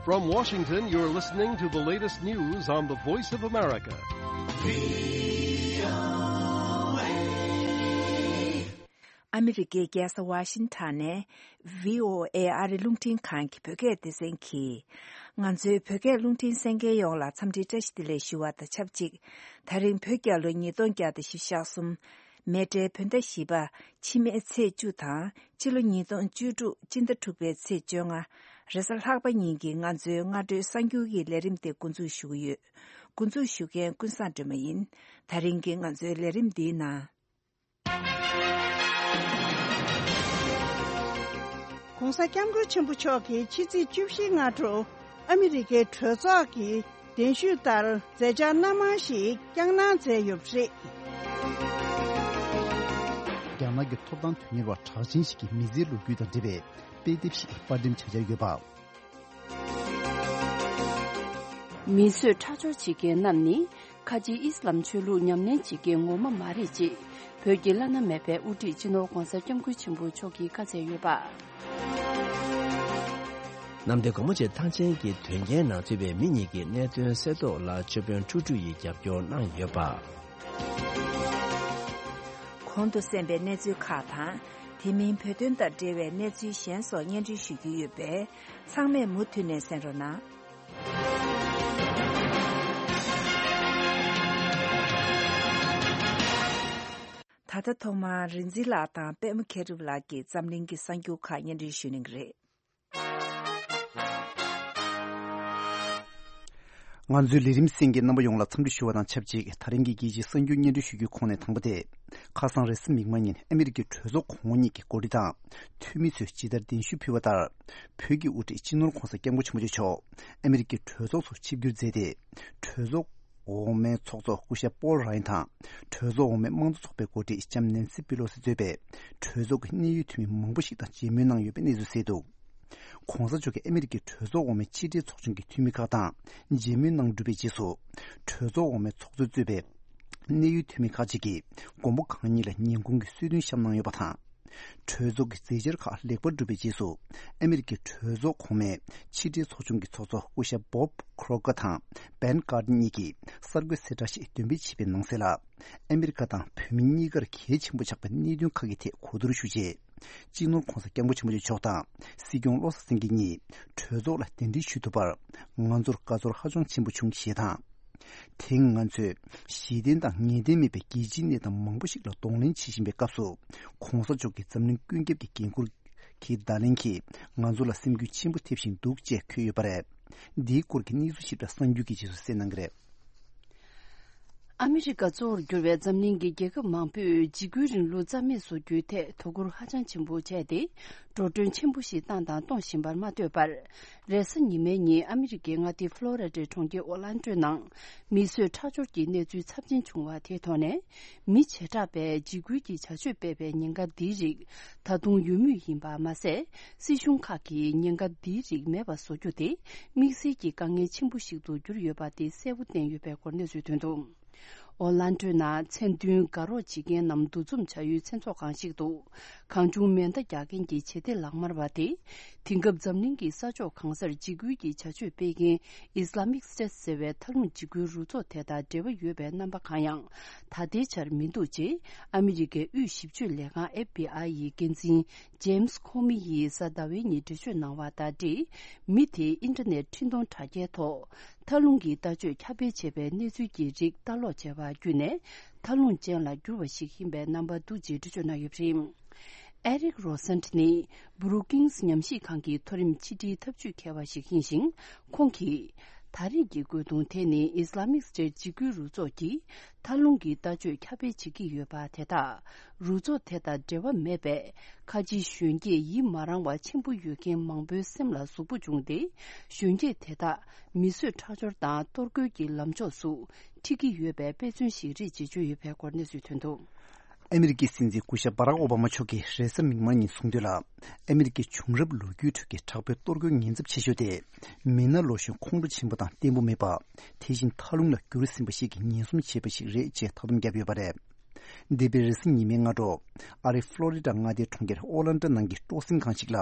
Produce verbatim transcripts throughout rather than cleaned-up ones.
From Washington, you're listening to the latest news on the Voice of America. ཨ་མི་རི་ཀའི་རྒྱལ་ས་ཝ་ཤིང་ཊོན་ནས་བྷི་ཨོ་ཨེ་ཨ་རི་རླུང་འཕྲིན་ཁང་གི་བོད་སྐད་སྡེ་ཚན་གྱིས། ང་ཚོའི་བོད་སྐད་རླུང་འཕྲིན་གསན་མཁན་ཡོངས་ལ་འཚམས་འདྲི་བཀྲ་ཤིས་བདེ་ལེགས་ཞུ་བ་དང་ཆབས་ཅིག་ད་རིང་བོད་རྒྱལ་ལོ་ཉིས་སྟོང་བརྒྱ་དང་བཞི་བཅུ་ཞེ་གསུམ། མེ་ཊའི་བོད་ཟླ་བཞི་པ། ཕྱི་མའི་ཚེས་བཅུ་དང་། སྤྱི་ལོ་ཉིས་སྟོང་བཅུ་དྲུག་སྤྱི་ཟླ་དྲུག་པའི་ཚེས་བཅོ་ལྔ། རེས་གཟའ་ལྷག་པ་ཉིན་གྱི་ང་ཚོའི་སྔ་དྲོའི་གསར་འགྱུར་གྱི་ལས་རིམ་དེ་འགོ་འཛུགས་ཞུ་གི་ཡོད། འགོ་འཛུགས་ཞུ་མཁན་ཀུན་བཟང་སྒྲོལ་མ་ཡིན། ད་རིང་གི་ང་ཚོའི་ལས་རིམ་འདིའི་ནང་། ༸གོང་ས་༸སྐྱབས་མགོན་ཆེན་པོ་མཆོག་གིས་ཕྱི་ཚེས་བཅུ་བཞི་སྔ་དྲོ་ཨ་མི་རི་ཀའི་གྲོས་ཚོགས་ཀྱི་གདན་ཞུས་ལྟར་མཛད་འཆར་སྣ་མང་ཞིག་བསྐྱངས་གནང་མཛད་ཡོད་པ་རེད། རྒྱ་ནག་གི་ཐོབ་ཐང་དོན་གཉེར་བ་གྲགས་ཅན་ཞིག་གི་མི་ཚེའི་ལོ་རྒྱུས་དང་འབྲེལ་བའི་དཔེ་དེབ་ཞིག་དཔར་འགྲེམས་བྱ་འཆར་ཡོད་པ། མིས་བཟོས་ཁྲག་སྦྱོར་བྱེད་མཁན་རྣམས་ནི་ཁ་ཆེའི་ཨི་སི་ལམ་ཆོས་ལུགས་ཉམས་ལེན་བྱེད་མཁན་ངོ་མ་མ་རེད་ཅེས་བོད་ཀྱི་བླ་ན་མེད་པའི་དབུ་ཁྲིད་སྤྱི་ནོར་༸གོང་ས་༸སྐྱབས་མགོན་ཆེན་པོ་མཆོག་གིས་བཀའ་སྩལ་ཡོད་པ། གནམ་བདེ་སྒོ་མོ་ཆེ་ཐང་ཆེན་གྱི་དོན་རྐྱེན་ནང་ཚུད་པའི་མི་གཉིས་ཀྱི་གནད་དོན་སེལ་ཐབས་ལ་ཆོས་དཔོན་ཁྲུ་ཁྲུ་ཡིས་རྒྱབ་སྐྱོར་གནང་ཡོད་པ། གོང་དུ་གསན་པའི་གནས་ཚུལ་ཁག་དང་། དེ་མིན་བོད་དོན་དང་འབྲེལ་བའི་གནས་ཚུལ་གཞན་སོགས་སྙན་སྒྲོན་ཞུ་རྒྱུ་ཡོད་པས། ཚང་མས་མུ་མཐུད་ནས་གསན་རོགས་གནང་། ད་ལྟ་ཐོག་མར་རིག་འཛིན་ལགས་དང་པད་མ་མཁས་གྲུབ་ལགས་ཀྱིས་འཛམ་གླིང་གི་གསར་འགྱུར་ཁག་སྙན་སྒྲོན་ཞུ་གནང་གི་རེད། ང་ཚོའི་ལས་རིམ་གསན་མཁན་རྣམ་པ་ཡོངས་ལ་འཚམས་འདྲི་ཞུ་བ་དང་ཆབས་ཅིག་ད་རིང་གི་རྒྱལ་སྤྱིའི་གསར་འགྱུར་སྙན་སྒྲོན་ཞུ་རྒྱུའི་ཁོངས་ནས་དང་པོ་དེ། ཁ་སང་རེས་གཟའ་མིག་དམར་ཉིན་ཨ་མི་རི་ཀའི་གྲོས་ཚོགས་གོང་འོག་གཉིས་ཀྱི་འགོ་ཁྲིད་དང་འཐུས་མི་ཚོས་ཇི་ལྟར་གདན་ཞུ་ཕུལ་བ་ལྟར། བོད་ཀྱི་དབུ་ཁྲིད་སྤྱི་ནོར་༸གོང་ས་༸སྐྱབས་མགོན་ཆེན་པོ་མཆོག་ཨ་མི་རི་ཀའི་གྲོས་ཚོགས་སུ་ཆིབས་བསྒྱུར་མཛད་དེ། གྲོས་ཚོགས་འོག་མའི་ཚོགས་གཙོ་སྐུ་ཞབས་པོལ་རའེན་དང་། གྲོས་ཚོགས་འོག་མའི་དམངས་གཙོ་ཚོགས་པའི་འགོ་ཁྲིད་ལྕམ་ནེན་སི་པི་ལོ་སི་གཙོས་པའི་གྲོས་ཚོགས་ཀྱི་གནད་ཡོད་འཐུས་མི་མང་པོ་ཞིག་དང་མཇལ་མོལ་གནང་ཡོད་པའི་གནས་ཚུལ་གསལ་འདུག ༸གོང་ས་མཆོག་གིས་ཨ་མི་རི་ཀའི་གྲོས་ཚོགས་འོག་མའི་ཕྱི་དྲིལ་ཚོགས་ཆུང་གི་འཐུས་མི་ཁག་དང་མཇལ་མོལ་གནང་གྲུབ་པའི་རྗེས་སུ། གྲོས་ཚོགས་འོག་མའི་ཚོགས་གཙོས་གཙོས་པའི་གནད་ཡོད་འཐུས་མི་ཁག་ཅིག་གིས་མགོན་པོ་གང་ཉིད་ལ་ཉིན་གུང་གི་གསོལ་སྟོན་བཤམས་གནང་ཡོད་པ་དང་། གྲོས་ཚོགས་ཀྱི་མཛད་འཆར་ཁག་ལེགས་པར་གྲུབ་པའི་རྗེས་སུ། ཨ་མི་རི་ཀའི་གྲོས་ཚོགས་གོང་མའི་ཕྱི་དྲིལ་ཚོགས་ཆུང་གི་ཚོགས་གཙོ་སྐུ་ཞབས་བོབ་ཁྲོ་ཀ་དང་བན་ཀར་ཏན་གཉིས་ཀྱིས་གསར་འགོད་གསལ་བསྒྲགས་ཤིག་འདོན་སྤེལ་བྱས་པའི་ནང་གསལ་ལ། ཨ་མི་རི་ཀ་དང་བོད་མི་གཉིས་ཀར་གལ་ཆེན་པོ་ཆགས་པའི་གནད་དོན་ཁག་གི་ཐད་གོ་བསྡུར་ཞུ་རྗེས། སྤྱི་ནོར་༸གོང་ས་༸སྐྱབས་མགོན་ཆེན་པོ་མཆོག་དང་སྲིད་སྐྱོང་བློ་བཟང་སེང་གེ་གཉིས་གྲོས་ཚོགས་ལ་གདན་འདྲེན་ཞུ་ཐུབ་པར་ང་ཚོར་དགའ་ཚོར་ཧ་ཅང་ཆེན་པོ་བྱུང་ཞེས་དང་། དེང་ང་ཚོས་གཞི་རྟེན་དང་ངེས་གཏན་མེད་པའི་རྒྱལ་སྤྱིའི་གནས་སྟངས་མང་པོ་ཞིག་ལ་གདོང་ལེན་བྱེད་བཞིན་པའི་སྐབས་སུ། ༸གོང་ས་མཆོག་གི་འཛམ་གླིང་ཀུན་ཁྱབ་ཀྱི་འགན་ཁུར་གྱི་བརྡ་ལན་གྱིས་ང་ཚོ་ལ་སེམས་འགུལ་ཆེན་པོ་ཐེབས་བཞིན་འདུག་ཅེས་འཁོད་ཡོད་པ་རེད། འདིའི་སྐོར་གྱི་གནས་ཚུལ་ཞིབ་ཕྲ་གསར་འགྱུར་གྱི་རྗེས་སུ་གསན་གནང་གི་རེད། ཨ་མི་རི་ཀ་གཙོ་བོར་གྱུར་བའི་འཛམ་གླིང་གི་རྒྱལ་ཁབ་མང་པོས་འཇིགས་སྐུལ་རིང་ལུགས་རྩ་མེད་བཟོ་རྒྱུའི་ཐད་དོ་ཁུར་ཧ་ཅང་ཆེན་པོ་བྱས་ཏེ། འགྲོ་གྲོན་ཆེན་པོ་ཞིག་བཏང་དང་གཏོང་བཞིན་པར་མ་ལྟོས་པར། རེས་གཟའ་ཉི་མའི་ཉིན་ཨ་མི་རི་ཀའི་མངའ་སྡེ་ཕློ་རི་ཌའི་གྲོང་ཁྱེར་ཨོ་ལན་ཏོའི་ནང་མིས་བཟོས་ཁྲག་སྦྱོར་གྱི་གནས་ཚུལ་ཚབས་ཆེན་བྱུང་བ་དེའི་ཐོག་ནས། མི་བྱེ་བྲག་པས་འཇིགས་སྐུལ་གྱི་བྱ་སྤྱོད་སྤེལ་བའི་ཉེན་ཁ་འདིའི་རིགས་ད་དུང་ཡོད་མུས་ཡིན་པ་མ་ཟད། སྲིད་གཞུང་ཁག་གིས་ཉེན་ཁ་འདིའི་རིགས་མེད་པ་བཟོ་རྒྱུ་དེ་དམིགས་བསལ་གྱི་དཀའ་ངལ་ཆེན་པོ་ཞིག་ཏུ་གྱུར་ཡོད་པ་དེ་གསལ་པོ་བསྟན་ཡོད་པའི་སྐོར་གནས་ཚུལ་ཐོན་འདུག་ཨོ་ལན་ཏོའི་ནང་མཚན་མཐུན་དགའ་རོགས་བྱེད་མཁན་རྣམས་འདུ་འཛོམས་བྱ་ཡུལ་མཚན་ཚོགས་ཁང་ཞིག་ཏུ། གང་བྱུང་མེ་མདའ་རྒྱག་མཁན་གྱི་བྱེད་གཏེ་ལག་དམར་བ་དེ། དེང་སྐབས་འཛམ་གླིང་གི་ས་ཕྱོགས་གང་སར་འཇིགས་སྐུལ་གྱི་བྱ་སྤྱོད་སྤེལ་མཁན་Islamic State ཟེར་བའི་མཐའ་ལྷུང་འཇིགས་སྐུལ་རུ་ཚོགས་དེ་དང་འབྲེལ་བ་ཡོད་པའི་རྣམ་པ་གང་ཡང་ད་ལྟའི་ཆར་མི་འདུག་ཅེས་ཨ་མི་རི་ཀའི་དབུས་ཞིབ་དཔྱོད་ལས་ཁང་FBI ཡི་འགན་འཛིན་James Comey ཡིས་གཟའ་ཟླ་བའི་ཉིན་འགྲེལ་བརྗོད་གནང་བ་དང་འབྲེལ། མི་དེས་ཨིན་ཊར་ནེཊ་འཕྲིན་གཏོང་དྲ་རྒྱའི་ཐོག་མཐའ་ལྷུང་གི་ལྟ་སྤྱོད་ཁྱབ་སྤེལ་བྱས་པའི་གནས་ཚུལ་གྱི་རིགས་ལྟ་ཀློག་བྱས་པ་བརྒྱུད་ནས། མཐའ་ལྷུང་ཅན་ལ་འགྱུར་བ་ཞིག་ཡིན་པའི་རྣམ་པ་འདུག་ཅེས་འགྲེལ་བརྗོད་གནང་ཡོད་པ་རེད། ཨེ་རིག་རོ་སན་ནི་Brookings ཉམས་ཞིབ་ཁང་གི་མཐོ་རིམ་ཕྱི་དྲིལ་ཐབས་ཇུས་མཁས་པ་ཞིག་ཡིན་ཞིང་། ཁོང་གིས། ད་རེས་ཀྱི་རྒོལ་རྡུང་དེ་ནི་Islamic State འཇིགས་སྐུལ་རུ་ཚོགས་ཀྱིས་མཐའ་ལྷུང་གི་ལྟ་སྤྱོད་ཁྱབ་སྤེལ་བྱེད་ཀྱི་ཡོད་པ་དེ་དག་རུ་ཚོགས་དེ་དང་འབྲེལ་བ་མེད་པའི་ཁ་ཆེའི་གཞོན་སྐྱེས་ཡིད་མ་རངས་པ་ཆེན་པོ་ཡོད་མཁན་མང་པོའི་སེམས་ལ་ཟུག་པོ་བྱུང་སྟེ། གཞོན་སྐྱེས་དེ་དག་མི་གསོད་ཁྲག་སྦྱོར་དང་གཏོར་རྒོལ་གྱི་ལམ་ཕྱོགས་སུ་འཁྲིད་ཀྱི་ཡོད་པའི་དཔེ་མཚོན་ཞིག་རེད་ཅེས་བརྗོད་ཡོད་པའི་སྐོར་གནས་ཚུལ་ཐོན་འདུག་ཨ་མི་རི་ཀའི་སྲིད་འཛིན་སྐུ་ཞབས་བྷ་རག་ཨོ་བྷ་མ་མཆོག་གིས་རེས་གཟའ་མིག་དམར་ཉིན་གསུངས་དོན་ལ། ཨ་མི་རི་ཀའི་བྱུང་རབས་ལོ་རྒྱུས་ཁྲོད་ཀྱི་དྲག་པོའི་གཏོར་རྒོལ་ཉེན་ཚབས་ཆེ་ཤོས་དེ། མི་སྣ་ལོ་གཞོན་ཁོང་ཁྲོ་ཆེན་པོ་དང་བརྟན་པོ་མེད་པ། དེ་བཞིན་མཐའ་ལྷུང་ལ་འགྱུར་ཟིན་པ་ཞིག་གིས་ཉེན་སྲུང་བྱས་པ་ཞིག་རེད་ཅེས་བཀའ་སྡོམ་བརྒྱབ་ཡོད་པ་རེད། འདས་པའི་རེས་གཟའ་ཉི་མའི་སྔ་དྲོ། ཨ་རིའི་ཧྥ་ལོ་རི་ཌ་མངའ་སྡེའི་གྲོང་ཁྱེར་ཨོ་ལན་ཏྲ་ནང་གི་སྤྲོ་གསེང་ཁང་ཞིག་ལ།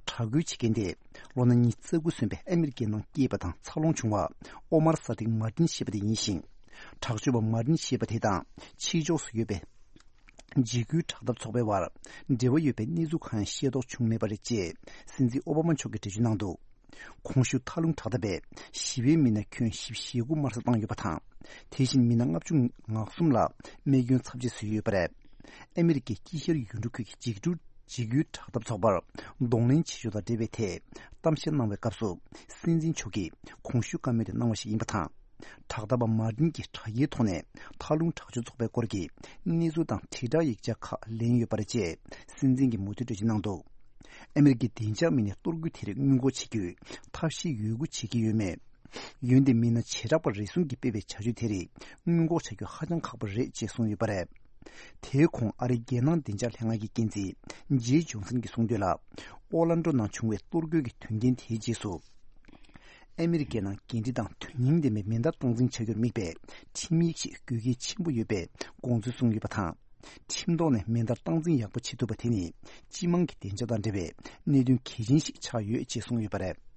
དྲག་རྒོལ་བྱེད་མཁན་དེ། ལོ་ན་ཉི་ཤུ་རྩ་དགུ་སོན་པའི་ཨ་མི་རི་ཀའི་ནང་སྐྱེས་པ་དང་འཚར་ལོངས་བྱུང་བ། ཨོ་མར་ས་དིག་མར་ཏིན་ཞེས་པ་དེ་ཡིན་ཞིང་། དྲག་སྤྱོད་པ་མར་ཏིན་ཞེས་པ་དེ་དང་ཕྱི་ཕྱོགས་སུ་ཡོད་པའི་འཇིགས་སྐུལ་དྲག་འཐབ་ཚོགས་པའི་བར་འབྲེལ་བ་ཡོད་པའི་གནས་ཚུལ་གང་ཡང་ཤེས་རྟོགས་བྱུང་མེད་པ་རེད་ཅེས་སྲིད་འཛིན་ཨོ་བྷ་མ་མཆོག་གིས་འགྲེལ་བརྗོད་གནང་འདུག། གོང་ཞུས་མཐའ་ལྷུང་དྲག་འཐབ་པས་ཞི་བའི་མི་སྣ་ཁྱོན་བཞི་བཅུ་ཞེ་དགུ་དམར་གསོད་བཏང་ཡོད་པ་དང་། དེ་བཞིན་མི་སྣ་ལྔ་བཅུ་ང་གསུམ་ལ་རྨས་སྐྱོན་ཚབས་ཆེ་བཟོས་ཡོད་པ་རེད། ཨ་མི་རི་ཀའི་དཀྱིལ་ཤར་ཡུལ་གྲུ་ཁུལ་གྱི་འཇིགས་སྐུལ་འཇིགས་སྐུལ་དྲག་འཐབ་ཚོགས་པར་གདོང་ལེན་བྱེད་ཕྱོགས་དང་འབྲེལ་བའི་ཐད་གཏམ་བཤད་གནང་བའི་སྐབས་སུ། སྲིད་འཛིན་མཆོག་གིས་གོང་ཞུས་བཀའ་མོལ་དེ་གནང་བ་ཞིག་ཡིན་པ་དང་། དྲག་འཐབ་པ་མར་ཏིན་གྱིས་དྲ་རྒྱའི་ཐོག་ནས་མཐའ་ལྷུང་དྲག་སྤྱོད་ཚོགས་པའི་སྐོར་གྱི་གནས་ཚུལ་དང་དྲིལ་བསྒྲགས་ཡིག་ཆ་ཁག་ལེན་ཡོད་པ་རེད་ཅེས་སྲིད་འཛིན་གྱིས་མུ་མཐུད་འགྲེལ་བརྗོད་གནང་འདུག། ཨ་མི་རི་ཀའི་བདེ་འཇགས་མི་སྣས་གཏོར་རྒོལ་དེ་རིགས་སྔོན་འགོག་བྱེད་རྒྱུའི་ཐབས་ཤེས་ཡོད་རྒུ་བྱེད་ཀྱི་ཡོད་མེད། འོན་ཏེ་མི་སྣ་བྱེ་བྲག་པ་རེ་ཟུང་གིས་སྤེལ་བའི་བྱ་སྤྱོད་དེ་རིགས་སྔོན་འགོག་བྱ་རྒྱུ་ཧ་ཅང་ཁག་པོ་རེད་ཅེས་གསུངས་ཡོད་པ་རེད། དེའི་གོང་ཨ་རིའི་རྒྱལ་ནང་བདེ་འཇགས་ལྷན་ཁང་གི་འགན་འཛིན་ཇེ་ཇོན་སན་གྱིས་གསུངས་དོན་ལ། ཨོ་ལན་ཌོ་ནང་བྱུང་བའི་གཏོར་རྒོལ་གྱི་དོན་རྐྱེན་དེའི་རྗེས་སུ། ཨ་མི་རི་ཀའི་ནང་འགན་འཁྲི་དང་དོན་སྙིང་ལྡན་པའི་མེ་མདའ་སྟངས་འཛིན་བྱ་རྒྱུར་དམིགས་པའི་ཁྲིམས་ཡིག་ཞིག་དགོས་གལ་ཆེན་པོ་ཡོད་པའི་དགོངས་ཚུལ་གསུངས་ཡོད་པ་དང་། ཁྲིམས་ཐོག་ནས་མེ་མདའ་སྟངས་འཛིན་ཡག་པོ་བྱེད་ཐུབ་པ་དེ་ནི་སྤྱི་དམངས་ཀྱི་བདེ་འཇགས་དང་འབྲེལ་བའི་གནད་དོན་གལ་ཆེན་ཞིག་ཆགས་ཡོད་ཅེས་གསུངས་ཡོད་པ་རེད།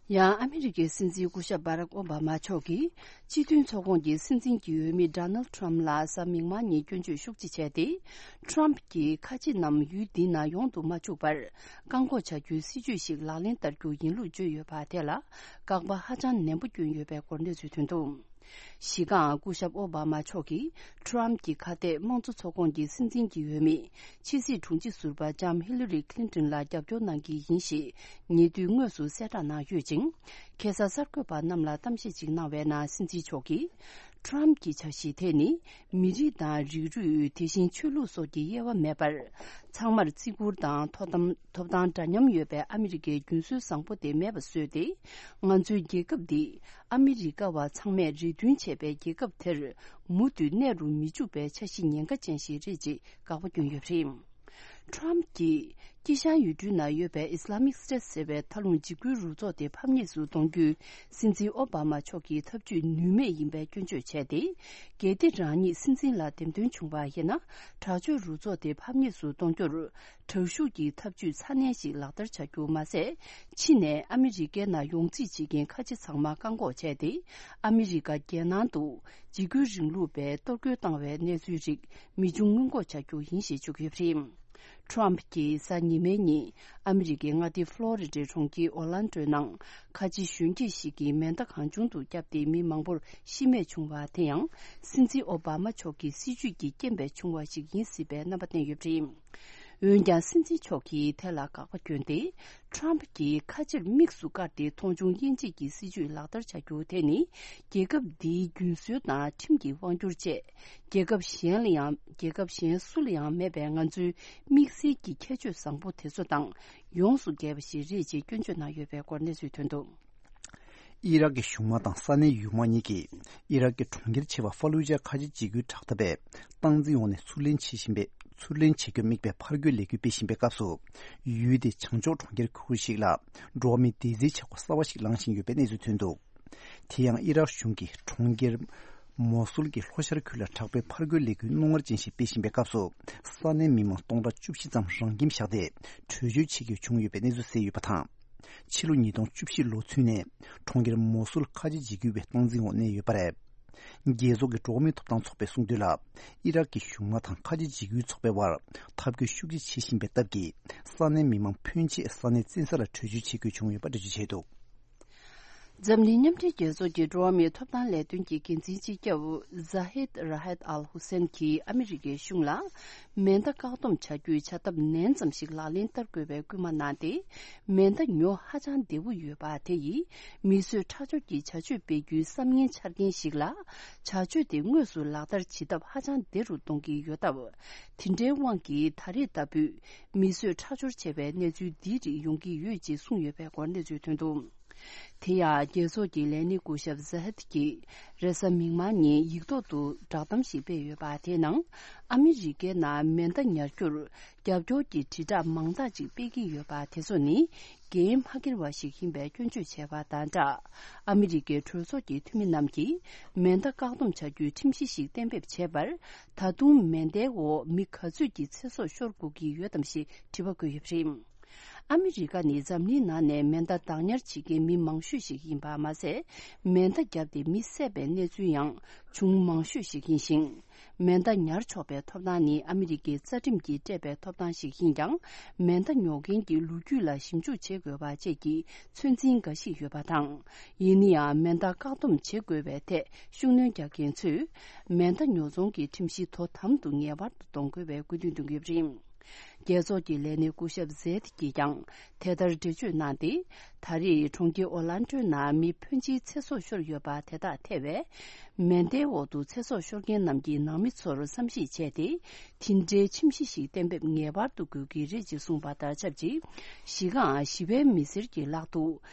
ཡང་ཨ་མི་རི་ཀའི་སྲིད་འཛིན་སྐུ་ཞབས་བྷ་རག་ཨོ་བྷ་མ་མཆོག་གིས་སྤྱི་མཐུན་ཚོགས་ཁོངས་ཀྱི་སྲིད་འཛིན་གྱི་འོས་མི་ཌོ་ནལ་ཌི་ཊརམ་ཕི་ལ་གཟའ་མིག་དམར་ཉིན་སྐྱོན་བརྗོད་ཤུགས་ཆེ་བྱས་ཏེ། ཊརམ་ཕི་གྱིས་ཁ་ཆེ་རྣམས་ཡུལ་འདི་ནང་ཡོང་དུ་མ་བཅུག་པར་བཀག་འགོག་བྱ་རྒྱུའི་སྲིད་ཇུས་ཤིག་ལག་ལེན་བསྟར་རྒྱུ་ཡིན་ལུགས་བརྗོད་ཡོད་པ་དེ་ལ་དགག་པ་ཧ་ཅང་ནན་པོ་བསྐྱོན་ཡོད་པའི་སྐོར་གནས་ཚུལ་ཐོན་འདུག། གཞི་རྐང་སྐུ་ཞབས་ཨོ་བྷ་མ་མཆོག་གིས་ཊརམ་ཕི་གྱི་ཁ་གཏད་དམངས་གཙོ་ཚོགས་ཁོངས་ཀྱི་སྲིད་འཛིན་གྱི་འོས་མི་ཕྱི་སྲིད་དྲུང་ཆེ་ཟུར་པ་ལྕམ་ཧི་ལ་རི་ཁི་ལིན་ཏོན་ལ་རྒྱབ་སྐྱོར་གནང་གི་ཡིན་ཞེས་ཉེ་དུས་དངོས་སུ་གསལ་བསྒྲགས་གནང་ཡོད་ཅིང་། ཁ་སང་གསར་འགོད་པ་རྣམས་ལ་གཏམ་བཤད་ཅིག་གནང་བའི་ནང་སྲིད་འཛིན་མཆོག་གིས། ཊརམ་ཕི་གྱི་འཆར་གཞི་དེ་ནི་མི་རིགས་དང་རིགས་རུས་དེ་བཞིན་ཆོས་ལུགས་སོགས་ཀྱི་དབྱེ་བ་མེད་པར། ཚང་མར་བརྩི་བཀུར་དང་ཐོབ་ཐང་ཐོབ་ཐང་འདྲ་མཉམ་ཡོད་པའི་ཨ་མི་རི་ཀའི་རྒྱུན་སྲོལ་བཟང་པོ་དེ་མེད་པ་བཟོས་ཏེ། ང་ཚོའི་རྒྱལ་ཁབ་འདི་ཨ་མི་རི་ཀ་བ་ཚང་མས་རེ་འདུན་བྱས་པའི་རྒྱལ་ཁབ་དེར་མུ་མཐུད་གནས་རུ་མི་འཇུག་པའི་འཆར་གཞི་ཉེན་ཁ་ཅན་ཞིག་རེད་ཅེས་དགག་པ་བསྐྱོན་ཡོད་པ་རེད། ཊརམ་ཕི་གྱིས་དཀྱིལ་ཤར་ཡུལ་གྲུའི་ནང་ཡོད་པའི་ཨི་སི་ལ་མིག་སི་ཊེ་ཊི་ཟེར་བའི་མཐའ་ལྷུང་འཇིགས་སྐུལ་རུ་ཚོགས་དེ་ཕམ་ཉེས་སུ་གཏོང་རྒྱུའི་སྲིད་འཛིན་ཨོ་བྷ་མ་མཆོག་གི་ཐབས་ཇུས་ནུས་མེད་ཡིན་པའི་སྐྱོན་བརྗོད་བྱས་ཏེ། གལ་ཏེ་རང་ཉིད་སྲིད་འཛིན་ལ་འདེམས་ཐོན་བྱུང་བ་ཡིན་ན། དྲག་སྤྱོད་རུ་ཚོགས་དེ་ཕམ་ཉེས་སུ་གཏོང་རྒྱུར། དྲག་ཤུགས་ཀྱི་ཐབས་ཇུས་ཚ་ནན་ཞིག་ལག་བསྟར་བྱ་རྒྱུ་མ་ཟད། ཕྱི་ནས་ཨ་མི་རི་ཀའི་ནང་ཡོང་རྩིས་བྱེད་མཁན་ཁ་ཆེ་ཚང་མ་བཀག་འགོག་བྱས་ཏེ། ཨ་མི་རི་ཀ་རྒྱལ་ནང་དུ་འཇིགས་སྐུལ་རིང་ལུགས་པས་གཏོར་རྒོལ་བཏང་བའི་གནས་ཚུལ་རིགས་མི་འབྱུང་སྔོན་འགོག་བྱ་རྒྱུ་ཡིན་ཞེས་བརྗོད་ཡོད་པ་རེད། ཊརམ་ཕི་གྱིས་གཟའ་ཉི་མའི་ཉིན་ཨ་མི་རི་ཀའི་མངའ་སྡེ་ཕློ་རི་ཌའི་གྲོང་ཁྱེར་ཨོ་ལན་ཌོའི་ནང་ཁ་ཆེ་གཞོན་སྐྱེས་ཤིག་གིས་མེ་མདའ་གང་བྱུང་དུ་བརྒྱབ་སྟེ་མི་མང་པོར་ཤི་རྨས་བྱུང་བ་དེ་ཡང་སྲིད་འཛིན་ཨོ་བྷ་མ་མཆོག་གི་སྲིད་ཇུས་ཀྱི་རྐྱེན་པས་བྱུང་བ་ཞིག་ཡིན་སྲིད་པའི་རྣམ་པ་བསྟན་ཡོད་པ་རེད། འོན་ཀྱང་སྲིད་འཛིན་མཆོག་གིས་དེ་ལ་དགག་པ་བསྐྱོན་ཏེ། ཊརམ་ཕི་གྱིས་ཁ་ཆེར་དམིགས་སུ་བཀར་ཏེ་མཐོང་ཆུང་དབྱེ་འབྱེད་ཀྱི་སྲིད་ཇུས་ལག་བསྟར་བྱ་རྒྱུ་དེ་ནི། རྒྱལ་ཁབ་འདིའི་རྒྱུན་སྲོལ་དང་ཁྲིམས་ཀྱི་དབང་སྒྱུར་བཅས། རྒྱལ་ཁབ་གཞན་ལ་ཡང་རྒྱལ་ཁབ་གཞན་སུ་ལ་ཡང་མེད་པའི་ང་ཚོའི་དམིགས་བསལ་གྱི་ཁྱད་ཆོས་བཟང་པོ་དེ་ཚོ་དང་ཡོངས་སུ་འགལ་བ་ཞིག་རེད་ཅེས་སྐྱོན་བརྗོད་གནང་ཡོད་པའི་སྐོར་གནས་ཚུལ་ཐོན་འདུག། ཨི་རག་གི་གཞུང་དམག་དང་ས་གནས་ཡུལ་དམག་གཉིས་ཀྱིས་ཨི་རག་གི་གྲོང་ཁྱེར་ཆེ་བ་ཧྥ་ལུ་ཇའི་ཁ་ཆེ་འཇིགས་སྐུལ་དྲག་འཐབ་པས་སྟངས་འཛིན་འོག་ནས་ཚུར་ལེན་བྱེད་བཞིན་པའི་ཚུར་ལེན་བྱེད་རྒྱུར་དམིགས་པའི་ཕར་རྒོལ་ལས་འགུལ་སྤེལ་བཞིན་པའི་སྐབས་སུ། ཡུལ་དེའི་བྱང་ཕྱོགས་གྲོང་ཁྱེར་ཁུལ་ཞིག་ལ་འགྲོ་བ་མིའི་བདེ་རྩའི་བྱ་སྒོ་གསར་བ་ཞིག་ལངས་བཞིན་ཡོད་པའི་གནས་ཚུལ་ཐོན་འདུག། དེ་ཡང་ཨི་རག་གཞུང་གིས་གྲོང་ཁྱེར་མོ་སུལ་གྱི་ལྷོ་ཤར་ཁུལ་ལ་དྲག་པོའི་ཕར་རྒོལ་ལས་འགུལ་རྣོ་ངར་ཅན་ཞིག་སྤེལ་བཞིན་པའི་སྐབས་སུ། ས་གནས་མི་མང་སྟོང་ཕྲག་བཅུ་བཞི་ཙམ་རང་ཁྱིམ་བཞག་སྟེ་བྲོས་བྱོལ་བྱེད་རྒྱུ་བྱུང་ཡོད་པའི་གནས་ཚུལ་གསལ་ཡོད་པ་དང་། ཕྱི་ལོ་ཉིས་སྟོང་བཅུ་བཞི་ལོ་ཚུན་ནས་གྲོང་ཁྱེར་མོ་སུལ་ཁ་ཆེ་འཇིགས་སྐུལ་བའི་སྟངས་འཛིན་འོག་གནས་ཡོད་པ་རེད། རྒྱལ་ཚོགས་ཀྱི་འགྲོ་བ་མིའི་ཐོབ་ཐང་ཚོགས་པས་གསུངས་དོན་ལ། ཨི་རག་གི་གཞུང་དམག་དང་ཁ་ཆེ་འཇིགས་སྐུལ་ཚོགས་པའི་དབར་འཐབ་རྒོལ་ཤུགས་ཆེ་བྱེད་བཞིན་པའི་སྟབས་ཀྱིས། ས་གནས་མི་མང་ཕོན་ཆེ་ས་གནས་བཙན་ས་ལ་བྲོས་བྱོལ་བྱེད་དགོས་བྱུང་ཡོད་པ་འགྲེལ་བརྗོད་བྱས་འདུག། འཛམ་གླིང་མཉམ་འབྲེལ་རྒྱལ་ཚོགས་ཀྱི་འགྲོ་བ་མིའི་ཐོབ་ཐང་ལས་དོན་གྱི་འགན་འཛིན་སྤྱི་ཁྱབ་ཟ་ཧེད་ར་ཧེད་ཨལ་ཧུ་སེན་གྱིས་ཨ་མི་རི་ཀའི་གཞུང་ལ། མེ་མདའ་བཀག་སྡོམ་བྱ་རྒྱུའི་བྱ་ཐབས་ནན་ཙམ་ཞིག་ལག་ལེན་བསྟར་དགོས་པའི་སྐུལ་མ་གནང་སྟེ། མེ་མདའ་ཉོ་ཧ་ཅང་བདེ་བོ་ཡོད་པ་དེ་ཡིས། མི་གསོད་ཁྲག་སྦྱོར་གྱི་བྱ་སྤྱོད་སྤེལ་རྒྱུའི་བསམ་ངན་འཆར་མཁན་ཞིག་ལ། བྱ་སྤྱོད་དེ་དངོས་སུ་ལག་བསྟར་བྱེད་ཐབས་ཧ་ཅང་བདེ་རུ་གཏོང་གི་ཡོད་སྟབས། དེ་འདྲའི་དབང་གིས་ད་རེས་ལྟ་བུའི་མི་གསོད་ཁྲག་སྦྱོར་བྱས་པའི་གནས་ཚུལ་འདིའི་རིགས་ཡོང་གི་ཡོད་ཅེས་གསུངས་ཡོད་པའི་སྐོར་གནས་ཚུལ་ཐོན་འདུག། དེ་ཡང་རྒྱལ་ཚོགས་ཀྱི་ལས་སྣེ་སྐུ་ཞབས་ཟ་ཧད་ཀྱིས་རེས་གཟའ་མིག་དམར་ཉིན་ཡིག་ཐོག་ཏུ་བསྒྲགས་གཏམ་ཞིག་སྤེལ་ཡོད་པ། དེའི་ནང་ཨ་མི་རི་ཀའི་ནང་མེ་མདའ་ཉར་རྒྱུར་རྒྱབ་སྐྱོར་གྱི་དྲིལ་བསྒྲགས་མང་དག་ཅིག་སྤེལ་གྱི་ཡོད་པ་དེ་ཚོ་ནི་འགན་མ་འཁྱེར་བ་ཞིག་ཡིན་པའི་སྐྱོན་བརྗོད་བྱས་པ་དང་སྦྲགས། ཨ་མི་རི་ཀའི་གྲོས་ཚོགས་ཀྱི་འཐུས་མི་རྣམས་ཀྱིས་མེ་མདའ་བཀག་སྡོམ་བྱ་རྒྱུའི་ཁྲིམས་གཞི་ཞིག་གཏན་འབེབས་བྱས་པར། ད་དུང་མེ་མདའི་འོག་མི་ག་ཚོད་ཀྱི་ཚེ་སྲོག་ཤོར་དགོས་ཀྱི་ཡོད་དམ་ཞེས་དྲི་བ་བཀོད་ཡོད་པ་རེད། ཨ་མི་རི་ཀ་ནི་འཛམ་གླིང་ནང་ནས་མེ་མདའ་བདག་ཉར་བྱེད་མཁན་མི་མང་ཤོས་ཤིག་ཡིན་པ་མ་ཟད། མེ་མདའ་བརྒྱབ་སྟེ་མི་བསད་པའི་གནས་ཚུལ་ཡང་བྱུང་མང་ཤོས་ཤིག་ཡིན་ཞིང་། མེ་མདའ་ཉར་ཆོག་པའི་ཐོབ་ཐང་ནི་ཨ་མི་རི་ཀའི་རྩ་ཁྲིམས་ཀྱིས་སྤྲད་པའི་ཐོབ་ཐང་ཞིག་ཡིན་ཀྱང་། མེ་མདའ་ཉོ་མཁན་གྱི་ལོ་རྒྱུས་ལ་ཞིབ་འཇུག་བྱེད་དགོས་པ་བཅས་ཀྱི་ཚོད་འཛིན་འགའ་ཞིག་ཡོད་པ་དང་། ཡིན་ན་ཡང་མེ་མདའ་བཀག་སྡོམ་བྱེད་དགོས་པའི་ཐད་ཤུགས་སྣོན་རྒྱག་མཁན་ཚོས། མེ་མདའ་ཉོ་ཚོང་གི་ཁྲིམས་གཞི་དོ་དམ་དུ་ངེས་པར་དུ་གཏོང་དགོས་པའི་སྐུལ་འདེད་གཏོང་གི་ཡོད་པ་རེད། རྒྱལ་ཚོགས་ཀྱི་ལས་སྣེ་སྐུ་ཞབས་ཟེད་ཀྱིས་ཀྱང་དེ་ལྟར་འགྲེལ་བརྗོད་གནང་སྟེ། ད་རེས་གྲོང་ཁྱེར་ཨོ་ལན་ཏོའི་ནང་མི་ཕོན་ཆེའི་ཚེ་སྲོག་ཤོར་ཡོད་པ་དེ་དག་ཐེ་བའི་མེ་མདའི་འོག་ཏུ་ཚེ་སྲོག་ཤོར་མཁན་རྣམས་ཀྱི་ནང་མི་ཚོར་བསམ་གཞིག་བྱས་ཏེ། དེ་འདྲའི་ཁྲིམས་གཞི་ཞིག་གཏན་འབེབས་ངེས་པར་དུ་དགོས་ཀྱི་རེད་ཅེས་གསུངས་པ་དང་ཆབས་ཅིག་གཞི་རྐང་ཞི་བའི་མི་སེར་གྱི་ལག་ཏུ་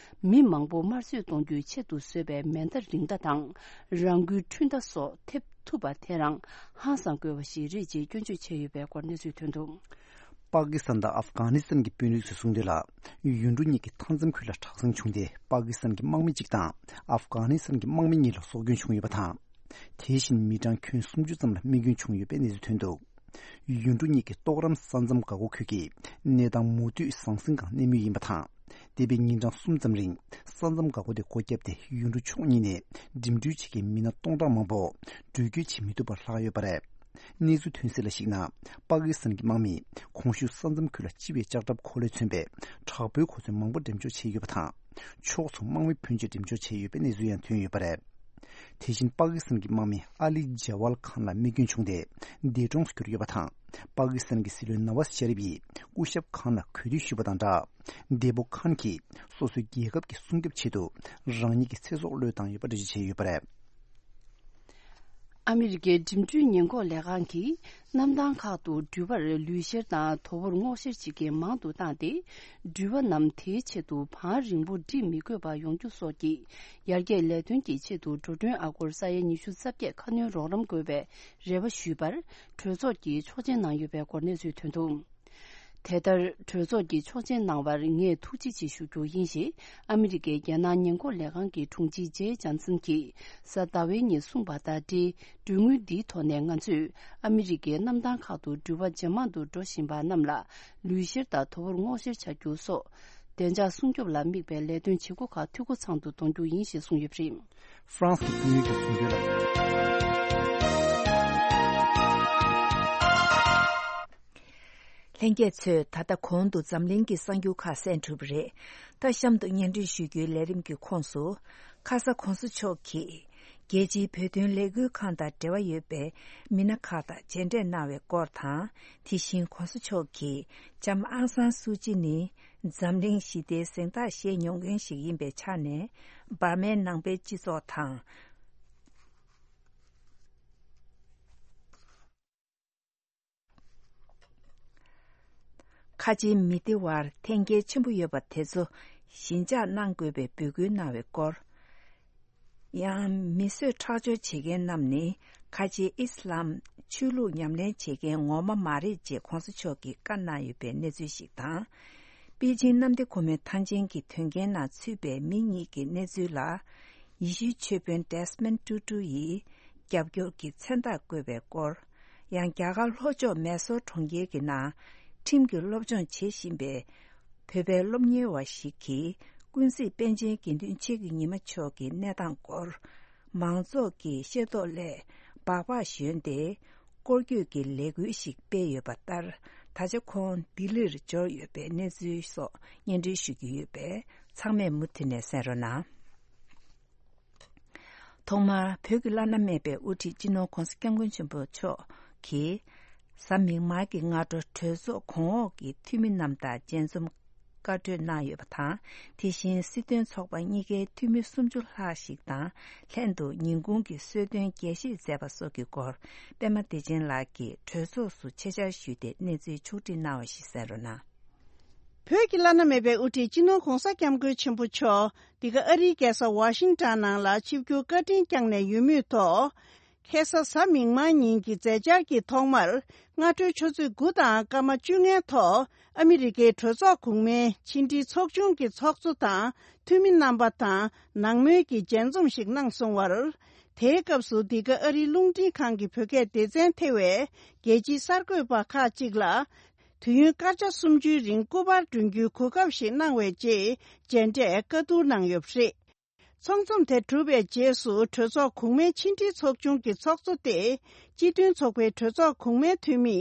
མི་མང་པོ་དམར་གསོད་གཏོང་རྒྱུའི་ཆེད་དུ་བཟོས་པའི་མེ་མདའ་རིགས་འདྲ་དང་། རང་འགུལ་འཕྲུལ་མདའ་སོགས་ཐེབས་ཐུབ་པ་དེ་རང་ཧང་སང་དགོས་པ་ཞིག་རེད་ཅེས་སྐྱོན་བརྗོད་བྱས་ཡོད་པའི་སྐོར་གནས་ཚུལ་ཐོན་འདུག། པ་ཀི་སི་ཐན་དང་ཨབ་གྷ་ནི་སི་ཐན་གྱི་དཔོན་རིགས་ཚོས་གསུངས་དོན་ལ། ཡུལ་གྲུ་གཉིས་ཀྱི་མཐའ་མཚམས་ཁུལ་ལ་དྲག་ཟིང་བྱུང་སྟེ། པ་ཀི་སི་ཐན་གྱི་དམག་མི་གཅིག་དང་ཨབ་གྷ་ནི་སི་ཐན་གྱི་དམག་མི་གཉིས་ལ་སྲོག་སྐྱོན་བྱུང་ཡོད་པ་དང་། དེ་བཞིན་མི་གྲངས་ཁྱོན་སུམ་ཅུ་ཙམ་ལ་རྨས་སྐྱོན་བྱུང་ཡོད་པའི་གནས་ཚུལ་ཐོན་འདུག། ཡུལ་གྲུ་གཉིས་ཀྱི་ཏོག་རམ་ས་མཚམས་འགག་སྒོ་ཁུལ་གྱི་གནས་སྟངས་མུ་མཐུད་ཟང་ཟིང་སྒང་གནས་མུས་ཡིན་པ་དང་། འདས་པའི་ཉིན་གྲངས་གསུམ་ཙམ་རིང་ས་མཚམས་འགག་སྒོ་དེ་སྒོ་བརྒྱབ་སྟེ། ཡུལ་གྲུ་ཕྱོགས་གཉིས་ནས་འགྲིམ་འགྲུལ་བྱེད་མཁན་མི་སྣ་སྟོང་ཕྲག་མང་པོ་འགྲུལ་སྐྱོད་བྱེད་མི་ཐུབ་པར་ལྷག་ཡོད་པ་རེད། གནས་ཚུལ་ཐོན་གསལ་ལ་གཞིགས་ན། པ་ཀི་སི་ཐན་གྱི་དམག་མིས་གོང་ཞུས་ས་མཚམས་ཁུལ་ལ་སྤྱི་པའི་ལྕགས་ཁྲབ་འཁོར་ལོས་མཚོན་པའི་དྲག་པོའི་གོ་མཚོན་མང་པོ་འགྲེམས་འཇོག་བྱས་ཡོད་པ་དང་། ཕྱོགས་མཚུངས་དམག་མི་ཕོན་ཆེ་འགྲེམས་འཇོག་བྱས་ཡོད་པའི་གནས་ཚུལ་ཡང་ཐོན་ཡོད་པ་རེད། དེ་བཞིན་པ་ཀི་སི་ཐན་གྱི་དམག་མི་ཨ་ལི་ཇ་ཝལ་ཁཱན་ལ་རྨས་སྐྱོན་བྱུང་སྟེ་འདས་གྲོངས་སུ་གྱུར་ཡོད་པ་དང་། པ་ཀི་སི་ཐན་གྱི་སྲིད་བློན་ནཱ་ཝཱ་ཤ་རིབ་ཡིས་སྐུ་ཞབས་ཁཱན་ལ་གུས་འདུད་ཞུས་པ་དང་སྦྲགས། འདས་པོ་ཁཱན་གྱིས་སོ་སོའི་རྒྱལ་ཁབ་ཀྱི་སྲུང་སྐྱོབ་ཆེད་དུ་རང་ཉིད་ཀྱི་ཚེ་སྲོག་བློས་བཏང་ཡོད་པ་འགྲེལ་བརྗོད་བྱས་ཡོད་པ་རེད། ཨ་མི་རི་ཀའི་འགྲིམ་འགྲུལ་ཉེན་འགོག་ལས་ཁང་གིས་གནམ་ཐང་ཁག་ཏུ་འགྲུལ་པར་ལུས་བཤེར་དང་དོ་པོར་སྔོག་བཤེར་བྱེད་མཁན་མང་དུ་བཏང་སྟེ། འགྲུལ་པ་རྣམས་དེའི་ཆེད་དུ་བང་རིང་པོ་སྒྲིག་མི་དགོས་པ་ཡོང་རྒྱུ་སོགས་ཀྱི་ཡར་རྒྱས་ལས་དོན་གྱི་ཆེད་དུ་འགྲོ་གྲོན་ཨ་སྒོར་ས་ཡ་ཉི་ཤུ་རྩ་བརྒྱད་ཁ་སྣོན་རོགས་རམ་དགོས་པའི་རེ་བ་ཞུས་པར་གྲོས་ཚོགས་ཀྱིས་ཆོག་མཆན་གནང་ཡོད་པའི་སྐོར་གནས་ཚུལ་ཐོན་འདུག། དེ་ལྟར་གྲོས་ཚོགས་ཀྱིས་ཆོག་མཆན་གནང་བར་ངས་ཐུགས་རྗེ་ཆེ་ཞུ་རྒྱུ་ཡིན་ཞེས་ཨ་མི་རི་ཀའི་རྒྱལ་ནང་ཉེན་འགོག་ལས་ཁང་གི་དྲུང་ཆེ་ཇེ་ཇོན་སན་གྱིས་གཟའ་ཟླ་བའི་ཉིན་གསུངས་པ་དང་འབྲེལ། གྲོས་དངུལ་འདིའི་ཐོག་ནས་ང་ཚོས་ཨ་མི་རི་ཀའི་གནམ་ཐང་ཁག་ཏུ་འགྲུལ་པ་ཇེ་མང་དུ་འགྲོ་བཞིན་པ་རྣམས་ལ་ལུས་བཤེར་དང་དོ་པོར་སྔོག་བཤེར་བྱ་རྒྱུ་སོགས་བདེ་འཇགས་སྲུང་སྐྱོབ་ལ་དམིགས་པའི་ལས་དོན་བྱེད་སྒོ་ཁག་འཐུས་སྒོ་ཚང་དུ་གཏོང་རྒྱུ་ཡིན་ཞེས་གསུངས་ཡོད་པ་རེད། ཧྥ་རན་སི་གི་དཔོན་རིགས་ཀྱིས་གསུངས་དོན་ལ། ལྷན་རྒྱས་ཚོས་ད་ལྟ་གོང་དུ་འཛམ་གླིང་གི་གསར་འགྱུར་ཁག་གསན་གྲུབ་པ་རེད། ད་གཤམ་དུ་སྙན་སྒྲོན་ཞུ་རྒྱུའི་ལས་རིམ་གྱི་ཁོངས་སུ། ཁ་ས་གོང་ས་མཆོག་གིས་རྒྱལ་སྤྱིའི་བོད་དོན་ལས་འགུལ་ཁང་དང་འབྲེལ་བ་ཡོད་པའི་མི་སྣ་ཁག་དང་མཇལ་འཕྲད་གནང་བའི་སྐོར་དང་། དེ་བཞིན་གོང་ས་མཆོག་གིས་ལྕམ་ཨང་སན་སུའུ་ཅི་ནི་འཛམ་གླིང་ཞི་བདེའི་གཟེངས་རྟགས་བཞེས་མྱོང་མཁན་ཞིག་ཡིན་པའི་ཆ་ནས། འབར་མའི་ནང་པའི་སྤྱི་ཚོགས་དང་། ཁ་ཆེའི་མི་སྡེ་བར་འཐེན་འཁྱེར་ཆེན་པོ་ཡོད་པ་དེ་ཚོ་ཞི་འཇགས་གནང་དགོས་པའི་འབོད་སྐུལ་གནང་བའི་སྐོར། ཡང་མི་གསོད་ཁྲག་སྦྱོར་བྱེད་མཁན་རྣམས་ནི་ཁ་ཆེའི་ཨི་སི་ལམ་ཆོས་ལུགས་ཉམས་ལེན་བྱེད་མཁན་ངོ་མ་མ་རེད་ཅེས་གོང་ས་མཆོག་གིས་བཀའ་གནང་ཡོད་པའི་གནས་ཚུལ་ཞིག་དང་། པེ་ཅིང་གནམ་བདེ་སྒོ་མོའི་ཐང་ཆེན་གྱི་དོན་རྐྱེན་ནང་ཚུད་པའི་མི་གཉིས་ཀྱི་གནས་ཚུལ་ལ། ཡེ་ཤུའི་ཆོས་དཔོན་ཌེ་སི་མོན་ཊུ་ཊུ་ཡིས་རྒྱབ་སྐྱོར་གྱི་མཚན་རྟགས་བཀོད་པའི་སྐོར། ཡང་རྒྱ་གར་ལྷོ་ཕྱོགས་མེ་སོར་གྲོང་ཁྱེར་གྱི་ནང་ཁྲིམས་ཀྱི་སློབ་སྦྱོང་བྱེད་བཞིན་པའི་བོད་པའི་སློབ་གཉེར་བ་ཞིག་གིས་ཀུན་གཟིགས་པཎ་ཆེན་དགེ་འདུན་ཆོས་ཀྱི་ཉི་མ་མཆོག་གི་གནས་སྟངས་སྐོར། མང་ཚོགས་ཀྱི་ཤེས་རྟོགས་སླད་སྦག་སྦག་ཞོན་ཏེ་སྐོར་སྐྱོད་ཀྱི་ལས་འགུལ་ཞིག་སྤེལ་ཡོད་པ་ལྟར། ད་ཆ་ཁོང་ལྡི་ལིར་འབྱོར་ཡོད་པའི་གནས་ཚུལ་སོགས་སྙན་སྒྲོན་ཞུ་རྒྱུ་ཡོད་པས་ཚང་མས་མུ་མཐུད་ནས་གསན་རོགས་གནང་། ཐོག་མར་བོད་ཀྱི་བླ་ན་མེད་པའི་དབུ་ཁྲིད་སྤྱི་ནོར་༧གོང་ས་༧སྐྱབས་མགོན་ཆེན་པོ་མཆོག་གིས། གཟའ་མིག་དམར་གྱི་སྔ་དྲོ་གྲོས་ཚོགས་གོང་འོག་གི་འཐུས་མི་རྣམས་དང་མཇལ་འཛོམས་བཀའ་གྲོས་གནང་ཡོད་པ་དང་། དེ་བཞིན་སྲིད་དོན་ཚོགས་པ་གཉིས་ཀའི་འཐུས་མི་སུམ་ཅུ་ལྷག་ཞིག་དང་ལྷན་དུ་ཉིན་གུང་གི་གསོལ་སྟོན་རྒྱས་བཤད་མཛད་པ་སོགས་ཀྱི་སྐོར། པད་མ་བདེ་ཆེན་ལགས་ཀྱིས་གྲོས་ཚོགས་སུ་ཆེད་བཅར་ཞུས་ཏེ་གནས་ཚུལ་ཕྱོགས་བསྒྲིགས་གནང་བ་ཞིག་གསན་རོགས་གནང་། བོད་ཀྱི་བླ་ན་མེད་པའི་དབུ་ཁྲིད་སྤྱི་ནོར་༧གོང་ས་༧སྐྱབས་མགོན་ཆེན་པོ་མཆོག་འདི་ག་ཨ་རིའི་རྒྱལ་ས་ཝ་ཤིང་ཊོན་ནང་ལ་ཆིབས་བསྒྱུར་བཀའ་དྲིན་བསྐྱངས་ནས་ཡོད་མུས་ཐོག་ཁ་སང་གཟའ་མིག་དམར་ཉིན་གྱི་མཛད་འཆར་གྱི་ཐོག་མར། སྔ་དྲོའི་ཆུ་ཚོད་དགུ་དང་སྐར་མ་བཅོ་ལྔའི་ཐོག་ཨ་མི་རི་ཀའི་གྲོས་ཚོགས་གོང་མའི་ཕྱི་འབྲེལ་ཚོགས་ཆུང་གི་ཚོགས་གཙོ་དང་འཐུས་མི་རྣམ་པ་དང་ནང་མོལ་གྱི་མཇལ་འཛོམས་ཤིག་གནང་སོང་བར། དེའི་སྐབས་སུ་འདི་ག་ཨ་རིའི་རླུང་འཕྲིན་ཁང་གི་བོད་སྐད་སྡེ་ཚན་ཐེ་བའི་རྒྱལ་སྤྱིའི་གསར་འགོད་པ་ཁག་ཅིག་ལ། དུས་ཡུན་སྐར་ཆ་སུམ་ཅུའི་རིང་སྐུ་པར་སྒྲོན་རྒྱུའི་གོ་སྐབས་ཤིག་གནང་བའི་རྗེས་མཇལ་འཕྲད་བཀའ་བསྡུར་གནང་ཡོད་པ་རེད། ཚོགས་འཛོམས་དེ་གྲུབ་པའི་རྗེས་སུ་གྲོས་ཚོགས་གོང་མའི་ཕྱི་འབྲེལ་ཚོགས་ཆུང་གི་ཚོགས་གཙོ་སྟེ། སྤྱི་མཐུན་ཚོགས་པའི་གྲོས་ཚོགས་གོང་མའི་འཐུས་མི་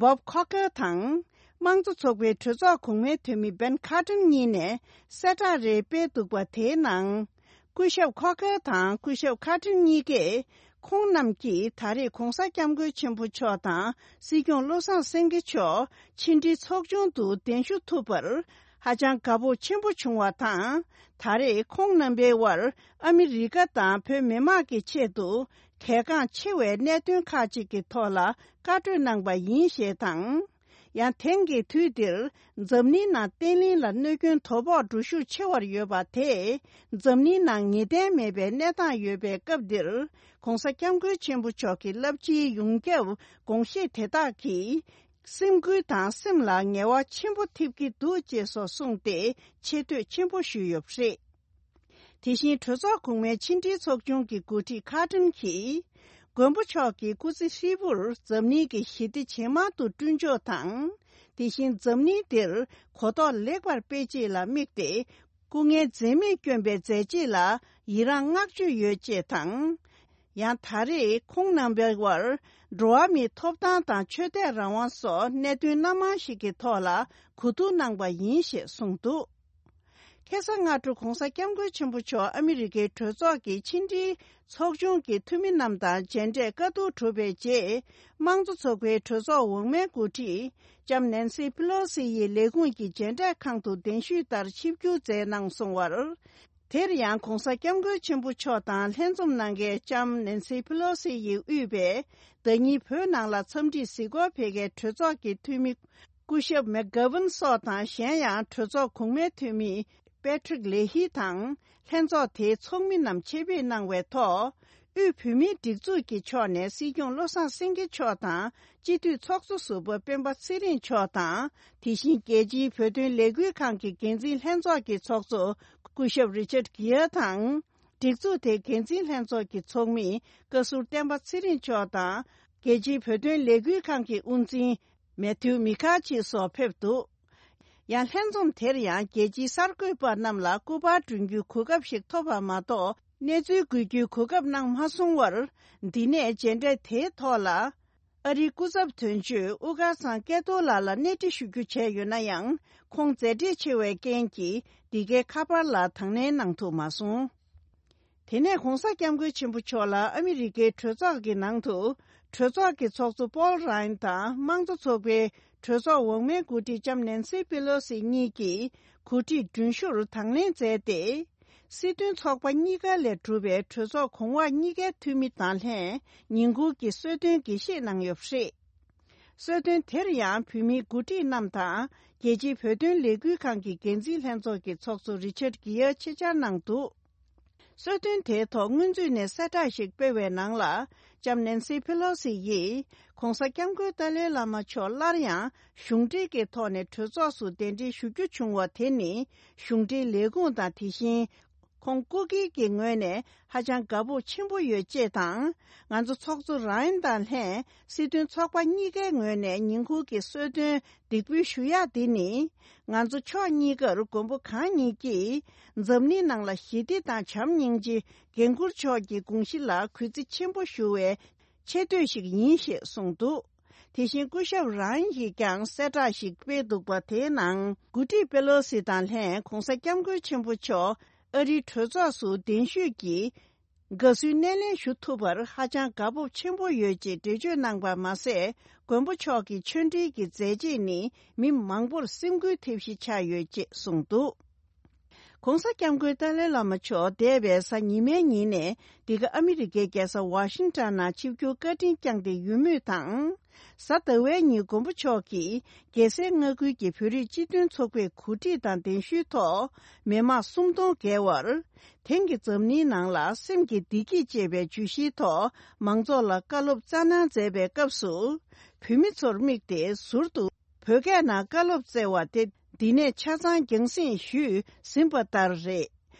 བོབ་ཁོ་ཁེར་དང་། དམངས་གཙོ་ཚོགས་པའི་གྲོས་ཚོགས་གོང་མའི་འཐུས་མི་བེན་ཁ་ཏྲན་གཉིས་ནས་གསལ་བསྒྲགས་རེ་སྤེལ་འདུག་པ་དེའི་ནང་། སྐུ་ཞབས་ཁོ་ཁེར་དང་སྐུ་ཞབས་ཁ་ཏྲན་གཉིས་ཀས། ཁོང་རྣམས་ཀྱིས་ད་རེས་༧གོང་ས་༧སྐྱབས་མགོན་ཆེན་པོ་མཆོག་དང་སྲིད་སྐྱོང་བློ་བཟང་སེང་གེ་མཆོག་ཕྱི་འབྲེལ་ཚོགས་ཆུང་དུ་གདན་ཞུ་ཐུབ་པར་ཧ་ཅང་དགའ་སྤོབས་ཆེན་པོ་བྱུང་བ་དང་། ད་རེས་ཁོང་རྣམ་པའི་དབར་ཨ་མི་རི་ཀ་དང་བོད་མི་མང་གི་ཆེད་དུ་གལ་འགངས་ཆེ་བའི་གནད་དོན་ཁག་ཅིག་གི་ཐོག་ལ་བཀའ་གྲོས་གནང་པ་ཡིན་ཞེས་དང་། ཡང་དེང་གི་དུས་འདིར་འཛམ་གླིང་ནང་བརྟན་ལྷིང་ལ་གནོད་སྐྱོན་དོ་ཕོག་འགྲོ་ཤུགས་ཆེ་བར་ཡོད་པ་དེས་འཛམ་གླིང་ནང་ངེས་གཏན་མེད་པའི་གནས་སྟངས་ཡོད་པའི་སྐབས་འདིར་༧གོང་ས་༧སྐྱབས་མགོན་ཆེན་པོ་མཆོག་གི་རླབས་ཆེའི་ཡོངས་ཁྱབ་དགོངས་བཞེད་དེ་དག་གིས་སེམས་འགུལ་དང་སེམས་ལ་ངལ་བ་ཆེན་པོ་ཐེབས་ཀྱི་འདུག་ཅེས་སོགས་གསུངས་ཏེ་ཆེ་བསྟོད་ཆེན་པོ་ཞུས་ཡོད་པ་རེད། དེ་བཞིན་གྲོས་ཚོགས་གོང་མའི་ཕྱི་འབྲེལ་ཚོགས་ཆུང་གི་འགོ་ཁྲིད་ཁ་ཏྲིན་གྱིས། མགོན་པོ་མཆོག་གི་སྐུ་ཚེ་ཧྲིལ་པོར་འཛམ་གླིང་གི་ཞི་བདེ་ཇེ་མང་དུ་བསྐྲུན་ཕྱོགས་དང་། དེ་བཞིན་འཛམ་གླིང་འདིར་གོ་རྟོགས་ལེགས་པར་སྤེལ་ཆེད་ལ་དམིགས་ཏེ། སྐུ་ངལ་འཛེམས་མེད་བསྐྱོན་པའི་མཛད་རྗེས་ལ་ཡི་རངས་བསྔགས་བརྗོད་ཡོད་ཅེས་དང་། ཡང་ད་རེས་ཁོང་རྣམ་པའི་དབར་འགྲོ་བ་མིའི་ཐོབ་ཐང་དང་ཆོས་དད་རང་དབང་སོགས་གནད་དོན་སྣ་མང་ཞིག་གི་ཐོག་ལ་གོ་བསྡུར་གནང་པ་ཡིན་ཞེས་གསུངས་འདུག་ཁ་སང་སྔ་དྲོ་༧གོང་ས་༧སྐྱབས་མགོན་ཆེན་པོ་མཆོག་ཨ་མི་རི་ཀའི་གྲོས་ཚོགས་ཀྱི་ཕྱི་འབྲེལ་ཚོགས་ཆུང་གི་འཐུས་མི་རྣམས་དང་མཇལ་འཕྲད་བཀའ་བསྡུར་གྲུབ་པའི་རྗེས། དམངས་གཙོ་ཚོགས་པའི་གྲོས་ཚོགས་འོག་མའི་འགོ་ཁྲིད་ལྕམ་ནན་སི་པི་ལོ་སི་ཡི་ལས་ཁུངས་ཀྱི་མཇལ་འཕྲད་ཁང་དུ་གདན་ཞུས་ལྟར་ཆིབས་བསྒྱུར་མཛད་གནང་སོང་བར། དེར་ཡང་༧གོང་ས་༧སྐྱབས་མགོན་ཆེན་པོ་མཆོག་དང་ལྷན་འཛོམས་གནང་མཁན་ལྕམ་ནན་སི་པི་ལོ་སི་ཡིས་དབུས་པའི་ཟླ་ཉིན་བོད་ནང་ལ་འཚམས་འདྲིའི་གཟིགས་སྐོར་ཕེབས་མཁན་གྲོས་ཚོགས་ཀྱི་འཐུས་མི་སྐུ་ཞབས་མེག་གྷ་ཝན་སོགས་དང་། གཞན་ཡང་གྲོས་ཚོགས་གོང་མའི་འཐུས་མི་པེ་ཁྲིག་ལེ་ཧི་དང་ལྷན་ཚོགས་དེའི་ཚོགས་མི་རྣམས་ཆེད་ཕེབས་གནང་བའི་ཐོག་དབུས་བོད་མིའི་སྒྲིག་འཛུགས་ཀྱི་ཕྱོགས་ནས་སྲིད་སྐྱོང་བློ་བཟང་སེང་གེ་མཆོག་དང་། སྤྱི་འཐུས་ཚོགས་གཙོ་ཟུར་པ་སྤེན་པ་ཚེ་རིང་མཆོག་དང་། དེ་བཞིན་རྒྱལ་སྤྱིའི་བོད་དོན་ལས་འགུལ་ཁང་གི་འགན་འཛིན་ལྷན་ཚོགས་ཀྱི་ཚོགས་གཙོ་སྐུ་ཞབས་རི་ཆར་གྷི་ཡར་དང་། སྒྲིག་འཛུགས་དེའི་འགན་འཛིན་ལྷན་ཚོགས་ཀྱི་ཚོགས་མི་བཀའ་ཟུར་བསྟན་པ་ཚེ་རིང་མཆོག་དང་། རྒྱལ་སྤྱིའི་བོད་དོན་ལས་འགུལ་ཁང་གི་དབུ་འཛིན་མེ་ཐིའུ་མི་ཁ་ཆི་སོགས་ཕེབས་འདུག་ཡང་ལྷན་འཛོམས་དེར་ཡང་རྒྱལ་སྤྱིའི་གསར་འགོད་པ་རྣམས་ལ་སྐུ་པར་སྒྲོན་རྒྱུའི་གོ་སྐབས་ཤིག་ཐོབ་པ་མ་གཏོགས། གནས་ཚུལ་འགོད་རྒྱུའི་གོ་སྐབས་གནང་མ་སོང་བར། འདི་ནས་མཇལ་འཕྲད་དེའི་ཐོག་ལ། ཨ་རིའི་སྐུ་ཚབ་དོན་གཅོད་དབུ་དཀར་ཚང་སྐལ་རྡོར་ལགས་ལ་གནས་འདྲི་ཞུ་རྒྱུ་བྱས་ཡོད་ན་ཡང་། ཁོང་མཛད་བྲེལ་ཆེ་བའི་རྐྱེན་གྱིས་འདི་གའི་ཁ་པར་ལ་དང་ལེན་གནང་ཐུབ་མ་སོང་། དེ་ནས་༧གོང་ས་༧སྐྱབས་མགོན་ཆེན་པོ་མཆོག་ལ་ཨ་མི་རི་ཀའི་གྲོས་ཚོགས་ཀྱི་ནང་དུ། གྲོས་ཚོགས་ཀྱི་ཚོགས་གཙོ་པོལ་རཱ་ཡན་དང་། དམངས་གཙོ་ཚོགས་པའི་གྲོས་ཚོགས་འོག་མའི་འགོ་ཁྲིད་ལྕམ་ནན་སི་པེ་ལོ་སི་གཉིས་ཀྱིས་གོ་སྒྲིག་མགྲོན་ཞུར་དང་ལེན་མཛད་དེ། སྲིད་དོན་ཚོགས་པ་གཉིས་ཀ་ལས་གྲུབ་པའི་གྲོས་ཚོགས་གོང་འོག་གཉིས་ཀའི་འཐུས་མི་དང་ལྷན་ཉིན་གུང་གི་གསོལ་སྟོན་དགྱེས་བཞེས་གནང་ཡོད་པ་རེད། གསོལ་སྟོན་དེར་ཡང་བོད་མིའི་འགོ་ཁྲིད་རྣམས་དང་། རྒྱལ་སྤྱིའི་བོད་དོན་ལས་འགུལ་ཁང་གི་འགན་འཛིན་ལྷན་ཚོགས་ཀྱི་ཚོགས་གཙོ་རི་ཆར་གྷི་ཡར་ཆེད་བཅར་གནང་འདུག་གསོལ་སྟོན་དེའི་ཐོག་སྔོན་ཚུད་ནས་གསལ་བསྒྲགས་ཤིག་སྤེལ་བའི་ནང་ལ། ལྕམ་ནན་སི་ཕེ་ལོ་སི་ཡིས། ༸གོང་ས་༸སྐྱབས་མགོན་ཏཱ་ལའི་བླ་མ་མཆོག་སླར་ཡང་གཞུང་འབྲེལ་གྱི་ཐོག་ནས་གྲོས་ཚོགས་སུ་གདན་འདྲེན་ཞུ་རྒྱུ་བྱུང་བ་དེ་ནི། གཞུང་འབྲེལ་ལས་ཁུངས་དང་། དེ་བཞིན། ཁོང་སྐུ་སྒེར་གྱི་ངོས་ནས་ཧ་ཅང་དགའ་སྤོབས་ཆེན་པོ་ཡོད་ཅེས་དང་། ང་ཚོ་ཚོགས་གཙོ་རཱ་ཡན་དང་ལྷན་སྲིད་དོན་ཚོགས་པ་གཉིས་ཀའི་ངོས་ནས་ཉིན་གུང་གི་གསོལ་སྟོན་འདེགས་འབུལ་ཞུ་ཡག་འདི་ནི། ང་ཚོ་ཕྱོགས་གཉིས་ཀར་མགོན་པོ་གང་ཉིད་ཀྱིས་འཛམ་གླིང་ནང་ལ་ཞི་བདེ་དང་བྱམས་སྙིང་རྗེ་འགན་འཁུར་ཕྱོགས་ཀྱི་དགོངས་གཞི་ལ་གུས་བརྩི་ཆེན་པོ་ཞུ་བའི་ཆེ་བསྟོད་ཞིག་ཡིན་ཞེས་གསུངས་འདུག་དེ་བཞིན་སྐུ་ཞབས་རང་ཡིས་ཀྱང་གསལ་བསྒྲགས་ཤིག་སྤེལ་འདུག་པ། དེའི་ནང་འགོ་ཁྲིད་པེ་ལོ་སི་དང་ལྷན་༸གོང་ས་༸སྐྱབས་མགོན་ཆེན་པོ་མཆོག་ཨ་རིའི་གྲོས་ཚོགས་སུ་གདན་ཞུས་ཀྱིས་དགའ་བསུའི་སྣེ་ལེན་ཞུ་ཐུབ་པར་ཧ་ཅང་དགའ་སྤོབས་ཆེན་པོ་ཡོད་ཅེས་འགྲེལ་བརྗོད་གནང་པ་མ་ཟད། མགོན་པོ་མཆོག་གི་ཆོས་འབྲེལ་གྱི་མཛད་རྗེས་ནི་མི་མང་པོར་སེམས་འགུལ་ཐེབས་གཞི་ཆགས་ཡོད་ཅེས་གསུངས་འདུག ༧གོང་ས་༧སྐྱབས་མགོན་ཏཱ་ལའི་བླ་མ་མཆོག་འདས་པའི་གཟའ་ཉི་མའི་ཉིན་ནས་འདི་ག་ཨ་མི་རི་ཀའི་རྒྱལ་ས་ཝ་ཤིང་ཊོན་ནང་ཆིབས་བསྒྱུར་བཀའ་དྲིན་བསྐྱངས་ཏེ་ཡོད་མུས་དང་། གཟའ་ཟླ་བའི་ཉིན་མགོན་པོ་མཆོག་གིས་རྒྱལ་སའི་མངའ་ཁུལ་གྱི་བོད་རིགས་སྤྱི་མཐུན་ཚོགས་པའི་གོ་སྒྲིག་དང་གདན་ཞུའི་ཐོག་མི་མང་སུམ་སྟོང་བརྒལ་བར། དེང་གི་འཛམ་གླིང་ནང་ལ་སེམས་ཀྱི་བདེ་སྐྱིད་ཅེས་པའི་བརྗོད་གཞིའི་ཐོག་མང་ཚོགས་ལ་བཀའ་སློབ་སྩལ་གནང་མཛད་པའི་སྐབས་སུ། བོད་མི་ཚོར་དམིགས་ཏེ་ཟུར་དུ་བོད་སྐད་ནང་བཀའ་སློབ་སྩལ་བ་དེ་འདི་ནས་ཆ་ཚང་རྒྱང་སྲིང་ཞུས་ཟིན་པ་ལྟར་རེད།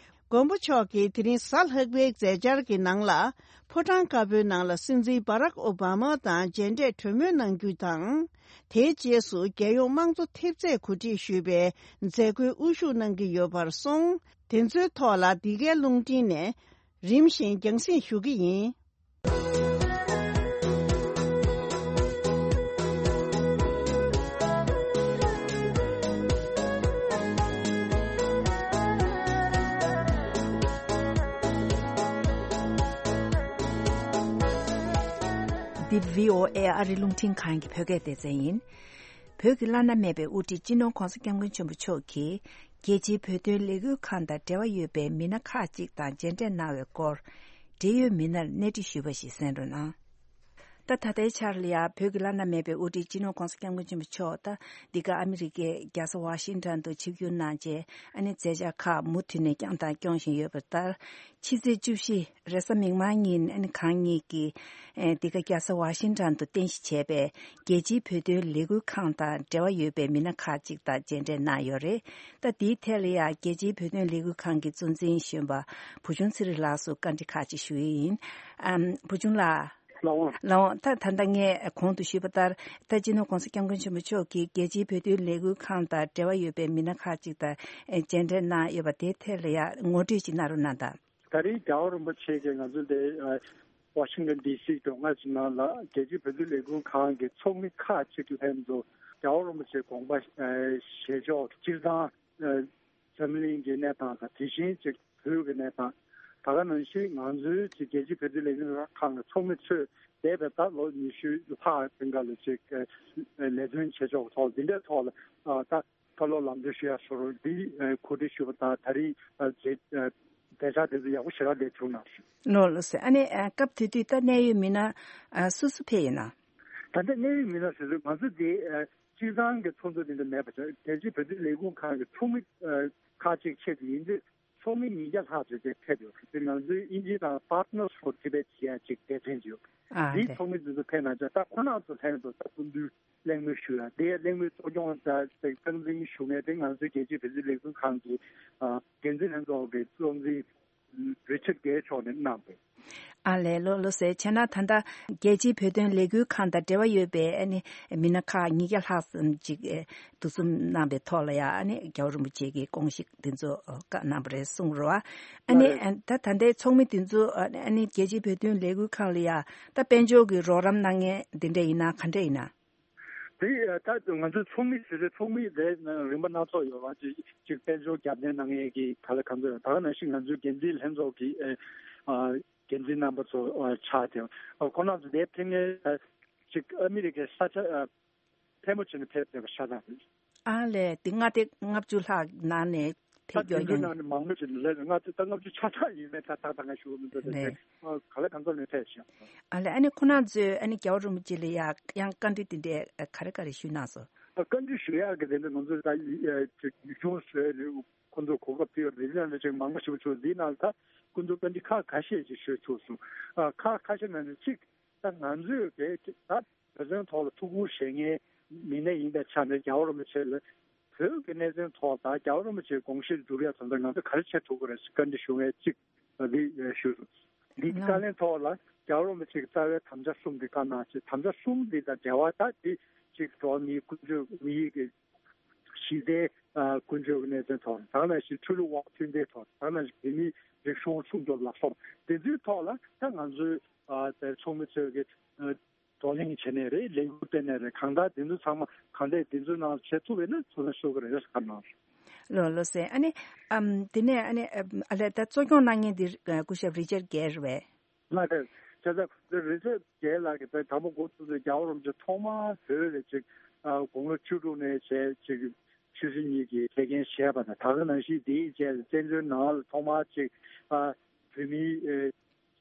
མགོན་པོ་མཆོག་གིས་དེ་རིང་གཟའ་ལྷག་པའི་མཛད་འཆར་གྱི་ནང་ལ། ཕོ་བྲང་དཀར་པོའི་ནང་ལ་སྲིད་འཛིན་སྦ་རག་ཨོ་བྷ་མ་དང་མཇལ་འཕྲད་གྲོས་མོལ་གནང་རྒྱུ་དང་། དེའི་རྗེས་སུ་རྒྱལ་ཡོངས་དམངས་གཙོ་ཐེབས་རྩས་གོ་སྒྲིག་ཞུས་པའི་མཛད་སྒོའི་དབུ་བཞུགས་གནང་གི་ཡོད་པར་སོང་། དེ་ཚོའི་ཐོག་ལ་འདི་གའི་རླུང་འཕྲིན་ནས་རིམ་བཞིན་རྒྱང་སྲིང་ཞུ་གི་ཡིན། འདི་བྷི་ཨོ་ཨེ་ཨ་རི་རླུང་འཕྲིན་ཁང་གི་བོད་སྐད་སྡེ་ཚན་ཡིན། བོད་ཀྱི་བླ་ན་མེད་པའི་དབུ་ཁྲིད་སྤྱི་ནོར་༧གོང་ས་༧སྐྱབས་མགོན་ཆེན་པོ་མཆོག་གིས་རྒྱལ་སྤྱིའི་བོད་དོན་ལས་འགུལ་ཁང་དང་འབྲེལ་བ་ཡོད་པའི་མི་སྣ་ཁག་ཅིག་དང་མཇལ་འཕྲད་གནང་བའི་སྐོར། འབྲེལ་ཡོད་མི་སྣར་གནས་འདྲི་ཞུས་པ་ཞིག་གསན་རོགས་གནང་། ད་ད་ལྟའི་ཆར་ལ་ཡང་བོད་ཀྱི་བླ་ན་མེད་པའི་དབུ་ཁྲིད་སྤྱི་ནོར་༧གོང་ས་༧སྐྱབས་མགོན་ཆེན་པོ་མཆོག་ད་འདི་ག་ཨ་མི་རི་ཀའི་རྒྱལ་ས་ཝ་ཤིང་ཊོན་དུ་ཆིབས་བསྒྱུར་གནང་རྗེས་ཨ་ནི་མཛད་འཆར་ཁག་མུ་མཐུད་ནས་བསྐྱངས་དང་སྐྱོང་བཞིན་ཡོད་པ་ལྟར། ཕྱི་ཚེས་བཅུ་བཞི་རེས་གཟའ་མིག་དམར་ཉིན་ཨ་ནི་གང་ཉིད་ཀྱིས་ཨེ་འདི་ག་རྒྱལ་ས་ཝ་ཤིང་ཊོན་དུ་རྟེན་གཞི་བྱས་པའི་རྒྱལ་སྤྱིའི་བོད་དོན་ལས་འགུལ་ཁང་དང་འབྲེལ་བ་ཡོད་པའི་མི་སྣ་ཁག་ཅིག་དང་མཇལ་འཕྲད་གནང་ཡོད་རེད། ད་དེའི་ཐད་ལ་ཡང་རྒྱལ་སྤྱིའི་བོད་དོན་ལས་འགུལ་ཁང་གི་གཙོ་འཛིན་གཞོན་པ་བུ་ཆུང་ཚེ་རིང་ལགས་སུ་བཀའ་འདྲི་ཁག་ཅིག་ཞུ་ཡི་ཡིན། ཨམ། བུ་ཆུང་ལགས། ལགས་འོང་། ལགས་འོང་། ད་ད་ལྟ་ངས་གོང་དུ་ཞུས་པ་ལྟར། ད་སྤྱི་ནོར་༧གོང་ས་༧སྐྱབས་མགོན་ཆེན་པོ་མཆོག་གིས་རྒྱལ་སྤྱིའི་བོད་དོན་ལས་འགུལ་ཁང་དང་འབྲེལ་བ་ཡོད་པའི་མི་སྣ་ཁག་ཅིག་དང་མཇལ་འཕྲད་གནང་ཡོད་པ་དེའི་ཐད་ལ་ཡང་ངོ་སྤྲོད་ཅིག་གནང་རོགས་གནང་དང་། ད་རེས་རྒྱལ་བ་རིན་པོ་ཆེ་གིས་ང་ཚོ་འདི་ཝ་ཤིང་ཊོན་ཌི་སི་མགྱོགས་མྱངས་ཅིག་ནང་ལ་རྒྱལ་སྤྱིའི་བོད་དོན་ལས་འགུལ་ཁང་གི་ཚོགས་མི་ཁག་ཅིག་ལྷན་དུ་རྒྱལ་བ་རིན་པོ་ཆེའི་དགོངས་པ་བཞེས་ཕྱོགས་སྤྱིར་བཏང་འཛམ་གླིང་གི་གནས་སྟངས་དང་དེ་བཞིན་ཅིག་བོད་ཀྱི་གནས་སྟངས། ད་ག་ནང་བཞིན་ང་ཚོའི་ཅིག་རྒྱལ་སྤྱིའི་བོད་དོན་ལས་འགུལ་ཁང་གི་ཚོགས་མི་ཚོས་འདས་པའི་ཟླ་ལོ་ཉི་ཤུ་ལྷག་རིང་ག་ལ་ཅིག་ལས་དོན་བྱེད་ཕྱོགས་ཐོག་འདི་འདྲའི་ཐོག་ལ་ད་བཀའ་སློབ་ལམ་སྟོན་ཞུ་ཡ་སོགས་འདི་གོ་སྒྲིག་ཞུས་པ་དང་ད་རེས་མཛད་འཆར་དེ་ཚོ་ཡག་པོ་ཞེ་དྲག་བསྡད་བྱུང་གནང་། ལགས་ལགས་སོ། ཨ་ནི་སྐབས་དེ་དུས་ད་གནད་ཡོད་མི་སྣ་སུ་སུ་ཕེབས་ཡོད་ན། ད་ལྟ་གནད་ཡོད་མི་སྣ་ཟེར་དུས་ང་ཚོ་འདི་སྤྱིར་བཏང་གི་ཚོགས་འདུ་འདི་འདྲ་མེད་པ་བྱས་རྒྱལ་སྤྱིའི་བོད་དོན་ལས་འགུལ་ཁང་གི་ཚོགས་མི་ཁག་ཅིག་ཆེད་དུ་ཡིན་དུས། ཚོགས་མི་ཉིས་བརྒྱ་ལྷག་ཙམ་དེ་ཕེབས་ཡོད། དེ་ང་ཚོའི་དབྱིན་ཇི་དང་Partners for Tibet ཞེས་ཡ་ཅིག་སྡེ་ཚན་ཡོད། ཨ་དེའི་ལེ། ཚོགས་མི་དེ་ཚོ་ཕེབས་གནང་ཙང་ད་ཁོ་རང་ཚོ་ལྷན་དུ་ད་སྐུ་མདུན་གླེང་མོལ་ཞུ་ཡ་དེ་གླེང་མོལ་གཙོ་སྐྱོང་ད་སྟངས་འཛིན་ཞུ་མཁན་དེ་ང་ཚོའི་རྒྱལ་སྤྱིའི་བོད་དོན་ལས་འགུལ་ཁང་གི་འགན་འཛིན་ལྷན་ཚོགས་ཀྱི་གཙོ་འཛིན་Richard Gay མཆོག་ནས་གནང་བས། ཨ་ལས། ལགས་ལགས་སོ། བྱས་ན་ད་ལྟ་རྒྱལ་སྤྱིའི་བོད་དོན་ལས་འགུལ་ཁང་དང་འབྲེལ་བ་ཡོད་པའི་ཨ་ནི་མི་སྣ་ཁག་ཉིས་བརྒྱ་ལྷག་ཙམ་ཅིག་ཨེ་འདུ་འཛོམས་གནང་པའི་ཐོག་ལ་ཡང་ཨ་ནི་རྒྱལ་བ་རིན་པོ་ཆེ་གི་དགོངས་གཞི་འདི་ཚོ་བཀའ་གནང་བ་རེད་གསུངས་རོགས། ཨ་ནི་ལགས་རེད། ད་ད་ལྟའི་ཚོགས་མི་འདི་ཚོ་ཨ་ནི་རྒྱལ་སྤྱིའི་བོད་དོན་ལས་འགུལ་ཁང་ལ་ཡང་ད་དཔལ་འབྱོར་གྱི་རོགས་རམ་གནང་མཁན་འདི་འདྲ་ཡིན་ན་ག་འདྲ་ཡིན་ན། དེ་ད་ང་ཚོའི་ཚོགས་མི་ཟེར་ཚེ་ཚོགས་མི་དེ་རིམ་པ་སྣ་ཚོགས་ཡོད་པ་ཅིག་ཅིག་དཔལ་འབྱོར་རྒྱབ་སྣོན་གནང་མཁན་གྱི་ག་ལ་གང་ཚོད་ཡོད། ད་ག་ནང་བཞིན་ང་ཚོའི་འགན་འཛིན་ལྷན་ཚོགས་ཀྱི་ཨ་འགན་འཛིན་རྣམ་པ་ཚོ་ཨ་ཆགས་ཏེ་ཨ་ཁོང་རྣམ་ཚོ་དེ་ཕེབས་མཁན་ཨ་ཅིག་ཨ་མི་རི་ཀའི་ས་ཆ་ཨ་ཕལ་མོ་ཆེ་ནས་ཕེབས་བསྡད་པ་ཤ་སྟག་རེད། ཨ་ལས། དེ་མངའ་སྡེ་ལྔ་བཅུ་ལྷག་ནང་ནས་ད་ཕེབས་དེ་ཡོད་ཚོའི་ཡོད། ནང་ནས་མང་པོ་ཞིག་ལས་ལྔ་བཅུ་ད་ལྔ་བཅུ་ཆ་ཚང་ཡིན་མེད་ད་ད་ད་ང་ཞུ་གི་མི་འདུག་ད་རེད། དེ་ཨ་ག་ལ་གང་འཚམ་ནས་ཕེབས་ཤག་ཨ་ལས། ཨ་ནི་ཁོ་རང་ཚོས་ཨ་ནི་རྒྱལ་བ་རིན་པོ་ཆེ་ལ་ཡ་ཡང་བཀའ་འདྲི་དེ་འདྲས་ག་རེ་ག་རེ་ཞུས་གནང་སོང་། བཀའ་འདྲི་ཞུ་ཡག་གི་དེ་འདྲ་ང་ཚོས་ད་ཡུལ་ལྗོངས་བཟོས་ནས་ཁོ་ཚོ་གོ་སྐབས་དེ་ཡོད་རེད། འདི་ནང་ལ་ཅིག་མང་པོ་ཞིག་བྱུང་། འདིའི་ནང་ལ་ད་ཁོ་ཚོ་བཀའ་འདྲི་ཁག་ཁ་ཤས་ཅིག་ཞུས་ཐུབ་སོང་། ཨ་ཁག་ཁ་ཤས་ནང་ནས་གཅིག་ད་ང་ཚོས་དེ་ད་བོད་དོན་ཐོག་ལ་ཐུགས་ཁུར་བཞེས་མཁན་མི་སྣ་ཡིན་པའི་ཆ་ནས་རྒྱལ་བ་རིན་པོ་ཆེ་ལ་བོད་ཀྱི་གནད་དོན་ཐོག་དང་རྒྱལ་བ་རིན་པོ་ཆེའི་དགོངས་གཞིར་འགྲུབ་ཡག་དོན་དུ་ང་ཚོ་ག་རེ་བྱེད་ཐུབ་ཀྱི་རེད་ཟེར་བཀའ་འདྲི་ཞུ་མཁན་གཅིག་འདི་ཞུས་སོང་། འདི་གི་ལགས། བཀའ་ལན་ཐོག་ལ་རྒྱལ་བ་རིན་པོ་ཆེ་གི་རྩ་བའི་དམ་བཅའ་གསུམ་འདི་བཀའ་གནང་ཆེད་དམ་བཅའ་གསུམ་འདི་དང་འབྲེལ་བ་ད་འདི་གཅིག་འགྲོ་བ་མིའི་ཀུན་སྤྱོད་མི་ཡིས་ཀྱི་གཞི་རྩའི་ཨ་ཀུན་སྤྱོད་ཀྱི་གནད་དོན་ཐོག་ད་ག་ནང་བཞིན་ཆོས་ལུགས་དབར་མཐུན་སྒྲིལ་ཐོག་ད་ག་ནང་བཞིན་བོད་མིའི་རིག་གཞུང་སྲུང་སྐྱོབ་ལ་སོགས་དེ་ཚོའི་ཐོག་ལ་ད་ང་ཚོའི་ཨ་དེ་ཚོགས་མི་ཚོས་ཀྱི་ཨ་བགྲོ་གླེང་བྱས་ནའི་རེད། ལས་འགུལ་སྤེལ་ནའི་རེད། གང་ལྟར་དེ་ཚོ་ཚང་མ་གང་ལྟར་དེ་ཚོའི་ནང་བྱེད་ཐུབ་པ་ཡིན་ན་ཚོགས་ལ་ཤོག་གི་རེད་ཟེར་གནང་། ལགས་ལགས་སེ། ཨ་ནི་ཨམ་དེ་ནས་ཨ་ནི་ཨ་ལས་ད་གཙོ་སྐྱོང་གནང་མཁན་དེ་ཨ་སྐུ་ཞབས་རི་ཅར་གེར་རེད་པས། ལགས་རེད། བྱས་ཙང་རི་ཅར་གེར་ལགས་ཀྱིས་ད་དང་པོ་འགོ་བཙུགས་ཚེ་རྒྱལ་བ་རིན་པོ་ཆེ་ཐོག་མར་བོད་ལ་ཅིག་ཨ་དགུང་ལོ་བཅུ་དྲུག་ནས་བྱས་ཅིག་ ཆོས་སྲིད་གཉིས་ཀྱི་ཐད་འགན་བཞེས་པ་དང་། ད་ག་ནང་བཞིན་དེའི་རྗེས་སུ་བཙན་བྱོལ་ནང་ལ་ཐོག་མར་ཅིག་ཨ་བོད་མིའི་ཨེ་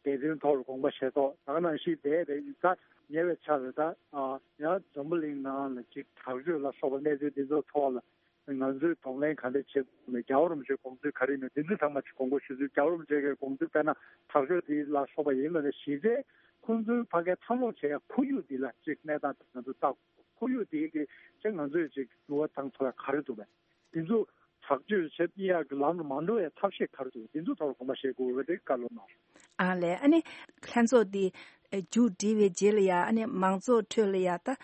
བདེན་དོན་ཐོག་ལ་དགོངས་པ་བཞེས་ཐོག་ད་ག་ནང་བཞིན་འདས་པའི་ད་ཉེ་བའི་ཆར་ལ་ད་ཨ་ཡང་འཛམ་བུ་གླིང་ནང་ལ་ཅིག་དྲག་སྤྱོད་ལ་སོགས་པ་གནས་ཚུལ་འདི་ཚོ་ཐོག་ལ་ང་ཚོས་གདོང་ལེན་ག་འདྲ་བྱེད་དགོས་མེད། རྒྱལ་བ་རིན་པོ་ཆེའི་དགོངས་ཚུལ་ག་རེ་ཡིན་མིན་འདི་ཚོ་ཚང་མ་ཅིག་དགོངས་པ་ཞུ་ཚུལ། རྒྱལ་བ་རིན་པོ་ཆེ་གི་དགོངས་ཚུལ་དཔེར་ན་དྲག་སྤྱོད་འདི་ལ་སོགས་པ་ཡིན་ན་ལས་གཞི་རྩའི་ཁོང་ཚོའི་ཕ་གིའི་འཚར་ལོངས་བྱེད་ཡ་ཁོར་ཡུག་འདི་ལ་ཅིག་གནས་སྟངས་ང་ཚོ་ལྟ་དགོས། ཁོར་ཡུག་དེའི་གི་ཅིག་ང་ཚོས་ཅིག་འགྱུར་བ་བཏང་ཐུབ་ཡ་ག་རེ་འདུག་བས། འདི་ཚོ་དྲག་སྤྱོད་བྱེད་ཡག་གི་ལམ་ལ་མ་འགྲོ་ཡ་ཐབས་ཤེས་ག་རེ་འདུག་འདི་ཚོ་ཐོག་ལ་དགོངས་པ་བཞེས་དགོས་པ་དེ་བཀའ་སློབ་གནང་། ཨ་ལས། ཨ་ནི་ལྷན་ཚོགས་འདི་མཇུག་སྒྲིལ་བའི་རྗེས་ལ་ཡ་ཨ་ནི་མང་ཚོགས་ཁྲོད་ལ་ཡ་ད་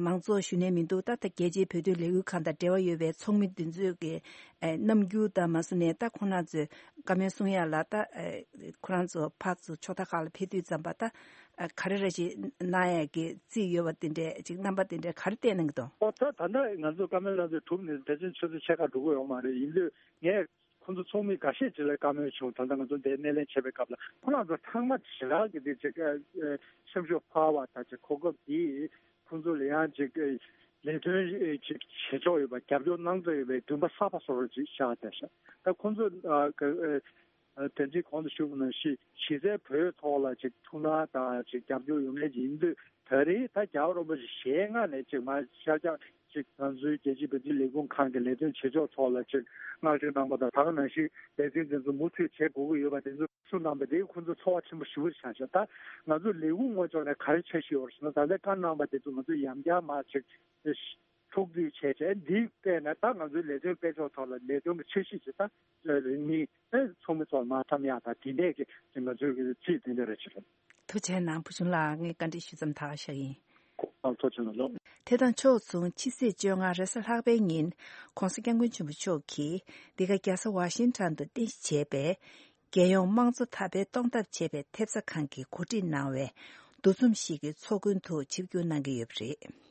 མང་ཚོགས་ཞུ་ནས་མི་འདུག་ད་ད་རྒྱལ་སྤྱིའི་བོད་དོན་ལས་འགུལ་ཁང་དང་འབྲེལ་བ་ཡོད་པའི་ཚོགས་མི་འདི་ཚོས་ཀྱི་རྣམ་འགྱུར་དང་མ་སོང་ནས་ད་ཁོང་རྣམ་ཚོས་བཀའ་མོལ་གསུང་ཡ་ལ་ད་ཁོ་རང་ཚོ་ཕར་ཚུར་ཕྱོགས་མཐའ་ཁག་ལ་ཕེབས་དུས་ཙམ་པ་ད། ཨ་ག་རེ་རེ་ཞིག་གནང་ཡས་ཀྱི་རྩིས་ཡོད་པ་དེ་འདྲས་ཅིག་རྣམ་པ་དེ་འདྲས་ག་རེ་བསྟན་གནང་གི་འདུག་ཨོ་ད་ད་ལྟ་ང་ཚོ་བཀའ་མོལ་ལ་ཚོ་གྲུབ་ནས་ཕལ་ཆེར་ཆུ་ཚོད་ཕྱེད་ཀ་འགྲོ་གི་ཡོད་མ་རེད། ཡིན་དུས་ངས་ཁོང་ཚོ་ཚོགས་མི་འགའ་ཤས་ཅིག་ལ་བཀའ་མོལ་བྱུང་། ད་ལྟ་ང་ཚོ་འདིར་སྣེ་ལེན་བྱེད་པའི་སྐབས་ལ་ཁོང་རྣམ་ཚོ་ཚང་མ་ཞེ་དྲག་གི་དེ་ཅིག་ཨ་ཨ་སེམས་ཤུགས་འཕར་བ་དང་ཅིག་གོ་སྐབས་དེ་ཁོང་ཚོ་ལ་ཡང་ཅིག་ཨ་ལས་དོན་ཨ་ཅིག་བྱེད་ཕྱོགས་ཡོད་པ། རྒྱབ་སྐྱོར་གནང་འདོད་ཡོད་པའི་འདུན་པ་གསར་པ་བཟོ་རོགས་ཅིག་བཞག་བསྡད་ཤག་ད་ཁོང་ཚོ་ཨ་ཨ། ཨ་དེ་འདྲའི་གོང་དུ་ཞུས་པ་ནང་བཞིན་གཞི་རྩའི་བོད་ཐོག་ལ་ཅིག་ཐུགས་སྣང་དང་ཅིག་རྒྱབ་སྐྱོར་ཡོད་མཁན་ཅིག་ཡིན་དུས། ད་རེས་ད་རྒྱལ་བ་རིན་པོ་ཆེ་ཞལ་སྔ་ནས་ཅིག་མར་ཤར་རྒྱག་ཅིག་ང་ཚོའི་རྒྱལ་སྤྱིའི་བོད་དོན་ལས་ཁུངས་ཁང་གི་ལས་དོན་བྱེད་ཕྱོགས་ཐོག་ལ་ཅིག་བསྔགས་བརྗོད་གནང་པ་དང་། ད་ག་ནང་བཞིན་ལས་དོན་དེ་ཚོ་མུ་མཐུད་བྱེད་དགོས་ཀྱི་ཡོད་པ་དེ་ཚོ་གསུངས་གནང་པ་དེ་ཁོང་ཚོ་ཚོར་བ་ཆེན་པོ་ཞེ་པོ་ཅིག་བྱུང་ཤག་ད་ང་ཚོ་ལས་ཁུངས་ངོས་ཕྱོགས་ནས་ག་རེ་འཆར་གཞི་ཡོད་རེད་ཟེར་ན། ད་ལྟ་བཀའ་གནང་པ་དེ་ཚོ་ང་ཚོ་ཡང་བསྐྱར་མར་ཅིག་ཐུགས་འདུན་བྱས་བྱས། འདི་བལྟས་ན་ད་ང་ཚོའི་ལས་དོན་སྤེལ་ཕྱོགས་ཐོག་ལ་ལས་དོན་གྱི་འཆར་གཞི་ཞིག་ད་རིང་མིན་ཨེ་ཚོགས་མི་ཚོར་མ་འཐམ་ཡག་དང་། དེ་འདྲས་ཀྱི་ང་ཚོའི་གི་རྩིས་དེ་འདྲ་རེ་ཆེ་རེད། ཐུགས་རྗེ་གནང་། བུ་ཆུང་ལགས། ངས་བཀའ་འདྲི་ཞུ་མཚམས་ད་ག་བཞག་ཡིན། ཁོང་ཐུགས་རྗེ་གནང་། ལོ། དེ་དང་ཕྱོགས་མཚུངས་ཕྱི་ཚེས་བཅོ་ལྔ་རེས་གཟའ་ལྷག་པའི་ཉིན་༸གོང་ས་༸སྐྱབས་མགོན་ཆེན་པོ་མཆོག་གིས་འདི་ག་རྒྱལ་ས་ཝ་ཤིང་ཊོན་དུ་རྟེན་གཞི་བྱས་པའི་རྒྱལ་ཡོངས་དམངས་གཙོ་དར་སྤེལ་གཏོང་ཐབས་བྱེད་པའི་ཐེབས་རྩ་ཁང་གིས་གོ་སྒྲིག་གནང་བའི་འདུ་འཛོམས་ཤིག་གི་ཚོགས་མགོན་དུ་ཆིབས་བསྒྱུར་གནང་གི་ཡོད་པ་རེད།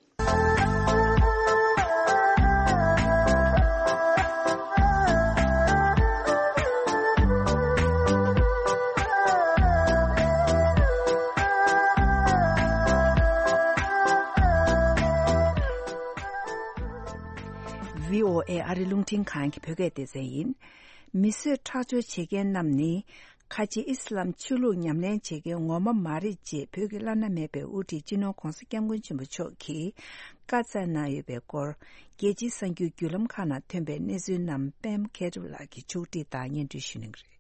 བྷི་ཨོ་ཨེ་ཨ་རི་རླུང་འཕྲིན་ཁང་གི་བོད་སྐད་སྡེ་ཚན་ཡིན། མི་གསོད་ཁྲག་སྦྱོར་བྱེད་མཁན་རྣམས་ནི་ཁ་ཆེ་ཨི་སི་ལམ་ཆོས་ལུགས་ཉམས་ལེན་བྱེད་མཁན་ངོ་མ་མ་རེད་ཅེས་བོད་ཀྱི་བླ་ན་མེད་པའི་དབུ་ཁྲིད་སྤྱི་ནོར་༸གོང་ས་༸སྐྱབས་མགོན་ཆེན་པོ་མཆོག་གིས་བཀའ་སྩལ་གནང་ཡོད་པའི་སྐོར། རྒྱལ་སྤྱིའི་གསར་འགྱུར་བརྒྱུད་ལམ་ཁག་ནང་ཐོན་པའི་གནས་ཚུལ་རྣམས་པད་མ་མཁས་གྲུབ་ལགས་ཀྱིས་ཕྱོགས་སྒྲིག་དང་སྙན་སྒྲོན་ཞུ་གནང་གི་རེད།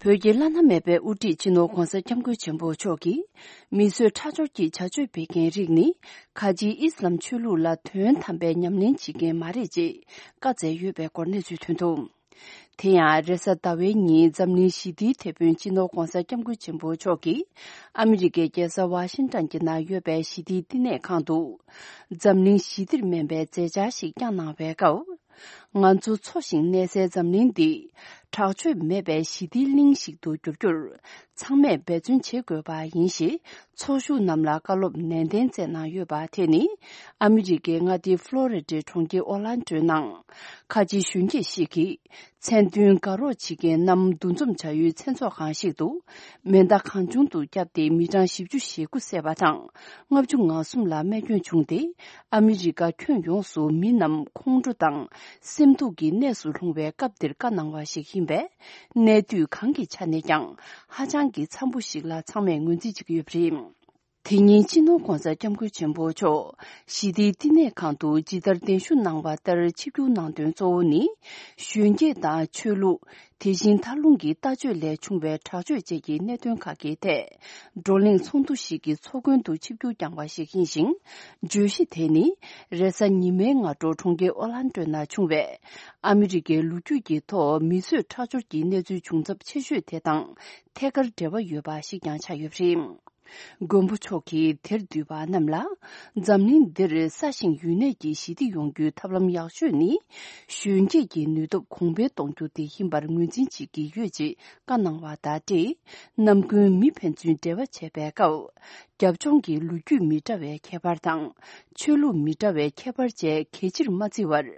བོད་ཀྱི་བླ་ན་མེད་པའི་དབུ་ཁྲིད་སྤྱི་ནོར་༸གོང་ས་༸སྐྱབས་མགོན་ཆེན་པོ་མཆོག་གིས་མི་གསོད་ཁྲག་སྦྱོར་གྱི་བྱ་སྤྱོད་སྤེལ་མཁན་རིགས་ནི་ཁ་ཆེའི་ཨི་སི་ལམ་ཆོས་ལུགས་ལ་དོན་དམ་པའི་ཉམས་ལེན་བྱེད་མཁན་མ་རེད་ཅེས་བཀའ་སྩལ་ཡོད་པའི་སྐོར་གནས་ཚུལ་ཐོན་འདུག་དེ་ཡང་རེས་གཟའ་ཟླ་བའི་ཉིན་འཛམ་གླིང་ཞི་བདེའི་དེད་དཔོན་སྤྱི་ནོར་༸གོང་ས་༸སྐྱབས་མགོན་ཆེན་པོ་མཆོག་གིས་ཨ་མི་རི་ཀའི་རྒྱལ་ས་ཝ་ཤིང་ཊོན་གྱི་ནང་ཡོད་པའི་ཞི་བདེའི་བསྟི་གནས་ཁང་དུ་འཛམ་གླིང་ཞི་བདེར་སྨན་པའི་མཛད་འཆར་ཞིག་བསྐྱངས་གནང་བའི་སྐབས། ང་ཚོ་འཚོ་ཞིང་གནས་སའི་འཛམ་གླིང་འདི་དྲག་སྤྱོད་མེད་པའི་ཞི་བདེའི་གླིང་ཞིག་ཏུ་འགྱུར་རྒྱུར་ཚང་མས་འབད་བརྩོན་བྱེད་དགོས་པ་ཡིན་ཞེས་ཚོགས་ཞུགས་རྣམས་ལ་བཀའ་སློབ་ནན་ཏན་སྩལ་གནང་ཡོད་པ་དེ་ནི་ཨ་མི་རི་ཀའི་མངའ་སྡེ་ཕློ་རི་ཌའི་གྲོང་ཁྱེར་ཨོ་ལན་ཌོའི་ནང་ཁ་ཆེ་གཞོན་སྐྱེས་ཤིག་གིས་མཚན་མཐུན་དགའ་རོགས་བྱེད་མཁན་རྣམས་འདུ་འཛོམས་བྱ་ཡུལ་མཚན་ཚོགས་ཁང་ཞིག་ཏུ་མེ་མདའ་གང་བྱུང་དུ་བརྒྱབ་སྟེ་མི་གྲངས་བཞི་བཅུ་ཞེ་དགུ་བསད་པ་དང་ལྔ་བཅུ་ང་གསུམ་ལ་རྨས་སྐྱོན་བྱུང་སྟེ། ཨ་མི་རི་ཀ་ཁྱོན་ཡོངས་སུ་མི་རྣམས་ཁོང་ཁྲོ་དང་སེམས་སྡུག་གི་གནས་སུ་ལྷུང་བའི་སྐབས་འདིར་བཀའ་གནང་བ་ཞིག་ཡིན་པས། གནས་དུས་གང་གི་ཆ་ནས་ཀྱང་ཧ་ཅང་གི་འཚམ་པོ་ཞིག་ལ་ཚང་མས་ངོས་འཛིན་བྱེད་ཀྱི་ཡོད་པ་རེད། དེ་ཉིན་སྤྱི་ནོར་༸གོང་ས་༸སྐྱབས་མགོན་ཆེན་པོ་མཆོག་ཞི་བདེའི་བསྟི་གནས་ཁང་དུ་ཇི་ལྟར་གདན་ཞུ་གནང་བ་ལྟར་ཆིབས་བསྒྱུར་གནང་དོན་གཙོ་བོ་ནི། གཞོན་སྐྱེས་དང་ཆོས་ལུགས། དེ་བཞིན་མཐར་ལྷུང་གི་ལྟ་སྤྱོད་ལས་བྱུང་བའི་དྲག་སྤྱོད་བཅས་ཀྱི་གནད་དོན་ཁག་གི་ཐད། བགྲོ་གླེང་ཚོགས་འདུ་ཞིག་གི་ཚོགས་མགོན་དུ་ཆིབས་བསྒྱུར་བསྐྱངས་པ་ཞིག་ཡིན་ཞིང་། བརྗོད་གཞི་དེ་ནི། རེས་གཟའ་ཉི་མའི་སྔ་དྲོ་གྲོང་ཁྱེར་ཨོ་ལན་ཌོ་ན་བྱུང་བའི། ཨ་མི་རི་ཀའི་ལོ་རྒྱུས་ཀྱི་ཐོག་མི་གསོད་ཁྲག་སྦྱོར་གྱི་གནས་ཚུལ་བྱུང་ཚབས་ཆེ་ཤོས་དེ་དང་ཐད་ཀར་འབྲེལ་བ་ཡོད་པ་ཞིག་ཀྱང་ཆགས་ཡོད་པ་རེད། མགོན་པོ་མཆོག་གིས་དེར་འདུས་པ་རྣམས་ལ། འཛམ་གླིང་འདིར་ས་ཞིང་ཡུལ་གནས་ཀྱི་ཞི་བདེ་ཡོང་རྒྱུའི་ཐབས་ལམ་ཡག་ཤོས་ནི། གཞོན་སྐྱེས་ཀྱི་ནུས་སྟོབས་གོང་འཕེལ་གཏོང་རྒྱུ་དེ་ཡིན་པར་ངོས་འཛིན་བྱེད་ཀྱི་ཡོད་ཅེས་བཀའ་གནང་བ་དང་འབྲེལ། ནམ་རྒྱུན་མི་ཕན་ཚུན་འབྲེལ་བ་བྱེད་པའི་སྐབས། རྒྱབ་ལྗོངས་ཀྱི་ལོ་རྒྱུས་མི་འདྲ་བའི་ཁྱད་པར་དང་། ཆོས་ལུགས་མི་འདྲ་བའི་ཁྱད་པར་བཅས་གལ་ཆེར་མ་བརྩི་བར།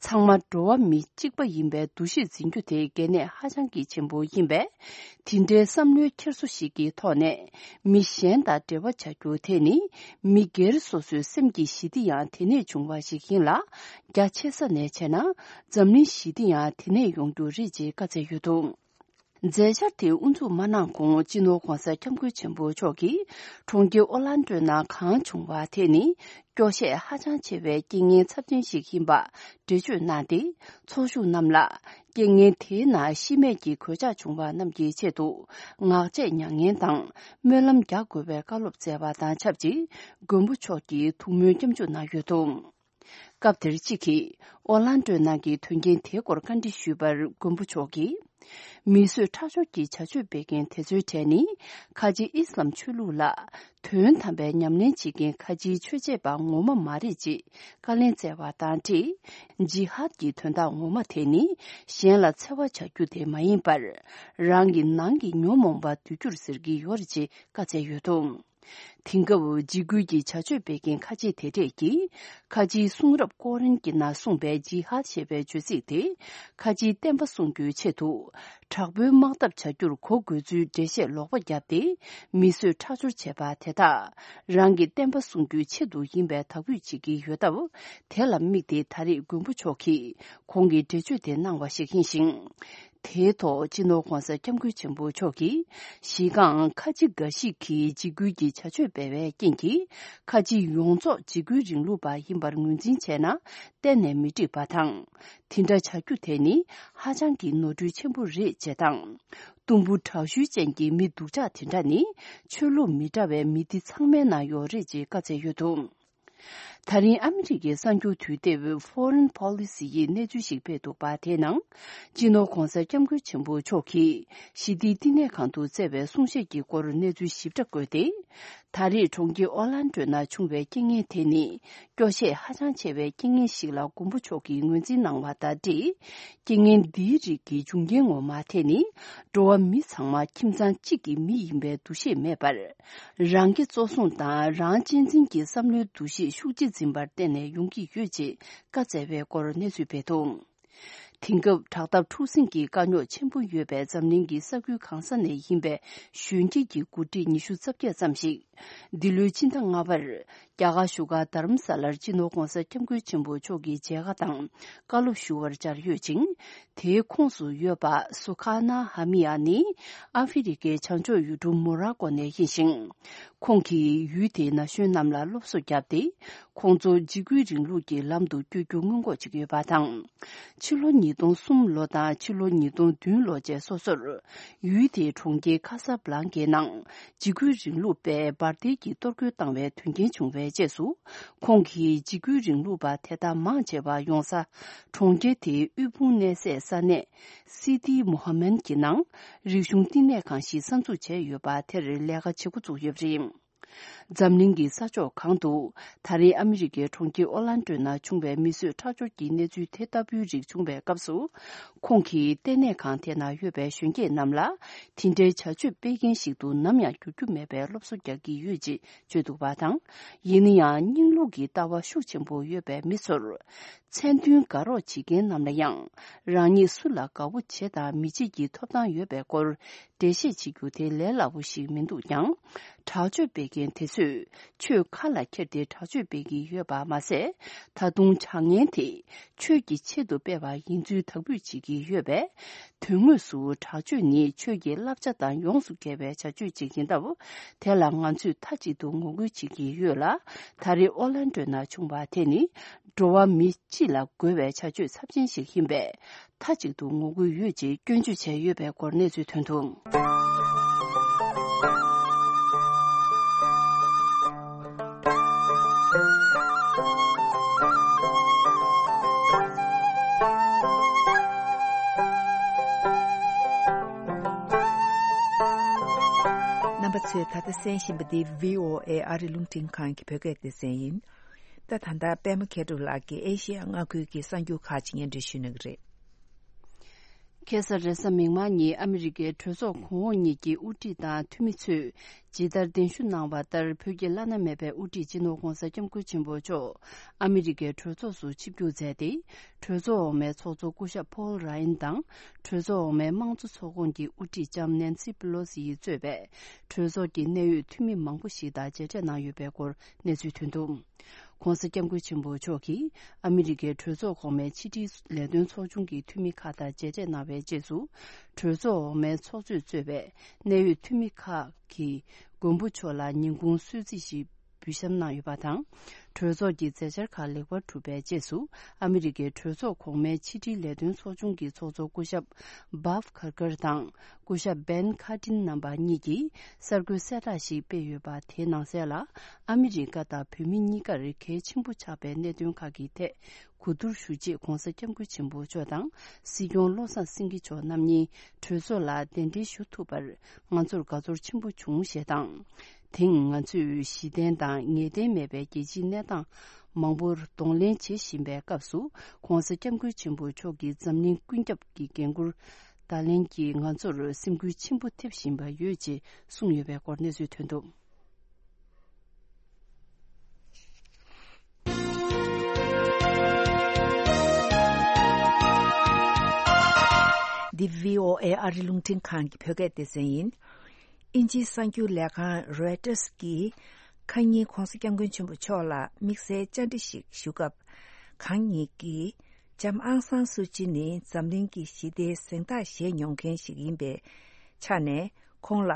ཚང་མ་འགྲོ་བ་མི་གཅིག་པ་ཡིན་པའི་འདུ་ཤེས་འཛིན་རྒྱུ་དེ་གལ་གནད་ཧ་ཅང་གི་ཆེན་པོ་ཡིན་པས། དེ་འདྲའི་བསམ་བློའི་འཁྱེར་སོ་ཞིག་གི་ཐོག་ནས། མི་གཞན་དང་འབྲེལ་བ་བྱ་རྒྱུ་དེ་ནི། མི་སྒེར་སོ་སོའི་སེམས་ཀྱི་ཞི་བདེ་ཡང་དེ་ནས་བྱུང་བ་ཞིག་ཡིན་ལ། རྒྱ་ཆེ་ས་ནས་བྱས་ན། འཛམ་གླིང་ཞི་བདེ་ཡང་དེ་ནས་ཡོང་རྒྱུ་རེད་ཅེས་བཀའ་སྩལ་ཡོད་འདུག་མཛད་འཆར་དེ་དབུ་འཛུགས་མ་གནང་གོང་། སྤྱི་ནོར་༧གོང་ས་༧སྐྱབས་མགོན་ཆེན་པོ་མཆོག་གིས། གྲོང་ཁྱེར་ཨོ་ལན་ཏོའི་ནང་གང་བྱུང་བ་དེ་ནི། སྐྱོ་ཤས་ཧ་ཅང་ཆེ་བའི་རྐྱེན་ངན་ཚབས་ཆེན་ཞིག་ཡིན་པ་འགྲེལ་བརྗོད་གནང་སྟེ། ཚོགས་ཞུགས་རྣམས་ལ། རྐྱེན་ངན་དེའི་ནང་ཤི་རྨས་ཀྱི་གོད་ཆག་བྱུང་བ་རྣམས་ཀྱི་ཆེད་དུ། ངག་བཅད་མྱ་ངན་དང་། སྨོན་ལམ་རྒྱག་དགོས་པའི་བཀའ་སློབ་སྩལ་བ་དང་ཆབས་ཅིག་མགོན་པོ་མཆོག་གིས་ཐུགས་སྨོན་སྐྱབས་འཇུག་གནང་ཡོད་འདུག་སྐབས་དེར་གཅིག་གིས་ཨོ་ལན་ཏོའི་ནང་གི་དོན་རྐྱེན་དེའི་སྐོར་བཀའ་འདྲི་ཞུས་པར། མགོན་པོ་མཆོག་གིས། མི་གསོད་ཁྲག་སྦྱོར་གྱི་བྱ་སྤྱོད་སྤེལ་མཁན་དེ་ཚོའི་གྲས་ནི། ཁ་ཆེ་ཨི་སི་ལམ་ཆོས་ལུགས་ལ། དོན་དམ་པའི་ཉམས་ལེན་བྱེད་མཁན་ཁ་ཆེའི་ཆོས་བྱེད་པ་ངོ་མ་མ་རེད་ཅེས་བཀའ་ལན་སྩལ་བ་དང་འབྲེལ། ཇི་ཧཱད་ཀྱི་དོན་དག་ངོ་མ་དེ་ནི། གཞན་ལ་འཚེ་བ་བྱ་རྒྱུ་དེ་མ་ཡིན་པར། རང་གི་ནང་གི་ཉོན་མོངས་པ་འདུལ་རྒྱུར་ཟེར་གྱི་ཡོད་རེད་ཅེས་བཀའ་སྩལ་ཡོད་འདུག་དེང་སྐབས་འཇིགས་སྐུལ་གྱི་བྱ་སྤྱོད་སྤེལ་མཁན་ཁ་ཆེ་དེ་གྲས་ཀྱིས། ཁ་ཆེའི་གསུང་རབ་ཀོ་རན་གྱི་ནང་གསུངས་པའི་ཇི་ཧཱད་ཞེས་པའི་བརྗོད་ཚིག་དེ། ཁ་ཆེའི་བསྟན་པ་སྲུང་རྒྱུའི་ཆེད་དུ། དྲག་པོའི་དམག་འཐབ་བྱ་རྒྱུར་གོ་དགོས་ཚུལ་འགྲེལ་བཤད་ལོག་པ་བརྒྱབ་སྟེ། མི་གསོད་ཁྲག་སྦྱོར་བྱས་པ་དེ་དག་རང་གི་བསྟན་པ་སྲུང་རྒྱུའི་ཆེད་དུ་ཡིན་པའི་དག་འབུད་བྱེད་ཀྱི་ཡོད་སྟབས། དེ་ལ་དམིགས་ཏེ་ད་རེས་མགོན་པོ་མཆོག་གིས་ཁོང་གི་འགྲེལ་བརྗོད་དེ་གནང་བ་ཞིག་ཡིན་ཞིང་། དེའི་ཐོག་སྤྱི་ནོར་༧གོང་ས་༧སྐྱབས་མགོན་ཆེན་པོ་མཆོག་གིས། གཞི་རྐང་ཁ་ཆེ་འགའ་ཞིག་གིས་འཇིགས་སྐུལ་གྱི་བྱ་སྤྱོད་སྤེལ་བའི་རྐྱེན་གྱིས། ཁ་ཆེ་ཡོངས་རྫོགས་འཇིགས་སྐུལ་རིང་ལུགས་པ་ཡིན་པར་ངོས་འཛིན་བྱས་ན། གཏན་ནས་མི་འགྲིག་པ་དང་། དེ་འདྲ་བྱ་རྒྱུ་དེ་ནི་ཧ་ཅང་གི་ནོར་འཁྲུལ་ཆེན་པོ་རེད་ཅེས་དང་། གཏུམ་པོ་དྲག་ཤུལ་ཅན་གྱི་མི་སྡུག་ཅག་དེ་འདྲ་ནི་ཆོས་ལུགས་མི་འདྲ་བའི་མི་སྡེ་ཚང་མའི་ནང་ཡོད་རེད་ཅེས་བཀའ་སྩལ་ཡོད་འདུག་ད་རིང་ཨ་མི་རི་ཀའི་གསར་འགྱུར་དུས་དེབ་Foreign Policy ཡིས་གནས་ཚུལ་ཞིག་སྤེལ་འདུག་པ། དེའི་ནང་། སྤྱི་ནོར་༧གོང་ས་༧སྐྱབས་མགོན་ཆེན་པོ་མཆོག་གིས་ཞི་བདེའི་བསྟི་གནས་ཁང་དུ་སྩལ་བའི་གསུང་བཤད་ཀྱི་སྐོར་གནས་ཚུལ་ཞིབ་ཕྲ་བཀོད་དེ། ད་རེས་གྲོང་ཁྱེར་ཨོ་ལན་ཏོའི་ནང་བྱུང་བའི་རྐྱེན་ངན་དེ་ནི། སྐྱོ་ཤས་ཧ་ཅང་ཆེ་བའི་རྐྱེན་ངན་ཞིག་ལ་མགོན་པོ་མཆོག་གིས་ངོས་འཛིན་གནང་བ་དང་འབྲེལ། རྐྱེན་ངན་འདིའི་རིགས་ཀྱི་འབྱུང་རྐྱེན་ངོ་མ་དེ་ནི། འགྲོ་བ་མི་ཚང་མ་ཁྱིམ་ཚང་གཅིག་གི་མི་ཡིན་པའི་འདུ་ཤེས་མེད་པར། རང་གི་གཙོ་བཟུང་དང་རང་གཅེས་འཛིན་གྱི་བསམ་བློའི་འདུ་ཤེས་ཤུགས་ཆེ་འཛིན་པར་བརྟེན་ནས་ཡོང་གི་ཡོད་ཅེས་བཀའ་སྩལ་བའི་སྐོར་གནས་ཚུལ་སྤེལ་འདུག་དེང་སྐབས་དྲག་འཐབ་འཁྲུག་ཟིང་གི་དཀའ་རྙོག་ཆེན་པོ་ཡོད་པའི་འཛམ་གླིང་གི་ས་ཁུལ་གང་ས་ནས་ཡིན་པའི་གཞོན་སྐྱེས་ཀྱི་འགོ་ཁྲིད་ཉི་ཤུ་རྩ་བརྒྱད་ཙམ་ཞིག་འདི་ལོའི་ཕྱི་ཟླ་ལྔ་པར། རྒྱ་གར་བཞུགས་སྒར་དྷ་རམ་ས་ལར་སྤྱི་ནོར་༧གོང་ས་༧སྐྱབས་མགོན་ཆེན་པོ་མཆོག་གི་མཇལ་ཁ་དང་བཀའ་སློབ་ཞུ་བར་བཅར་ཡོད་ཅིང་། དེའི་ཁོངས་སུ་ཡོད་པ་སུ་ཁ་ན་ཧ་མི་ཡ་ནི་ཨ་ཧྥེ་རི་ཁའི་བྱང་ཕྱོགས་ཡུལ་གྲུ་མོ་ར་ཀོ་ནས་ཡིན་ཞིང་། ཁོང་གིས་ཡུལ་དེའི་ན་གཞོན་རྣམས་ལ་སློབ་གསོ་བརྒྱབ་སྟེ། ཁོང་ཚོ་འཇིགས་སྐུལ་རིང་ལུགས་ཀྱི་ལམ་དུ་བསྐྱོད་རྒྱུ་སྔོན་འགོག་བྱེད་ཀྱི་ཡོད་པ་དང་། ཕྱི་ལོ་ཉིས་སྟོང་གསུམ་ལོ་དང་ཕྱི་ལོ་ཉིས་སྟོང་བདུན་ལོ་བཅས་སོ་སོར། ཡུལ་དེའི་གྲོང་ཁྱེར་ཁ་ས་བྷ་ལང་ཀའི་ནང་འཇིགས་སྐུལ་རིང་ལུགས་པས་འབར་མདེལ་གྱིས་གཏོར་རྒོལ་བཏང་བའི་དོན་རྐྱེན་བྱུང་བའི་རྗེས་སུ། ཁོང་གིས་འཇིགས་སྐུལ་རིང་ལུགས་པ་དེ་དག་མང་ཆེ་བ་ཡོང་ས། གྲོང་ཁྱེར་དེའི་དབུལ་ཕོངས་གནས་སའི་ས་གནས། སི་ཏི་མོ་ཧ་མན་གྱི་ནང་། རིག་གཞུང་བསྟི་གནས་ཁང་ཞིག་གསར་འཛུགས་བྱས་ཡོད་པ་དེར་ལས་ཀ་བྱེད་འགོ་བཙུགས་ཡོད་པ་རེད། འཛམ་གླིང་གི་ས་ཕྱོགས་གང་དུ། ད་རེས་ཨ་མི་རི་ཀའི་གྲོང་ཁྱེར་ཨོ་ལན་ཏོའི་ནང་བྱུང་བའི་མི་གསོད་ཁྲག་སྦྱོར་གྱི་གནས་ཚུལ་དེ་ལྟ་བུའི་རིགས་བྱུང་བའི་སྐབས་སུ། ཁོང་གིས་ལྟེ་གནས་ཁང་དེ་ནང་ཡོད་པའི་གཞོན་སྐྱེས་རྣམས་ལ། དེ་འདྲའི་བྱ་སྤྱོད་སྤེལ་མཁན་ཞིག་ཏུ་ནམ་ཡང་འགྱུར་རྒྱུ་མེད་པའི་སློབ་གསོ་རྒྱག་གི་ཡོད་ཅེས་བརྗོད་འདུག་པ་དང་། ཡིན་ན་ཡང་། རྙིང་ལུགས་ཀྱི་ལྟ་བ་ཤུགས་ཆེན་པོ་ཡོད་པའི་མི་ཚོར། མཚན་མཐུན་དགའ་རོགས་བྱེད་མཁན་རྣམས་ལ་ཡང་། རང་ཉིད་སུ་ལ་དགའ་བོ་བྱེད་དང་མི་བྱེད་ཀྱི་ཐོབ་ཐང་ཡོད་པའི་སྐོར། འགྲེལ་བཤད་བྱེད་རྒྱུ་དེ་ལས་སླ་པོ་ཞིག་མི་འདུག་ཀྱང་། དྲག་སྤྱོད་སྤེལ་མཁན་དེ་ཚོས་ཆོས་ཁ་ལ་འཁྱེར་ཏེ་དྲག་སྤྱོད་སྤེལ་གྱི་ཡོད་པ་མ་ཟད། ད་དུང་བྱ་ངན་དེ་ཆོས་ཀྱི་ཆེད་དུ་སྤེལ་བ་ཡིན་ཚུལ་དག་འབུད་བྱེད་ཀྱི་ཡོད་པས། དོན་དངོས་སུ་དྲག་སྤྱོད་ནི་ཆོས་ཀྱི་བསླབ་བྱ་དང་ཡོངས་སུ་འགལ་བའི་བྱ་སྤྱོད་ཅིག་ཡིན་སྟབས། དེ་ལ་ང་ཚོས་མཐའ་གཅིག་ཏུ་ངོ་རྒོལ་བྱེད་ཀྱི་ཡོད་ལ། ད་རེས་ཨོ་ལན་ཏོའི་ནང་བྱུང་བ་དེ་ནི། འགྲོ་བ་མི་སྤྱི་ལ་རྒོལ་བའི་བྱ་སྤྱོད་ཚབས་ཆེན་ཞིག་ཡིན་པས། མཐའ་གཅིག་ཏུ་ངོ་རྒོལ་ཡོད་ཅེས་སྐྱོན་བརྗོད་བྱས་ཡོད་པའི་སྐོར་གནས་ཚུལ་ཐོན་འདུག་རྣམ་པ་ཚོས་ད་ལྟ་གསན་བཞིན་པ་འདི་བྷི་ཨོ་ཨེ་ཨ་རི་རླུང་འཕྲིན་ཁང་གི་བོད་སྐད་སྡེ་ཚན་ཡིན། ད་ད་ལྟ་པད་མ་མཁས་གྲུབ་ལགས་ཀྱིས་ཨེ་ཤེ་ཡ་མངའ་ཁུལ་གྱི་གསར་འགྱུར་ཁག་ཅིག་སྙན་སྒྲོན་ཞུ་གནང་གི་རེད། ཁ་སང་རེས་གཟའ་མིག་དམར་ཉིན་ཨ་མི་རི་ཀའི་གྲོས་ཚོགས་གོང་འོག་གཉིས་ཀྱི་དབུ་ཁྲིད་དང་འཐུས་མི་ཚོས་ཇི་ལྟར་གདན་ཞུ་གནང་བ་ལྟར། བོད་ཀྱི་བླ་ན་མེད་པའི་དབུ་ཁྲིད་སྤྱི་ནོར་༧གོང་ས་༧སྐྱབས་མགོན་ཆེན་པོ་མཆོག་ཨ་མི་རི་ཀའི་གྲོས་ཚོགས་སུ་ཆིབས་བསྒྱུར་མཛད་དེ། གྲོས་ཚོགས་འོག་མའི་ཚོགས་གཙོ་སྐུ་ཞབས་ཕོལ་ར་ཡན་དང་། གྲོས་ཚོགས་འོག་མའི་དམངས་གཙོ་ཚོགས་ཁོངས་ཀྱི་དབུ་ཁྲིད་ལྕམ་ནན་སི་པི་ལོ་སི་ཡིས་གཙོས་པའི་གྲོས་ཚོགས་ཀྱི་གནད་ཡོད་འཐུས་མི་མང་པོ་ཞིག་དང་མཇལ་འཕྲད་གནང་ཡོད་པའི་སྐོར་གནས་ཚུལ་ཐོན་འདུག ༸གོང་ས་༸སྐྱབས་མགོན་ཆེན་པོ་མཆོག་གིས་ཨ་མི་རི་ཀའི་གྲོས་ཚོགས་གོང་མའི་ཕྱི་དྲིལ་ལས་དོན་ཚོགས་ཆུང་གི་འཐུས་མི་ཁག་དང་མཇལ་འཕྲད་གནང་བའི་རྗེས་སུ། གྲོས་ཚོགས་འོག་མའི་ཚོགས་གཙོས་གཙོས་པའི་གནད་ཡོད་འཐུས་མི་ཁག་གིས་མགོན་པོ་མཆོག་ལ་ཉིན་གུང་གསོལ་ཚིགས་ཤིག་འབུལ་བཤམས་གནང་ཡོད་པ་དང་། གྲོས་ཚོགས་ཀྱི་མཛད་འཆར་ཁག་ལེགས་པར་གྲུབ་པའི་རྗེས་སུ། ཨ་མི་རི་ཀའི་གྲོས་ཚོགས་གོང་མའི་ཕྱི་དྲིལ་ལས་དོན་ཚོགས་ཆུང་གི་ཚོགས་གཙོ་སྐུ་ཞབས་བྷབ་ཁར་ཀར་དང་། སྐུ་ཞབས་བན་ཁ་ཏིན་རྣམ་པ་གཉིས་ཀྱིས་གསར་འགོད་གསལ་བསྒྲགས་ཤིག་སྤེལ་ཡོད་པ། དེའི་ནང་གསལ་ལ། ཨ་མི་རི་ཀ་དང་བོད་མི་གཉིས་ཀར་གལ་ཆེན་པོ་ཆགས་པའི་གནད་དོན་ཁག་གི་ཐད་གོ་བསྡུར་ཞུ་ཆེད་༸གོང་ས་༸སྐྱབས་མགོན་ཆེན་པོ་མཆོག་དང་སྲིད་སྐྱོང་བློ་བཟང་སེང་གེ་མཆོག་རྣམ་གཉིས་གྲོས་ཚོགས་ལ་གདན་འདྲེན་ཞུ་ཐུབ་པར་ང་ཚོར་དགའ་ཚོར་ཆེན་པོ་བྱུང་ཞེས་དང་། དེང་ང་ཚོས་གཞི་རྟེན་དང་ངེས་གཏན་མེད་པའི་རྒྱལ་སྤྱིའི་གནས་སྟངས་མང་པོར་གདོང་ལེན་བྱེད་བཞིན་པའི་སྐབས་སུ། ༸གོང་ས་༸སྐྱབས་མགོན་ཆེན་པོ་མཆོག་གིས་འཛམ་གླིང་ཀུན་ཁྱབ་ཀྱི་འགན་འཁུར་ད་ལན་གྱིས་ང་ཚོར་སེམས་འགུལ་ཆེན་པོ་ཐེབས་བཞིན་པ་ཡོད་ཅེས་གསུངས་ཡོད་པའི་སྐོར་གནས་ཚུལ་ཐོན་འདུག་འདི་བྷི་ཨོ་ཨེ་ཨ་རི་རླུང་འཕྲིན་ཁང་གི་བོད་སྐད་སྡེ་ཚན་ཡིན། དབྱིན་ཇིའི་གསར་འགྱུར་ལས་ཁང་རོའི་ཊར་གྱིས་ཁ་ཉིན་༸གོང་ས་༸སྐྱབས་མགོན་ཆེན་པོ་མཆོག་ལ་དམིགས་བསལ་བཅར་འདྲི་ཞིག་ཞུ་སྐབས། ཁང་ཉིད་ཀྱིས་ལྕམ་ཨང་སང་སུ་ཅི་ནི་འཛམ་གླིང་གི་ཞི་བདེའི་གཟེངས་རྟགས་བཞེས་མྱོང་མཁན་ཞིག་ཡིན་པའི་ཆ་ནས། ཁོང་ལ་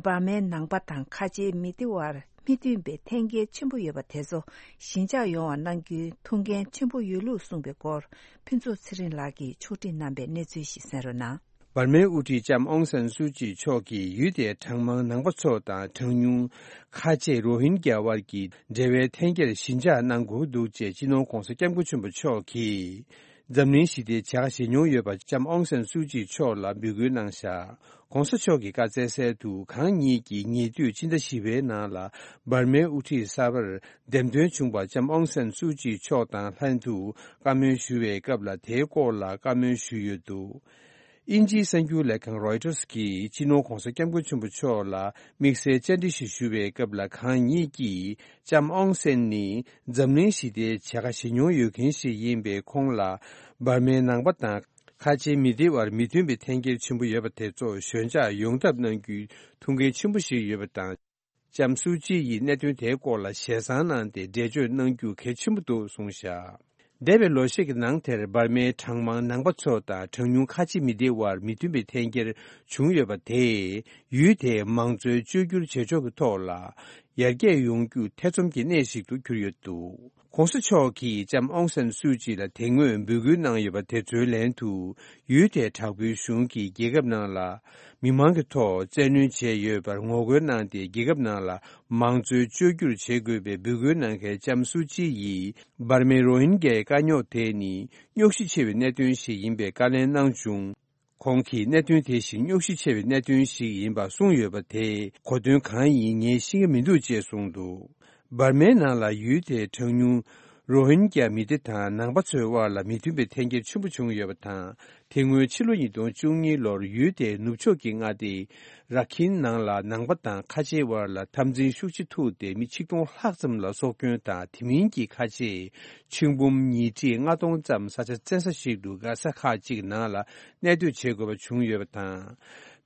འབར་མའི་ནང་པ་དང་ཁ་ཆེའི་མི་སྡེ་བར་མི་མཐུན་པའི་འཐེན་འཁྱེར་ཆེན་པོ་ཡོད་པ་དེ་ཚོ་ཞི་འཇགས་ཡོང་བ་གནང་རྒྱུའི་ཐུགས་འགན་ཆེན་པོ་ཡོད་ལུགས་གསུངས་པའི་སྐོར། ཕུན་ཚོགས་ཚེ་རིང་ལགས་ཀྱིས་ཕྱོགས་སྒྲིག་གནང་པའི་གནས་ཚུལ་ཞིག་གསན་རོགས་གནང་། འབར་མའི་དབུ་ཁྲིད་ལྕམ་ཨོང་སན་སུའུ་ཅི་མཆོག་གིས་ཡུལ་དེའི་གྲངས་མང་ནང་པ་ཚོ་དང་གྲངས་ཉུང་ཁ་ཆེ་རོ་ཧིན་གྱ་དབར་གྱི་འབྲེལ་བའི་འཐེན་འཁྱེར་ཞི་འཇགས་གནང་དགོས་འདུག་ཅེས་སྤྱི་ནོར་༸གོང་ས་༸སྐྱབས་མགོན་ཆེན་པོ་མཆོག་གིས་འཛམ་གླིང་ཞི་བདེའི་བྱ་དགའ་བཞེས་མྱོང་ཡོད་པ་ལྕམ་ཨོང་སན་སུའུ་ཅི་མཆོག་ལ་འབོད་སྐུལ་གནང་བཞག ༸གོང་ས་མཆོག་གི་བཀའ་སྩལ་གསལ་དུ། ཁང་གཉིས་ཀྱིས་ཉེ་དུས་ཕྱི་ཟླ་བཞི་པའི་ནང་ལ་འབར་མའི་དབུ་ཁྲིད་གསར་པར་འདེམས་ཐོན་བྱུང་བ་ལྕམ་ཨོང་སན་སུའུ་ཅི་མཆོག་དང་ལྷན་དུ་བཀའ་མོལ་ཞུ་བའི་སྐབས་ལ་དེའི་སྐོར་ལ་བཀའ་མོལ་ཞུས་ཡོད་འདུག་དབྱིན་ཇིའི་གསར་འགྱུར་ལས་ཁང་རོའི་ཊར་གྱིས་སྤྱི་ནོར་༸གོང་ས་༸སྐྱབས་མགོན་ཆེན་པོ་མཆོག་ལ་དམིགས་བསལ་བཅར་འདྲི་ཞིག་ཞུ་བའི་སྐབས་ལ། ཁང་གཉིས་ཀྱིས་ལྕམ་ཨོང་སན་ནི་འཛམ་གླིང་ཞི་བདེའི་བྱ་དགའ་བཞེས་མྱོང་ཡོད་མཁན་ཞིག་ཡིན་པས། ཁོང་ལ་འབར་མའི་ནང་པ་དང་ཁ་ཆེའི་མི་སྡེ་བར་མི་མཐུན་པའི་འཐེན་འཁྱེར་ཆེན་པོ་ཡོད་པ་དེ་ཚོ་ཞི་འཇགས་ཡོང་ཐབས་གནང་རྒྱུའི་ཐུགས་འགན་ཆེན་པོ་ཞིག་ཡོད་པ་དང་། ལྕམ་སུའུ་ཅི་ཡིས་གནད་དོན་དེའི་སྐོར་ལ་ཞལ་བཟང་གནང་སྟེ་འགྲེལ་བརྗོད་གནང་རྒྱུ་གལ་ཆེན་པོ་འདུག་གསུངས་བཞག་འདས་པའི་ལོ་ཤས་ཀྱི་ནང་དེར་འབར་མའི་གྲངས་མང་ནང་པ་ཚོ་དང་གྲངས་ཉུང་ཁ་ཆེ་མི་སྡེ་བར་མི་མཐུན་པའི་འཐེན་འཁྱེར་བྱུང་ཡོད་པ་དེས། ཡུལ་དེའི་མང་གཙོའི་བཅོས་བསྒྱུར་བྱེད་ཕྱོགས་ཀྱི་ཐོག་ལ་ཡར་རྒྱས་ཡོང་རྒྱུ་ཐེ་ཚོམ་གྱི་གནས་ཤིག་ཏུ་གྱུར་ཡོད་འདུག ༸གོང་ས་མཆོག་གིས་ལྕམ་ཨོང་སན་སུའུ་ཅི་ལ་དེ་སྔོན་འབོད་སྐུལ་གནང་ཡོད་པ་དེ་ཚོའི་ལན་དུ། ཡུལ་དེའི་དྲག་པོའི་གཞུང་གིས་རྒྱལ་ཁབ་ནང་ལ་མི་མང་གི་ཐོག་བཙན་གནོན་བྱས་ཡོད་པར་ངོ་རྒོལ་གནང་སྟེ། རྒྱལ་ཁབ་ནང་ལ་མང་གཙོའི་བཅོས་བསྒྱུར་བྱེད་དགོས་པའི་འབོད་སྐུལ་གནང་མཁན་ལྕམ་སུའུ་ཅི་ཡིས། འབར་མའི་རོ་ཧིན་གྱའི་དཀའ་རྙོག་དེ་ནི་རྙོག་གཞི་ཆེ་བའི་གནད་དོན་ཞིག་ཡིན་པའི་བཀའ་ལན་གནང་བྱུང་། ཁོང་གིས་གནད་དོན་དེ་བཞིན་རྙོག་གཞི་ཆེ་བའི་གནད་དོན་ཞིག་ཡིན་པ་གསུངས་ཡོད་པ་དེ་གོ་དོན་གང་ཡིན་ངས་ཤེས་ཀྱི་མི་འདུག་ཅེས་གསུངས་འདུག་འབར་མའི་ནང་ལ་ཡུལ་དེའི་གྲངས་ཉུང་རོ་ཧིན་གྱ་མི་སྡེ་དང་ནང་པ་ཚོའི་དབར་ལ་མི་མཐུན་པའི་འཐེན་འཁྱེར་ཆེན་པོ་བྱུང་ཡོད་པ་དང་། དེ་སྔོན་ཕྱི་ལོ་ཉིས་སྟོང་བཅུ་གཉིས་ལོར་ཡུལ་དེའི་ནུབ་ཕྱོགས་ཀྱི་མངའ་སྡེ་ར་ཁིན་ནང་ལ་ནང་པ་དང་ཁ་ཆེའི་དབར་ལ་འཐབ་འཛིང་ཤུགས་ཆེ་ཐུག་སྟེ་མི་ཆིག་སྟོང་ལྷག་ཙམ་ལ་སྲོག་སྐྱོན་དང་། དེ་མིན་གྱི་ཁ་ཆེ་ཆིག་འབུམ་ཉིས་ཁྲི་ལྔ་སྟོང་ཙམ་ས་ཆ་བཙན་ས་ཞིག་ཏུ་མགར་ས་ཁག་ཅིག་ནང་ལ་གནས་སྡོད་བྱེད་དགོས་པ་བྱུང་ཡོད་པ་དང་།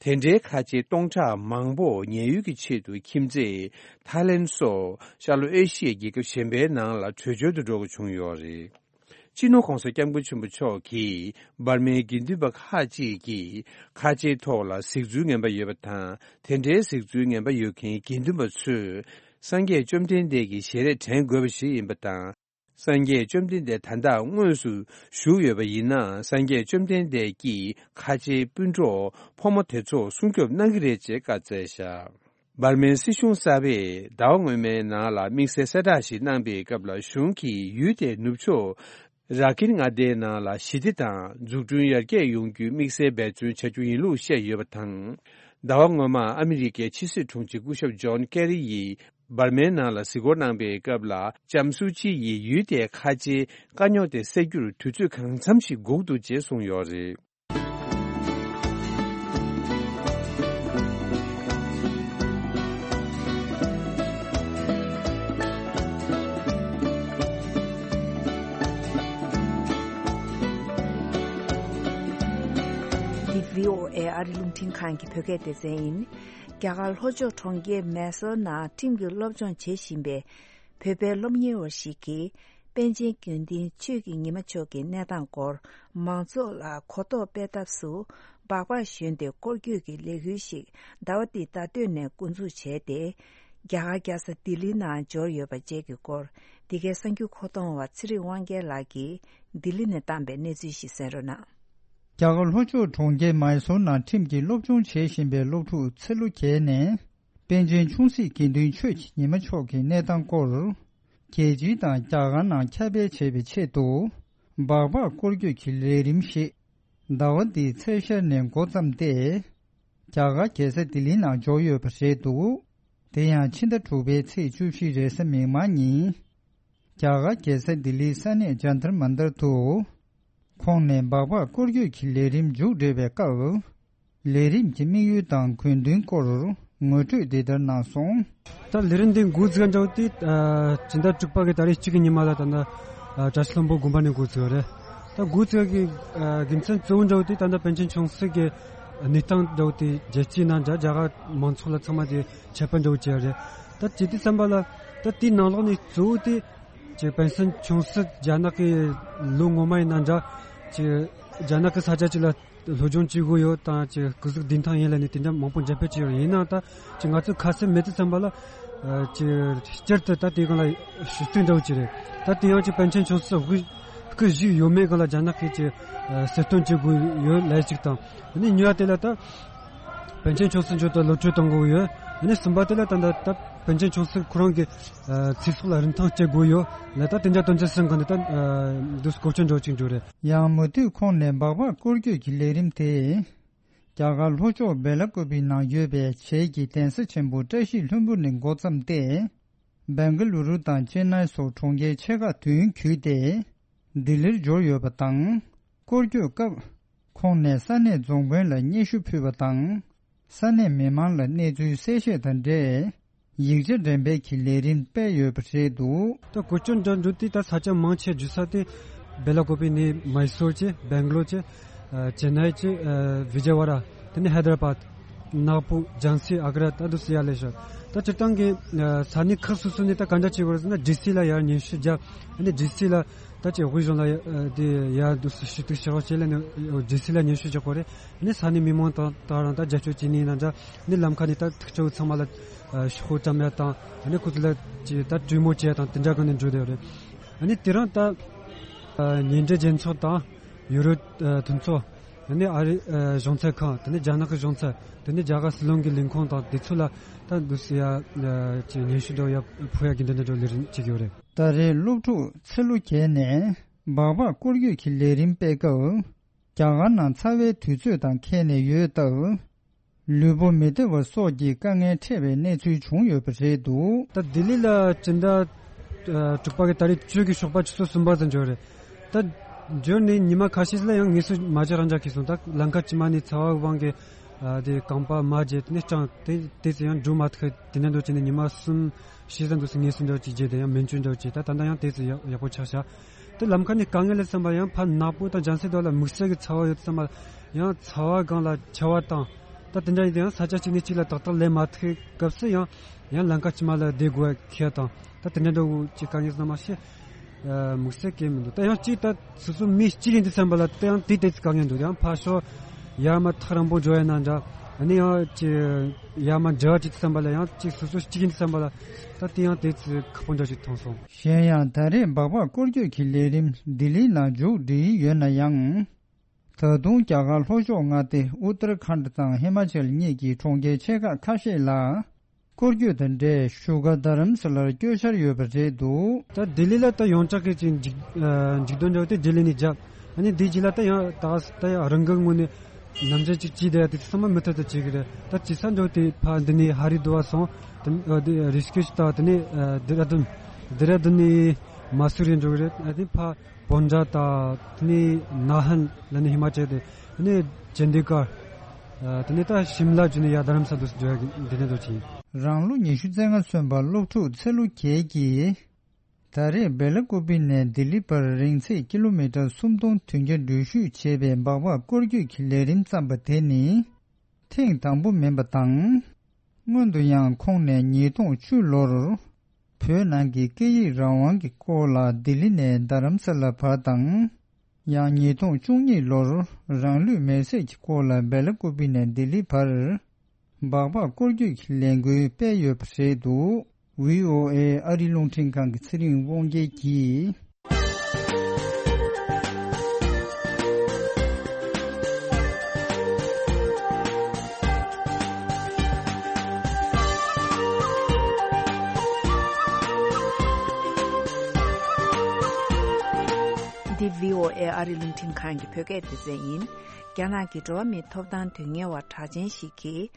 དེ་འདྲའི་ཁ་ཆེ་སྟོང་ཕྲག་མང་པོ་ཉེན་གཡོལ་གྱི་ཆེད་དུ་ཁྱིམ་མཚེས་ཐའི་ལེན་སོགས་ཤར་ལྷོ་ཨེ་ཤི་ཡའི་རྒྱལ་ཁབ་གཞན་པའི་ནང་ལ་བྲོས་བྱོལ་དུ་འགྲོ་དགོས་བྱུང་ཡོད་རེད། སྤྱི་ནོར་༸གོང་ས་༸སྐྱབས་མགོན་ཆེན་པོ་མཆོག་གིས་འབར་མའི་དགེ་འདུན་པ་ཁག་ཅིག་གིས་ཁ་ཆེའི་ཐོག་ལ་གཟིགས་ཚུལ་ངན་པ་ཡོད་པ་དང་། དེ་འདྲའི་གཟིགས་ཚུལ་ངན་པ་ཡོད་མཁན་དགེ་འདུན་པ་ཚོས་སངས་རྒྱས་བཅོམ་ལྡན་འདས་ཀྱི་ཞལ་རས་དྲན་དགོས་པ་ཞིག་ཡིན་པ་དང་། སངས་རྒྱས་བཅོམ་ལྡན་འདས་ད་ལྟ་དངོས་སུ་བཞུགས་ཡོད་པ་ཡིན་ན། སངས་རྒྱས་བཅོམ་ལྡན་འདས་ཀྱིས་ཁ་ཆེའི་སྤུན་གྲོགས་ཕོ་མོ་དེ་ཚོ་སྲུང་སྐྱོབ་གནང་གི་རེད་ཅེས་བཀའ་སྩལ་བཞག་འབར་མའི་སྲིད་གཞུང་གསར་པས་ཟླ་བ་སྔོན་མའི་ནང་ལ་དམིགས་བསལ་གསལ་བསྒྲགས་ཤིག་གནང་པའི་སྐབས་ལ། གཞུང་གིས་ཡུལ་དེའི་ནུབ་ཕྱོགས་ར་ཀིན་མངའ་སྡེའི་ནང་ལ་ཞི་བདེ་དང་འཛུགས་སྐྲུན་ཡར་རྒྱས་ཡོང་རྒྱུའི་དམིགས་བསལ་འབད་བརྩོན་བྱ་རྒྱུ་ཡིན་ལུགས་བཤད་ཡོད་པ་དང་། ཟླ་བ་སྔོན་མ་ཨ་མི་རི་ཀའི་ཕྱི་སྲིད་དྲུང་ཆེ་སྐུ་ཞབས་ཇོན་ཀེ་རི་ཡིས་འབར་མའི་ནང་ལ་གཟིགས་སྐོར་གནང་པའི་སྐབས་ལ། ལྕམ་སུའུ་ཅི་ཡིས་ཡུལ་དེའི་ཁ་ཆེའི་དཀའ་རྙོག་དེ་སེལ་རྒྱུར་དུས་ཚོད་གང་འཚམ་ཞིག་འགོར་འདུག་ཅེས་གསུངས་ཡོད་རེད། ཨེ་ཨ་རི་རླུང་འཕྲིན་ཁང་གི་བོད་སྐད་སྡེ་ཚན་ཡིན། རྒྱ་གར་ལྷོ་ཕྱོགས་གྲོང་ཁྱེར་མེ་སོར་ནང་ཁྲིམས་ཀྱི་སློབ་སྦྱོང་བྱེད་བཞིན་པའི་བོད་པའི་སློབ་གཉེར་བ་ཞིག་གིས། པཎ་ཆེན་དགེ་འདུན་ཆོས་ཀྱི་ཉི་མ་མཆོག་གི་གནས་སྟངས་སྐོར་མང་ཚོགས་ལ་གོ་རྟོགས་སྤེལ་ཐབས་སུ། སྦག་སྦག་ཞོན་ཏེ་སྐོར་སྐྱོད་ཀྱི་ལས་འགུལ་ཞིག་ཟླ་བ་འདིའི་ཟླ་སྟོད་ནས་འགོ་འཛུགས་བྱས་ཏེ། རྒྱ་གར་རྒྱལ་ས་ལྡི་ལིའི་ནང་འབྱོར་ཡོད་པ་བཅས་ཀྱི་སྐོར། འདི་གའི་གསར་འགྱུར་མཁོ་གཏོང་བ་ཚེ་རིང་དབང་རྒྱལ་ལགས་ཀྱིས་ལྡི་ལི་ནས་བཏང་པའི་གནས་ཚུལ་ཞིག་གསན་རོགས་གནང་། རྒྱ་གར་ལྷོ་ཕྱོགས་གྲོང་ཁྱེར་མའི་སོར་ནང་ཁྲིམས་ཀྱི་སློབ་སྦྱོང་བྱེད་བཞིན་པའི་སློབ་ཕྲུག་ཚེ་ལོ་བརྒྱད་ནས། པཎ་ཆེན་ཆུང་སྲིད་དགེ་འདུན་ཆོས་ཀྱི་ཉི་མ་མཆོག་གི་གནས་སྟངས་སྐོར། རྒྱལ་སྤྱི་དང་རྒྱ་གར་ནང་ཁྱབ་སྤེལ་བྱེད་པའི་ཆེད་དུ། སྦག་སྦག་སྐོར་སྐྱོད་ཀྱི་ལས་རིམ་ཞིག་ཟླ་བ་འདིའི་ཚེས་ཤར་ནས་འགོ་བརྩམས་ཏེ། རྒྱ་གར་རྒྱལ་ས་ལྡི་ལིའི་ནང་འབྱོར་ཡོད་པ་རེད་འདུག་དེ་ཡང་ཕྱི་ཟླ་དྲུག་པའི་ཚེས་བཅུ་བཞི་རེས་གཟའ་མིག་དམར་ཉིན། རྒྱ་གར་རྒྱལ་ས་ལྡི་ལིའི་ས་གནས་ཇཱན་ཏར་མན་ཏར་དུ། ཁོང་ནས་སྦག་སྦག་སྐོར་སྐྱོད་ཀྱི་ལས་རིམ་མཇུག་སྒྲིལ་བའི་སྐབས། ལས་རིམ་གྱི་དམིགས་ཡུལ་དང་དགོས་འདུན་སྐོར་ངོ་སྤྲོད་འདི་ལྟར་གནང་སོང་། ད་ལས་རིམ་འདི་འགོ་འཛུགས་འདྲ་བོ་དེ། ཨ། སྤྱི་ཟླ་དྲུག་པ་གི་ཏ་རིག་གཅིག་གི་ཉི་མ་ལ་ད་ནི། ཨ། བཀྲ་ཤིས་ལྷུན་པོ་དགོན་པ་ནས་འགོ་བཙུགས་པ་རེད། ད་འགོ་བཙུགས་ཀྱི། ཨ། དགེ་མཚན་གཙོ་བོ་འདྲ་བོ་དེ་ད་ལྟ་པཎ་ཆེན་ཆུང་སྲིད་ཀྱི་གནས་སྟངས་འདྲ་བོ་དེ་རྒྱལ་སྤྱིའི་ནང་འདྲ་རྒྱ་གར་མང་ཚོགས་ལ་ཚང་མ་དེ་ཁྱབ་སྤེལ་འདྲ་བོ་བྱས་པ་རེད། ད་བྱེད་དུས་ཙམ་པ་ལ། ད་དེའི་ནང་ལོགས་ནས་གཙོ་བོ་དེ། ཅིག་པཎ་ཆེན་ཆུང་སྲིད་རྒྱ་ནག་གི་ལོ་སྔོན་མ་ཡིན་ན་འདྲ། ཅིག་རྒྱ་ནག་གི་ས་ཆ་ཅིག་ལ་སློབ་སྦྱོང་བྱེད་དགོས་ཡོད་དང་། ཅིག་སྐུ་གཟུགས་བདེ་ཐང་ཡིན་ལབ་ནས་དེ་འདྲ་མང་པོ་འགྲེམས་སྤེལ་བྱས་ཡོད། ཡིན་ནའང་ད་ཅིག་ང་ཚོས་ཁ་གསལ་མེད་དུས་ཙམ་པ་ལ། ཨ། ཅིག་སྤྱིར་དུ་ད་དེའི་སྒང་ལ་ཞུ་གཏུག་འདྲ་བོ་ཅིག་རེད། ད་དེ་ཡང་ཅིག་པཎ་ཆེན་ཆུང་སྲིད་དབུ་སྐུ་བཞུགས་ཡོད་མེད་སྒང་ལ་རྒྱ་ནག་གིས་ཅིག་ཨ། གསལ་སྟོན་བྱེད་དགོས་ཡོད་ལབ་ཅིག་དང་། ཨ་ནི་གཉིས་པ་དེ་ལ་ད། པཎ་ཆེན་ཆུང་སྲིད་མཆོག་ཏུ་གློད་གྲོལ་གཏོང་དགོས་ཡོད། ཨ་ནི་གསུམ་པ་དེ་ལ་ད་ད་ད་པཎ་ཆེན་ཆུང་སྲིད་ཁོ་རང་གི་ཨ། ཚེ་སྲོག་ལ་རིན་ཐང་བཅད་དགོས་ཡོད་ལ། ད་དེ་འདྲ་དོན་ཚན་གསུམ་གང་དེ་ད་ཨ། འདུག་གོ་སྐྱོན་འགྲོ་ཅིག་འགྲོ་རེད། ཡང་མུ་མཐུད་ཁོང་ནས་སྦག་སྦག་སྐོར་སྐྱོད་ཀྱི་ལས་རིམ་དེ། རྒྱ་གར་ལྷོ་ཕྱོགས་སྦེ་ལ་ཀུ་པི་ནང་ཡོད་པའི་བྱེས་ཀྱི་གདན་ས་ཆེན་པོ་བཀྲ་ཤིས་ལྷུན་པོ་ནས་འགོ་བརྩམས་ཏེ། སྦེང་ག་ལུ་རུ་དང་ཅེན་ནའི་སོགས་གྲོང་ཁྱེར་ཆེ་ཁག་བདུན་བརྒྱུད་དེ། ལྡི་ལིར་འབྱོར་ཡོད་པ་དང་། སྐོར་སྐྱོད་སྐབས། ཁོང་ནས་ས་གནས་རྫོང་དཔོན་ལ་སྙན་ཞུ་ཕུལ་བ་དང་། ས་གནས་མི་མང་ལ་གནས་ཚུལ་གསལ་བཤད་དང་འབྲེལ། ཡིག་ཆ་འགྲེམས་སྤེལ་གྱི་ལས་རིམ་སྤེལ་ཡོད་པ་རེད་འདུག་ད་གོ་སྐྱོན་འདྲ་འགྲོ་དུས་ད་ས་ཆ་མང་ཆེ་བརྒྱུད་ས་དེ། སྦེ་ལ་ཀོ་པི་ནས་མའི་སོར་བྱས། སྦེང་ག་ལོར་བྱས། ཨ། ཅེན་ནའི་བྱས། ཨ། བི་ཇེ་ཝ་ཌ། དེ་ནས་ཧའི་དར་བཱད། ནག་པུར། ཇཱན་སི། ཨ་ག་ར། ད་འདུག་སེ་ཡར་སླེབས་ཤག་ད་སྤྱིར་བཏང་གི། ཨ། ས་གནས་ཁག་སོ་སོ་ནས་ད་ག་འདྲ་བྱེད་དགོས་རེད་ཟེར་ན། ཌི་སི་ལ་ཡར་སྙན་ཞུ་བརྒྱབ། ཨ་ནི་ཌི་སི་ལ་ད་ཅིག་དབུས་གཞུང་ལ་ཡ། ཨ། དེ་ཡར་འདུག་སེ་ཞུ་གཏུག་བྱེད་རོགས་བྱེད་ལབ་ནས་ཌི་སི་ལ་སྙན་ཞུ་རྒྱག་དགོས་རེད། ཨ་ནི་ས་གནས་མི་མང་དང་ད་རང་ད་རྒྱབ་སྐྱོར་བྱེད་ནི་ཡིན་ན་འདྲ། ཨ་ནི་ལམ་ཁ་ནས་ད་ཐུག་ཆེ་བོ་ཚང་མ་ལ། ཨ། ཤོག་བུ་བཀྲམ་ཡ་དང་། ཨ་ནི་ཁོ་ཚོ་ལ་ཅིག་ད་གྲོས་མོལ་བྱེད་ཡ་དང་དེ་འདྲ་གང་ནས་འགྲོ་བསྡད་ཡོད་རེད། ཨ་ནི་དེ་རིང་ད། ཨ། ཉེ་འབྲེལ་རྒྱལ་ཚོགས་དང་། ཡུ་རོབ། ཨ། མཐུན་ཚོགས། ཨ་ནི་ཨ་རི། ཨ། གཞུང་ཚབ་ཁང་། དེ་ནས་རྒྱ་ནག་གི་གཞུང་ཚབ། དེ་ནས་རྒྱ་གར་སྲིད་བློན་གྱི་ལས་ཁུངས་དང་དེ་ཚོ་ལ་ད་འདུག་སེ་ཡ། ཨ། ཅིག་སྙན་ཞུ་འདྲ་བོ་ཡ་ཕུལ་ཡ་གི་འདྲ་འདྲ་འདྲ་བོ་ལས་རིམ་བྱེད་ཀྱི་ཡོད་རེད། ད་རེས་སློབ་ཕྲུག་ཚེ་ལོ་བརྒྱད་ནས་སྦག་སྦག་སྐོར་སྐྱོད་ཀྱི་ལས་རིམ་སྤེལ་སྐབས། རྒྱ་གར་ནང་ཚ་བའི་དུས་ཚོད་དང་འཁེལ་ནས་ཡོད་སྟབས། ལུས་པོ་མི་བདེ་བ་སོགས་ཀྱི་དཀའ་ངལ་འཕྲད་པའི་གནས་ཚུལ་བྱུང་ཡོད་པ་རེད་འདུག་ད་ལྡི་ལི་ལ་སྤྱི་ཟླ་དྲུག་པ་གི་ཏ་རིག་བཅུ་གི་ཞོགས་པ་ཆུ་ཚོད་གསུམ་པ་ཙམ་འབྱོར་རེད། ད་འབྱོར་ནས་ཉི་མ་ཁ་ཤས་ལ་ཡང་ངལ་གསོ་མ་བྱས་རང་འཇགས་ཁེལ་སོང་། ད་ལམ་ཁ་དཀྱིལ་མ་ནས་ཚ་བ་དབང་གིས། ཨ། དེ་རྐང་པ་མར་བརྗེས། དེ་ནས་སྐྲངས། དེ་དེ་ཚོ་ཡང་འགྲོ་མ་ཐུབ། དེ་ནས་འགྲོ་བྱས་ནས་ཉི་མ་གསུམ་བཞི་ཙམ་འདུག་སེ་ངལ་གསོ་འདྲ་བོ་ཅིག་བརྒྱབ། དེ་ཡང་སྨན་བཅོས་འདྲ་བོ་བྱས། ད་ད་ལྟ་ཡང་དེ་ཚོ་ཡག་ཡག་པོ་ཆགས་ཤག་དེ་ལམ་ཁ་ནས་དཀའ་ངལ་ལ་བསམ་པ་ཡང་ཕར་ནག་པོ་དང་ལྗང་སེར་དོ་ལ་དམིགས་བསལ་གྱི་ཚ་བ་ཡོད་བསམ་པ། ཡང་ཚ་བ་སྒང་ལ་འཁྱག་པ་དང་། ད་དེ་འདྲ་ཡིན་དུས་ཡང་ས་ཆ་གཅིག་ནས་གཅིག་ལ་ཏག་ཏག་སླེབས་མ་ཐུབ་སྐབས་སུ་ཡང་ཡང་ལམ་ཁ་དཀྱིལ་མ་ལ་བསྡད་དགོས་ཁེལ་དང་། ད་དེ་འདྲ་འདྲ་བོ་ཅིག་དཀའ་ངལ་ཟེར་ན་མ་ཤེས། ཨ། དམིགས་བསལ་གང་མི་འདུག་ད་ཡང་གཅིག་ད་སོ་སོ་མི་གཅིག་ཡིན་དུས་བསམ་པ་ལ་ད་ཡང་དེ་དེ་ཚོ་དཀའ་ངལ་འདུག་ཡང་ཕར་ཕྱོགས་ཡར་མར་ཐག་རིང་པོ་འགྲོ་ཡ་ན་འདྲ། ཨ་ནི་ཡང་ཅིག་ཡར་མར་འབྲེལ་བ་བྱེད་དུས་བསམ་པ་ལ་ཡང་གཅིག་སོ་སོ་གཅིག་ཡིན་དུས་བསམ་པ་ལ་ད་དེ་ཡང་དེ་ཚོ་ཁག་པོ་འདྲ་ཞིག་མཐོང་སོང་། གཞན་ཡང་ད་རེས་སྦག་སྦག་སྐོར་སྐྱོད་ཀྱི་ལས་རིམ་ལྡི་ལིའི་ནང་མཇུག་སྒྲིལ་ཡོད་ན་ཡང་། ད་དུང་རྒྱ་གར་ལྷོ་ཕྱོགས་མངའ་སྡེ་ཨུ་ཏར་ཁཱན་དང་ཧི་མ་ཅལ་གཉིས་ཀྱི་གྲོང་ཁྱེར་ཆེ་ཁག་ཁ་ཤས་ལ། སྐོར་སྐྱོད་དང་འབྲེལ་བཞུགས་སྒར་རྡ་རམ་ས་ལར་བསྐྱོད་འཆར་ཡོད་པ་རེད་འདུག་ད་ལྡི་ལི་ལ་ད་ཡོངས་གྲགས་ཀྱི་ཅིག་མཇུག་ཨ་མཇུག་སྡོམ་འདྲ་བོ་དེ་ལྡི་ལི་ནས་བརྒྱབ། ཨ་ནི་དེའི་རྗེས་ལ་ད་ཡང་ད་ད་ཡང་རང་འགུལ་ངོས་ནས་ནམ་རྒྱུན་ཅིག་བྱས་བསྡད་ཡ་དེ་ཚང་མ་མུ་མཐུད་དུ་བྱེད་ཀྱི་རེད། ད་བྱེད་ས་འདྲ་བོ་དེ་ཕར་འདི་ནས་ཧ་རི་དུ་ཝར་སོང་། དེ་ཨ་དེ་རི་ཤི་ཀེཤ་དང་དེ་ནས་ཨ་དེ་ར་དུན། དེ་ར་དུན་ནས་མ་སུ་རི་འགྲོ་གི་རེད། ཨ་དེ་ཕར་བོན་ཇ་དང་དེ་ནས་ནཱ་ཧན་ལ་ནི་ཧི་མ་ཅལ་དེ། དེ་ནས་ཅན་ཌི་གར། ཨ་དེ་ནས་ད་ཤིམ་ལ་བརྒྱུད་ནས་ཡར་རྡ་རམ་ས་ལ་འགྲོ་ཡ་གི་འདི་ནས་འགྲོ་གི་ཡིན། རང་ལོ་ཉི་ཤུ་རྩ་ལྔ་སོན་པ་སློབ་ཕྲུག་ཚེ་ལོ་བརྒྱད་ཀྱིས། ད་རེས་སྦེ་ལ་ཀུ་པི་ནས་ལྡི་ལི་བར་རིང་ཚད་ཀི་ལོ་མི་ཊར་སུམ་སྟོང་བདུན་བརྒྱ་འགྲུལ་བཞུད་བྱས་པའི་སྦག་སྦག་སྐོར་སྐྱོད་ཀྱི་ལས་རིམ་བརྩམས་པ་དེ་ནི་ཐེངས་དང་པོ་མིན་པ་དང་། སྔོན་དུ་ཡང་ཁོང་ནས་ཉིས་སྟོང་བཅུ་ལོར་བོད་ནང་གི་སྐད་ཡིག་རང་དབང་གི་སྐོར་ལ་ལྡི་ལི་ནས་རྡ་རམ་ས་ལ་བར་དང་། ཡང་ཉིས་སྟོང་བཅུ་གཉིས་ལོར་རང་ལུས་མེར་སྲེག་གི་སྐོར་ལ་སྦེ་ལ་ཀུ་པི་ནས་ལྡི་ལི་བར་སྦག་སྦག་སྐོར་སྐྱོད་ཀྱི་ལས་འགུལ་སྤེལ་ཡོད་པ་རེད་འདུག། ཝི་ཨོ་ཨེ་ཨ་རི་རླུང་འཕྲིན་ཁང་གི་ཚེ་རིང་དབང་རྒྱལ་གྱིས། འདི་ཝི་ཨོ་ཨེ་ཨ་རི་རླུང་འཕྲིན་ཁང་གི་བོད་སྐད་སྡེ་ཚན་ཡིན། རྒྱ་ནག་གི་འགྲོ་བ་མིའི་ཐོབ་ཐང་དོན་གཉེར་བ་གྲགས་ཅན་ཞིག་གིས།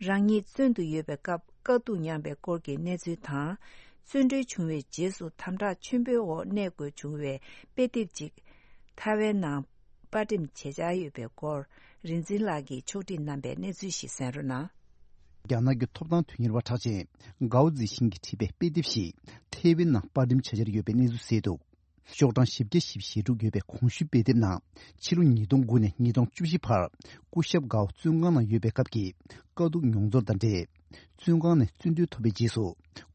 རང་ཉིད་བཙོན་དུ་ཡོད་པའི་སྐབས་དཀའ་སྡུག་མྱངས་པའི་སྐོར་གྱི་གནས་ཚུལ་དང་། བཙོན་གྲོལ་བྱུང་བའི་རྗེས་སུ་དམ་དྲག་ཆེན་པོའི་འོག་གནས་དགོས་བྱུང་བའི་དཔེ་དེབ་ཅིག་ཐའེ་ཝན་ནང་པར་འགྲེམས་བྱེད་འཆར་ཡོད་པའི་སྐོར། རིག་འཛིན་ལགས་ཀྱིས་ཕྱོགས་སྒྲིག་གནང་པའི་གནས་ཚུལ་ཞིག་གསན་རོགས་གནང་། རྒྱ་ནག་གི་ཐོབ་ཐང་དོན་གཉེར་བ་གྲགས་ཅན་གའོ་ཛི་ཤིན་གྱིས་བྲིས་པའི་དཔེ་དེབ་ཞིག་ཐའེ་ཝན་ནང་པར་འགྲེམས་བྱ་འཆར་ཡོད་པའི་གནས་ཚུལ་གསལ་འདུག། ཤོག་གྲངས་བཞི་བརྒྱ་ཞེ་དྲུག་ཡོད་པའི་གོང་ཞུས་དཔེ་དེབ་ནང་ཕྱི་ལོ་ཉིས་སྟོང་དགུ་ནས་ཉིས་སྟོང་བཅུ་བཞི་བར་སྐུ་ཞབས་གའོ་བཙོན་ཁང་ནང་ཡོད་པའི་སྐབས་ཀྱི་དཀའ་སྡུག་མྱོང་ཚོར་དང་འབྲེལ། བཙོན་ཁང་ནས་བཙོན་གྲོལ་ཐོབ་པའི་རྗེས་སུ་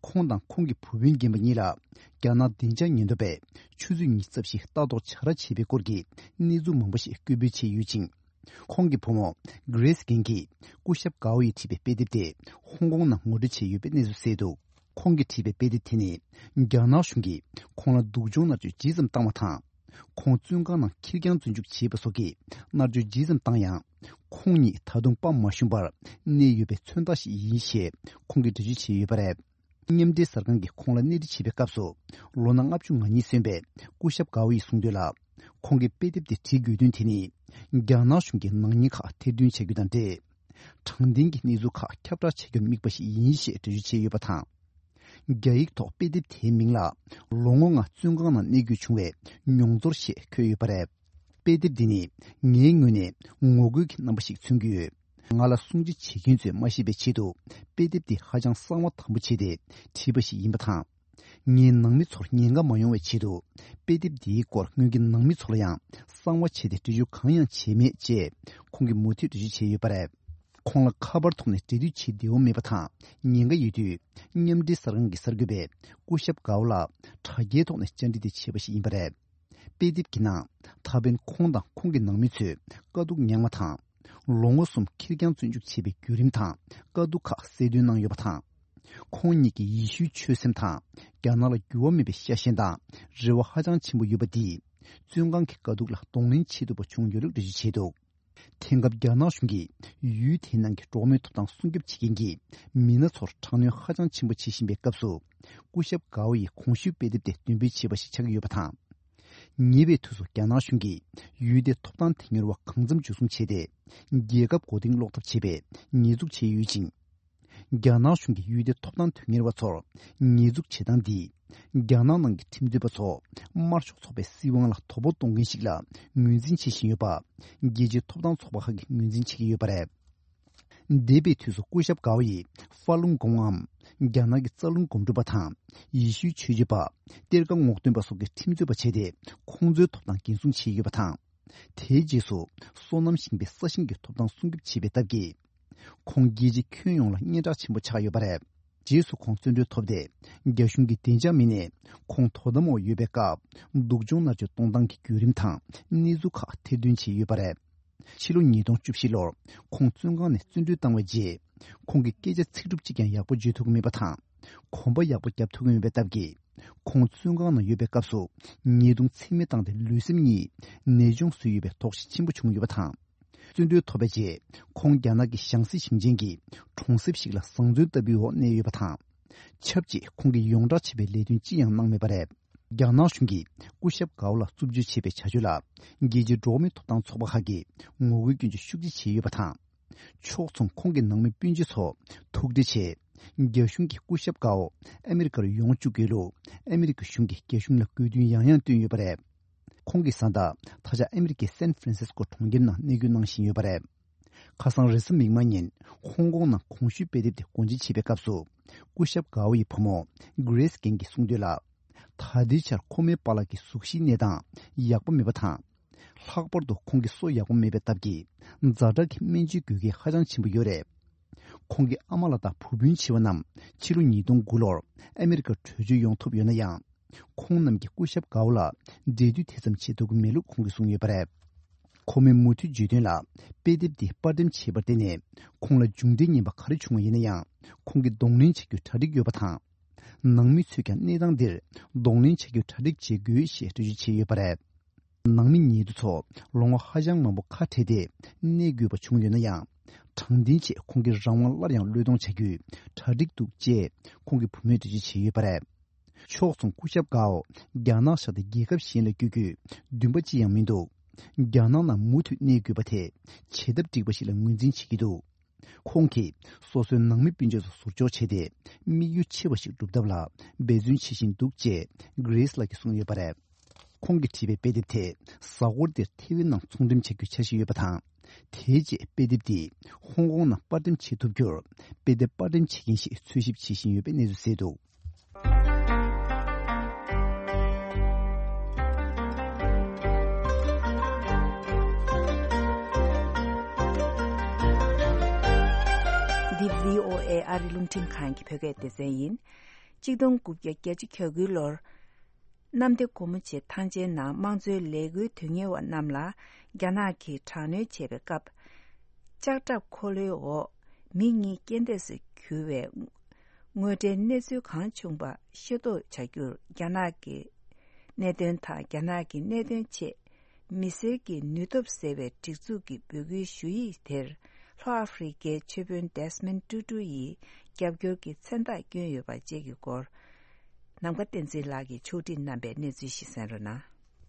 ཁོང་དང་ཁོང་གི་བུ་སྤུན་རྒན་པ་གཉིས་ལ་རྒྱ་ནག་བདེ་འཇགས་ཉེན་རྟོག་པས་ཆུ་ཚོད་གཉིས་རྩ་བཞི་ལྟ་རྟོག་བྱ་ར་བྱས་པའི་སྐོར་གྱི་གནས་ཚུལ་མང་པོ་ཞིག་སྐད་འབོད་བྱས་ཡོད་ཅིང་། ཁོང་གི་བུ་མོ་གྷི་རེས་གྷན་གྱིས་སྐུ་ཞབས་གའོ་ཡིས་བྲིས་པའི་དཔེ་དེབ་དེ་ཧོང་ཀོང་ནང་ངོ་སྤྲོད་བྱས་ཡོད་པའི་གནས་ཚུལ་གསལ་འདུག། ཁོང་གིས་བྲིས་པའི་དཔེ་དེབ་དེ་ནི་རྒྱ་ནག་གཞུང་གིས་ཁོང་ལ་སྡུག་སྦྱོང་མནར་གཅོད་ཇི་ཙམ་བཏང་བ་དང་། ཁོང་བཙོན་ཁང་ནང་ཁེར་རྐྱང་བཙོན་འཇུག་བྱས་པ་སོགས་ཀྱི་མནར་གཅོད་ཇི་ཙམ་བཏང་ཡང་། ཁོང་ཉིད་ད་དུང་དཔའ་མ་ཞུམ་པར་གནས་ཡོད་པའི་མཚོན་རྟགས་ཤིག་ཡིན་ཞེས་ཁོང་གིས་འགྲེལ་བརྗོད་བྱས་ཡོད་པ་རེད། མཉམ་འབྲེལ་གསར་ཁང་གིས་ཁོང་ལ་གནས་འདྲི་བྱས་པའི་སྐབས་སུ། ལོ་ན་ལྔ་བཅུ་ང་གཉིས་སོན་པའི་སྐུ་ཞབས་གའོ་ཡིས་གསུངས་དོན་ལ། ཁོང་གིས་དཔེ་དེབ་དེ་བྲིས་དགོས་དོན་དེ་ནི། རྒྱ་ནག་གཞུང་གིས་ནག་ཉེས་ཁག་ཐེར་འདོན་བྱ་རྒྱུ་དང་འབྲེལ། དྲང་བདེན་གྱི་གནས་ཚུལ་ཁག་ཁྱབ་བསྒྲགས་བྱ་རྒྱུར་དམིགས་པ་ཞིག་ཡིན་ཞེས་འགྲེལ་བརྗོད་བྱས་ཡོད་པ་དང་། རྒྱ་ཡིག་ཐོག་དཔེ་དེབ་དེའི་མིང་ལ། ལོ་ངོ་ལྔ་བཙོན་ཁང་ནང་གནས་དགོས་བྱུང་བའི་མྱོང་ཚོར་ཞེས་འཁོད་ཡོད་པ་རེད། དཔེ་དེབ་འདི་ནི་ངའི་ངོས་ནས་ངོ་རྒོལ་གྱི་རྣམ་པ་ཞིག་མཚོན་གྱི་ཡོད། ང་ལ་སྲུང་བརྩི་བྱེད་མཁན་ཚོས་མ་ཤེས་པའི་ཆེད་དུ་དཔེ་དེབ་འདི་ཧ་ཅང་གསང་བ་དམ་པོ་བྱས་ཏེ་བྲིས་པ་ཞིག་ཡིན་པ་དང་། ངའི་ནང་མི་ཚོར་ཉེན་ཁ་མ་ཡོང་བའི་ཆེད་དུ་དཔེ་དེབ་འདིའི་སྐོར་སྔོན་གྱི་ནང་མི་ཚོ་ལ་ཡང་གསང་བ་བྱས་ཏེ་འགྲེལ་བརྗོད་གང་ཡང་བྱས་མེད་ཅེས་ཁོང་གིས་མུ་མཐུད་འགྲེལ་བརྗོད་བྱས་ཡོད་པ་རེད། ཁོང་ལ་ཁ་པར་ཐོག་ནས་འབྲེལ་མཐུད་བྱེད་བདེ་བོ་མེད་པ་དང་། ཉེན་ཁ་ཡོད་དུས་མཉམ་འབྲེལ་གསར་ཁང་གི་གསར་འགོད་པས་སྐུ་ཞབས་གའོ་ལ་དྲ་རྒྱའི་ཐོག་ནས་བཅར་འདྲི་དེ་བྱས་པ་ཞིག་ཡིན་པ་རེད། དཔེ་དེབ་ཀྱི་ནང་ད་ཕན་ཁོང་དང་ཁོང་གི་ནང་མི་ཚོས་དཀའ་སྡུག་མྱངས་པ་དང་། ལོ་ངོ་གསུམ་ཁེར་རྐྱང་བཙོན་འཇུག་བྱས་པའི་བརྒྱུད་རིམ་དང་དཀའ་སྡུག་ཁག་གསལ་སྟོན་གནང་ཡོད་པ་དང་། ཁོང་ཉིད་ཀྱི་ཡེ་ཤུའི་ཆོས་སེམས་དང་རྒྱ་ནག་ལ་འགྱུར་བ་མེད་པའི་ཤ་ཞེན་དང་རེ་བ་ཧ་ཅང་ཆེན་པོ་ཡོད་པ་འདིས། བཙོན་ཁང་གི་དཀའ་སྡུག་ལ་གདོང་ལེན་བྱེད་ཐུབ་པ་བྱུང་ཡོད་ལུགས་འགྲེལ་བརྗོད་བྱས་འདུག། དེང་སྐབས་རྒྱ་ནག་གཞུང་གིས་ཡུལ་དེའི་ནང་གི་འགྲོ་བ་མིའི་ཐོབ་ཐང་སྲུང་སྐྱོབ་བྱེད་མཁན་གྱི་མི་སྣ་ཚོར་དྲག་གནོན་ཧ་ཅང་ཆེན་པོ་བྱེད་བཞིན་པའི་སྐབས་སུ། སྐུ་ཞབས་གའོ་ཡི་གོང་ཞུས་དཔེ་དེབ་དེ་འདོན་སྤེལ་བྱས་པ་ཞིག་ཆགས་ཀྱི་ཡོད་པ་དང་། ཉེ་བའི་དུས་སུ་རྒྱ་ནག་གཞུང་གིས་ཡུལ་དེའི་ཐོབ་ཐང་དོན་གཉེར་བ་གང་འཚམ་འཇུ་བཟུང་བྱས་ཏེ། རྒྱལ་ཁབ་མགོ་རྟིང་སློག་ཐབས་བྱས་པའི་ཉེས་འཛུགས་བྱས་ཡོད་ཅིང་། རྒྱ་ནག་གཞུང་གིས་ཡུལ་དེའི་ཐོབ་ཐང་དོན་གཉེར་བ་ཚོར་ཉེས་འཛུགས་བྱེད་སྟངས་འདིས། རྒྱ་ནག་ནང་གི་ཁྲིམས་རྩོད་པ་ཚོ་དམར་ཤོག་ཚོགས་པའི་སྲིད་དབང་ལ་དོ་ཕོག་གཏོང་མཁན་ཞིག་ལ་ངོས་འཛིན་བྱེད་བཞིན་ཡོད་པ། རྒྱལ་སྤྱིའི་ཐོབ་ཐང་ཚོགས་པ་ཁག་གིས་ངོས་འཛིན་བྱེད་ཀྱི་ཡོད་པ་རེད། འདས་པའི་དུས་སུ་སྐུ་ཞབས་གའོ་ཡིས་ཧྥ་ལུང་གོང་འམ། རྒྱ་ནག་གི་རྩ་རླུང་སྒོམ་སྒྲུབ་པ་དང་། ཡེ་ཤུའི་ཆོས་བྱེད་པ། གཏེར་ཁ་སྔོག་འདོན་པ་སོགས་ཀྱི་ཁྲིམས་རྩོད་པ་བྱས་ཏེ། ཁོང་ཚོའི་ཐོབ་ཐང་འགན་སྲུང་བྱས་ཡོད་པ་དང་། དེའི་རྗེས་སུ། སོ་ནམ་ཞིང་པའི་ས་ཞིང་གི་ཐོབ་ཐང་སྲུང་སྐྱོབ་བྱས་པའི་སྟབས་ཀྱིས། ཁོང་རྒྱལ་སྤྱི་ཁྱོན་ཡོངས་ལ་སྙན་གྲགས་ཆེན་པོ་ཆགས་ཡོད་པ་རེད། རྗེས་སུ་ཁོང་བཙོན་གྲོལ་ཐོབ་སྟེ། རྒྱ་གཞུང་གི་བདེ་འཇགས་མི་སྣས་ཁོང་དོ་དམ་འོག་ཡོད་པའི་སྐབས། སྡུག་སྦྱོང་མནར་གཅོད་གཏོང་སྟངས་ཀྱི་བརྒྱུད་རིམ་དང་གནས་ཚུལ་ཁག་ཐེར་འདོན་བྱས་ཡོད་པ་རེད། ཕྱི་ལོ་ཉིས་སྟོང་བཅུ་བཞི་ལོར་ཁོང་བཙོན་ཁང་ནས་བཙོན་གྲོལ་བཏང་བའི་རྗེས། ཁོང་གིས་སྐད་ཆ་ཚིག་གྲུབ་གཅིག་ཀྱང་ཡག་པོ་བརྗོད་ཐུབ་ཀྱི་མེད་པ་དང་། གོམ་པ་ཡག་པོ་རྒྱབ་ཐུབ་ཀྱི་མེད་པའི་སྟབས་ཀྱིས། ཁོང་བཙོན་ཁང་ནང་ཡོད་པའི་སྐབས་སུ་ཉེས་རྡུང་ཚད་མེད་བཏང་སྟེ་ལུས་སེམས་གཉིས་ནད་གཅོང་བཟོས་ཡོད་པའི་དོགས་གཞི་ཆེན་པོ་བྱུང་ཡོད་པ་དང་། བཙོན་གྲོལ་ཐོབ་པའི་རྗེས། ཁོང་རྒྱ་ནག་གི་ཞང་སྲིད་ཞིང་ཆེན་གྱི་གྲོང་གསེབ་ཞིག་ལ་བཟང་བཙོན་ལྟ་བུའི་འོག་གནས་ཡོད་པ་དང་། ཆབས་ཅིག་ཁོང་གིས་ཡོངས་བསྒྲགས་བྱས་པའི་ལས་དོན་ཅི་ཡང་གནང་མེད་པ་རེད། རྒྱ་ནག་གཞུང་གིས་སྐུ་ཞབས་གའོ་ལ་རྩུབ་སྤྱོད་བྱས་པའི་བྱ་སྤྱོད་ལ། རྒྱལ་སྤྱིའི་འགྲོ་བ་མིའི་ཐོབ་ཐང་ཚོགས་པ་ཁག་གིས་ངོ་རྒོལ་སྐྱོན་བརྗོད་ཤུགས་ཆེ་བྱས་ཡོད་པ་དང་། ཕྱོགས་མཚུངས་ཁོང་གི་ནང་མི་སྤུན་མཆེད་ཚོ་ཐུག་འཕྲད་བྱས། རྒྱ་གཞུང་གིས་སྐུ་ཞབས་གའོ་ཨ་མི་རི་ཀར་ཡོང་བཅུག་དགོས་ལུགས་ཨ་མི་རི་ཀ་གཞུང་གིས་རྒྱ་གཞུང་ལ་དགོས་འདུན་ཡང་ཡང་བཏོན་ཡོད་པ་རེད། ཁོང་གི་བཟའ་ཟླ་ད་ཆ་ཨ་མི་རི་ཀའི་སན་ཧྥ་རན་སིས་ཀོ་གྲོང་ཁྱེར་ནང་གནས་སྐྱོད་གནང་བཞིན་ཡོད་པ་རེད། ཁ་སང་རེས་གཟའ་མིག་དམར་ཉིན་ཧོང་ཀོང་ནང་གོང་ཞུས་དཔེ་དེབ་དེ་སྒོ་འབྱེད་བྱེད་པའི་སྐབས་སུ། སྐུ་ཞབས་གའོ་ཡི་བུ་མོ་གྷི་རེས་གྷན་གྱིས་གསུངས་དོན་ལ། ད་ ད་ལྟའི་ཆར་ཁོ་མོའི་པཱ་ལགས་ཀྱི་གཟུགས་གཞིའི་གནས་སྟངས་ཡག་པོ་མེད་པ་དང་། ལྷག་པར་དུ་ཁོང་གི་སོ་ཡག་པོ་མེད་པའི་སྟབས་ཀྱིས་ཛ་དྲག་གི་སྨན་བཅོས་དགོས་གལ་ཧ་ཅང་ཆེན་པོ་ཡོད་རེད། ཁོང་གི་ཨ་མ་ལགས་དང་བུ་སྤུན་བྱིས་པ་རྣམས་ཕྱི་ལོ་ཉིས་སྟོང་དགུ་ལོར་ཨ་མེ་རི་ཀར་བྲོས་བྱོལ་ཡོང་ཐུབ་ཡོད་ན་ཡང་། ཁོང་རྣམས་ཀྱིས་སྐུ་ཞབས་གའོ་ལ་འབྲེལ་མཐུད་དེ་ཙམ་བྱེད་ཐུབ་ཀྱི་མེད་ལུགས་ཁོང་གིས་གསུངས་ཡོད་པ་རེད། ཁོ་མོས་མུ་མཐུད་བརྗོད་དོན་ལ། དཔེ་དེབ་འདི་དཔར་འགྲེམས་བྱས་པར་བརྟེན་ནས་ཁོང་ལ་མཇུག་འབྲས་ངན་པ་ག་རེ་བྱུང་བ་ཡིན་ན་ཡང་། ཁོང་གིས་གདོང་ལེན་བྱ་རྒྱུར་གྲ་སྒྲིག་ཡོད་པ་དང་། ནང་མི་ཚོས་ཀྱང་གནས་སྟངས་འདིར་གདོང་ལེན་བྱ་རྒྱུར་གྲ་སྒྲིག་བྱེད་དགོས་ཞེས་འགྲེལ་བརྗོད་བྱས་ཡོད་པ་རེད། ནང་མི་ཉེ་དུ་ཚོ་ལོ་ངོ་ཧ་ཅང་མང་པོ་ཁ་བྲལ་ཏེ་གནས་དགོས་པ་བྱུང་ཡོད་ན་ཡང་། དྲང་བདེན་ཆེད་ཁོང་གིས་རང་དབང་སླར་ཡང་བློས་གཏོང་བྱ་རྒྱུའི་གྲ་སྒྲིག་འདུག་ཅེས་ཁོང་གི་བུ་མོས་འགྲེལ་བརྗོད་བྱས་ཡོད་པ་རེད། ཕྱོགས་མཚུངས་སྐུ་ཞབས་གའོ་རྒྱ་ནག་བཞག་སྟེ་རྒྱལ་ཁབ་གཞན་ལ་བསྐྱོད་རྒྱུའི་འདུན་པ་ཅི་ཡང་མི་འདུག་རྒྱ་ནག་ནང་མུ་མཐུད་གནས་དགོས་པ་དེ་བྱེད་ཐབས་འགྲིག་པ་ཞིག་ལ་ངོས་འཛིན་བྱེད་ཀྱི་འདུག་ཁོང་གིས་སོ་སོའི་ནང་མི་སྤུན་མཆེད་ཚོ་ཟུར་འཇོག་བྱས་ཏེ། དམིགས་ཡུལ་ཆེ་བ་ཞིག་སྒྲུབ་ཐབས་ལ་འབད་བརྩོན་བྱེད་བཞིན་འདུག་ཅེས་གྷི་རེས་ལགས་ཀྱིས་གསུངས་ཡོད་པ་རེད། ཁོང་གིས་བྲིས་པའི་དཔེ་དེབ་དེ་གཟའ་འཁོར་འདིར་ཐེ་ཝན་ནང་ཚོང་འགྲེམས་བྱ་རྒྱུའི་འཆར་གཞི་ཡོད་པ་དང་། དེའི་རྗེས་དཔེ་དེབ་འདི་ཧོང་ཀོང་ནང་པར་འགྲེམས་བྱེད་ཐུབ་རྒྱུར་དཔེ་དེབ་པར་འགྲེམས་བྱེད་མཁན་ཞིག་འཚོལ་ཞིབ་བྱེད་བཞིན་ཡོད་པའི་གནས་ཚུལ་གསལ་འདུག་འདི་བྷི་ཨོ་ཨེ་ཨ་རི་རླུང་འཕྲིན་ཁང་གི་བོད་སྐད་སྡེ་ཚན་ཡིན། གཅིག་སྟོང་དགུ་བརྒྱ་གྱ་དགུ་ལོར། གནམ་བདེ་སྒོ་མོ་ཆེ་ཐང་ཆེན་ནང་དམངས་གཙོའི་ལས་འགུལ་དོན་གཉེར་བ་རྣམས་ལ་རྒྱ་ནག་གིས་དྲག་གནོན་བྱས་པའི་སྐབས། ལྕགས་ཁྲབ་འཁོར་ལོའི་འོག་མི་གཉིས་རྐྱེན་འདས་སུ་གྱུར་བའི་དངོས་འབྲེལ་གནས་ཚུལ་གང་བྱུང་པ་ཤེས་རྟོགས་བྱ་རྒྱུར་རྒྱ་ནག་གི་གནད་དོན་དང་རྒྱ་ནག་གི་གནད་དོན་ཆེད། མི་སེར་གྱི་ནུས་སྟོབས་ཟེར་བའི་སྒྲིག་འཛུགས་ཀྱི་འབོད་སྐུལ་ཞུ་ཡིག་དེར་ལྷོ་ཨ་ཧྥེ་རི་ཀའི་ཆོས་དཔོན་ཌེ་སི་མོན་ཊུ་ཊུ་ཡིས་རྒྱབ་སྐྱོར་གྱི་མཚན་རྟགས་བསྐྱོན་ཡོད་པ་བཅས་ཀྱི་སྐོར། ནམ་མཁའ་བསྟན་འཛིན་ལགས་ཀྱིས་ཕྱོགས་སྒྲིག་གནང་པའི་གནས་ཚུལ་ཞིག་གསན་རོགས་གནང་།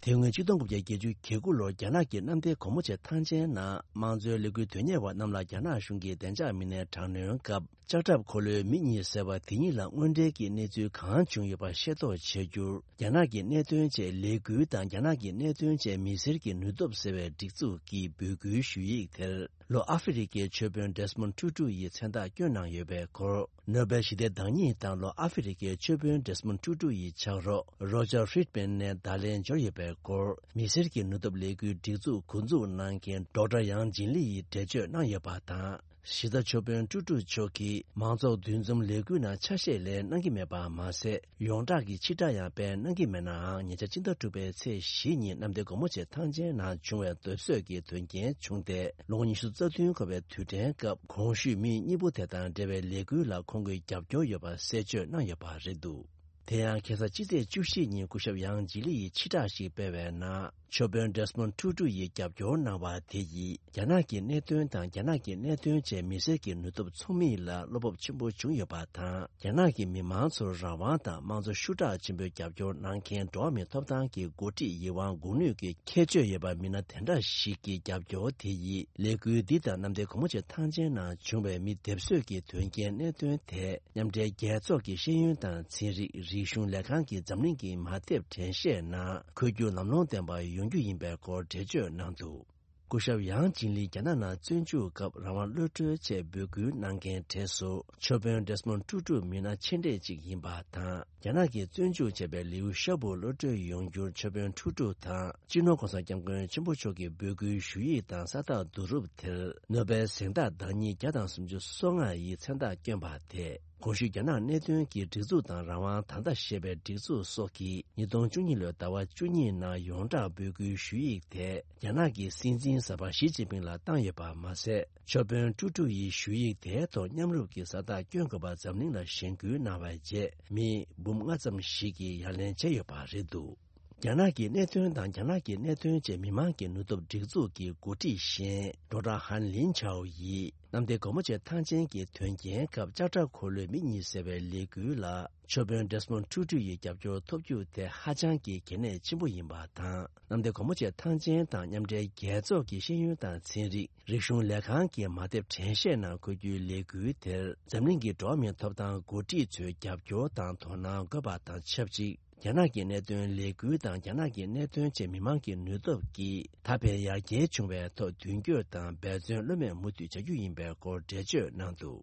དེ་སྔོན་གཅིག་སྟོང་དགུ་བརྒྱ་བརྒྱད་ཅུ་གྱ་དགུ་ལོར་རྒྱ་ནག་གི་གནམ་བདེ་སྒོ་མོ་ཆེ་ཐང་ཆེན་ནང་དམངས་གཙོའི་ལས་འགུལ་དོན་གཉེར་བ་རྣམས་ལ་རྒྱ་ནག་གཞུང་གིས་བདེ་འཇགས་མི་སྣའི་དྲག་གནོན་སྐབས། ལྕགས་ཁྲབ་འཁོར་ལོའི་མི་གཉིས་བསད་པ་དེ་གཉིས་ལ་དངོས་འབྲེལ་གྱི་གནས་ཚུལ་གང་བྱུང་ཡོད་པ་ཤེས་རྟོགས་བྱ་རྒྱུར། རྒྱ་ནག་གི་གནད་དོན་ཆེད་ལས་འགུལ་དང་རྒྱ་ནག་གི་གནད་དོན་ཆེད་མི་སེར་གྱི་ནུས་སྟོབས་ཟེར་བའི་སྒྲིག་འཛུགས་ཀྱི་འབོད་སྐུལ་ཞུ་ཡིག་དེར། ལྷོ་ཨ་ཧྥེ་རི་ཀའི་ཆོས་དཔོན་ཌེ་སི་མོན་ཊུ་ཊུ་ཡིས་མཚན་རྟགས་བསྐྱོན་གནང་ཡོད་པའི་སྐོར། ནོ་སྦེལ་ཞི་བདེའི་བདག་ཉིད་དང་ལྷོ་ཨ་ཧྥེ་རི་ཀའི་ཆོས་དཔོན་ཌེ་སི་མོན་ཊུ་ཊུ་ཡི་ཕྱག་རོགས་རོ་ཇར་ཧྥི་རིད་མན་ནས་བརྡ་ལན་འབྱོར་ཡོད་པའི་སྐོར། མི་སེར་གྱི་ནུས་སྟོབས་ལས་འགུལ་སྒྲིག་འཛུགས་འགོ་འཛུགས་གནང་མཁན་ཌོག་ཊར་ཡང་ཇིན་ལི་ཡིས་འགྲེལ་བརྗོད་གནང་ཡོད་པ་དང་། གཞི་རྩ་ཆོས་དཔོན་ཀྲུ་ཀྲུ་མཆོག་གིས་མང་ཚོགས་འདུ་འཛོམས་ལས་འགུལ་ནང་ཆ་ཤས་ལེན་གནང་གི་མེད་པ་མ་ཟད། ཡོངས་གྲགས་ཀྱི་ཕྱིར་བསྒྲགས་ཡང་སྤེལ་གནང་གི་མེད་ནའང་། ཉེ་ཆར་སྤྱི་ཟླ་དྲུག་པའི་ཚེས་བཞི་ཉིན་གནམ་བདེ་སྒོ་མོ་ཆེ་ཐང་ཆེན་ནང་བྱུང་བའི་སྡོད་གསོས་ཀྱི་དོན་རྐྱེན་བྱུང་སྟེ། ལོ་ངོ་ཉི་ཤུ་རྩ་བདུན་འཁོར་བའི་དུས་དྲན་སྐབས། གོང་ཞུས་མི་གཉིས་པོ་དེ་དང་འབྲེལ་བའི་ལས་འགུལ་ལ་ཁོང་གིས་རྒྱབ་སྐྱོར་ཡོད་པ་གསལ་བརྗོད་གནང་ཡོད་པ་རེད་འདུག་དེ་ཡང་ཁ་སང་ཕྱི་ཚེས་བཅུ་བཞི་ཉིན་སྐུ་ཞབས་ཡང་ཇི་ལི་ཡིས་ཕྱིར་བསྒྲགས་ཤིག་སྤེལ་བའི་ནང་། ཆོས་དཔོན་ཌེ་སི་མོན་ཊུ་ཊུ་ཡིས་རྒྱབ་སྐྱོར་གནང་བ་དེ་ཡིས། རྒྱ་ནག་གི་གནད་དོན་དང་རྒྱ་ནག་གི་གནད་དོན་ཆེད་མི་སེར་གྱི་ནུས་སྟོབས་ཚོགས་མི་ལ་བློ་སྤོབས་ཆེན་པོ་བྱུང་ཡོད་པ་དང་། རྒྱ་ནག་གི་མི་མང་ཚོར་རང་དབང་དང་དམངས་གཙོ་ཤུགས་དྲག་ཆེན་པོས་རྒྱབ་སྐྱོར་གནང་མཁན་འགྲོ་བ་མིའི་ཐོབ་ཐང་གི་འགོ་ཁྲིད་ཡིད་དབང་འགུག་ནུས་ཀྱི་ཁྱད་ཆོས་ཡོད་པ་མི་སྣ་དེ་འདྲ་ཞིག་གི་རྒྱབ་སྐྱོར་དེ་ཡིས། ལས་འགུལ་འདི་དང་གནམ་བདེ་སྒོ་མོ་ཆེ་ཐང་ཆེན་ནང་བྱུང་བའི་མི་སྡེབ་གསོད་ཀྱི་དོན་རྐྱེན་གནད་དོན་དེ། མཉམ་འབྲེལ་རྒྱལ་ཚོགས་ཀྱི་ཤེས་ཡོན་དང་ཚན་རིག་རིག་གཞུང་ལས་ཁང་གིས་འཛམ་གླིང་གི་མ་དེབ་དྲན་ཤེས་ནང་འཁོད་རྒྱུ་ལམ་ལྷོང་ལྡན་པ་ཡོང་རྒྱུ་ཡིན་པའི་སྐོར་འགྲེལ་བརྗོད་གནང་འདུག་སྐུ་ཞབས་ཡང་ཅིན་ལི་རྒྱ་ནག་ནང་བཙོན་འཇུག་སྐབས་རང་དབང་གློད་གྲོལ་ཆེད་འབོད་སྐུལ་གནང་མཁན་གྲས་སུ་ཆོས་དཔོན་ཌེ་སི་མོན་ཊུ་ཊུ་མི་སྣ་ཆེ་གྲས་གཅིག་ཡིན་པ་དང་། རྒྱ་ནག་གིས་བཙོན་འཇུག་བྱས་པའི་ལིའུ་ཤ་བུ་གློད་གྲོལ་ཡོང་རྒྱུར་ཆོས་དཔོན་ཊུ་ཀྲུ་དང་སྤྱི་ནོར་༸གོང་ས་༸སྐྱབས་མགོན་ཆེན་པོ་མཆོག་གིས་འབོད་སྐུལ་ཞུ་ཡིག་དང་ས་རྟགས་བསྡུ་རུབ་དེར་ནོ་སྦེལ་གཟེངས་རྟགས་བདག་ཉིད་བརྒྱ་དང་སུམ་ཅུ་སོ་ལྔ་ཡིས་མཚན་རྟགས་བསྐྱོན་པ་དེས། གོང་ཞུས་རྒྱ་ནག་གནད་དོན་གྱི་སྒྲིག་འཛུགས་དང་རང་དབང་ད་ལྟ་ཞེས་པའི་སྒྲིག་འཛུགས་སོགས་ཀྱིས་ཉིས་སྟོང་བཅུ་གཉིས་ལོའི་ཟླ་བ་བཅུ་གཉིས་ནང་ཡོངས་གྲགས་འབོད་སྐུལ་ཞུ་ཡིག་དེ་རྒྱ་ནག་གི་སྲིད་འཛིན་གསར་པ་ཞི་ཅིན་ཕིང་ལ་བཏང་ཡོད་པ་མ་ཟད། ཆོས་དཔོན་ཀྲུ་ཀྲུ་ཡིས་ཞུ་ཡིག་དེའི་ཐོག་མཉམ་རུབ་ཀྱིས་ས་རྟགས་བསྐྱོན་དགོས་པ་འཛམ་གླིང་ལ་གཞེན་སྐུལ་གནང་བའི་རྗེས། མི་འབུམ་ལྔ་ཙམ་ཞིག་གིས་ཡ་ལན་བྱས་ཡོད་པ་རེད་འདུག་རྒྱ་ནག་གི་གནད་དོན་དང་རྒྱ་ནག་གི་གནད་དོན་ཆེད་མི་མང་གི་ནུས་སྟོབས་སྒྲིག་འཛུགས་ཀྱི་འགོ་ཁྲིད་གཞན་ཌོག་ཊར་ཧན་ལིན་ཆའོ་ཡིས། གནམ་བདེ་སྒོ་མོ་ཆེ་ཐང་ཆེན་གྱི་དོན་རྐྱེན་སྐབས་ལྕགས་ཁྲབ་འཁོར་ལོའི་མི་གཉིས་བསད་པའི་ལས་འགུལ་ལ་ཆོས་དཔོན་ཌེ་སི་མོན་ཊུ་ཊུ་ཡི་རྒྱབ་སྐྱོར་ཐོབ་རྒྱུ་དེ་ཧ་ཅང་གི་གལ་གནད་ཆེན་པོ་ཡིན་པ་དང་། གནམ་བདེ་སྒོ་མོ་ཆེ་ཐང་ཆེན་དང་མཉམ་འབྲེལ་རྒྱལ་ཚོགས་ཀྱི་ཤེས་ཡོན་དང་ཚན་རིག་རིག་གཞུང་ལས་ཁང་གི་མ་དེབ་དྲན་ཤེས་ནང་འཁོད་རྒྱུའི་ལས་འགུལ་དེར་འཛམ་གླིང་གི་འགྲོ་བ་མིའི་ཐོབ་ཐང་འགོ་ཁྲིད་ཚོས་རྒྱབ་སྐྱོར་དང་དོ་སྣང་དགོས་པ་དང་ཆབས་ཅིག་རྒྱ་ནག་གི་གནད་དོན་ལས་འགུལ་དང་རྒྱ་ནག་གི་གནད་དོན་ཆེད་མི་མང་གི་ནུས་སྟོབས་ཀྱིས་ད་ཕན་ཡར་རྒྱས་བྱུང་བའི་ཐོག་མདུན་སྐྱོད་དང་འབད་བརྩོན་བློ་མེད་མུ་མཐུད་བྱ་རྒྱུ་ཡིན་པའི་སྐོར་འགྲེལ་བརྗོད་གནང་འདུག་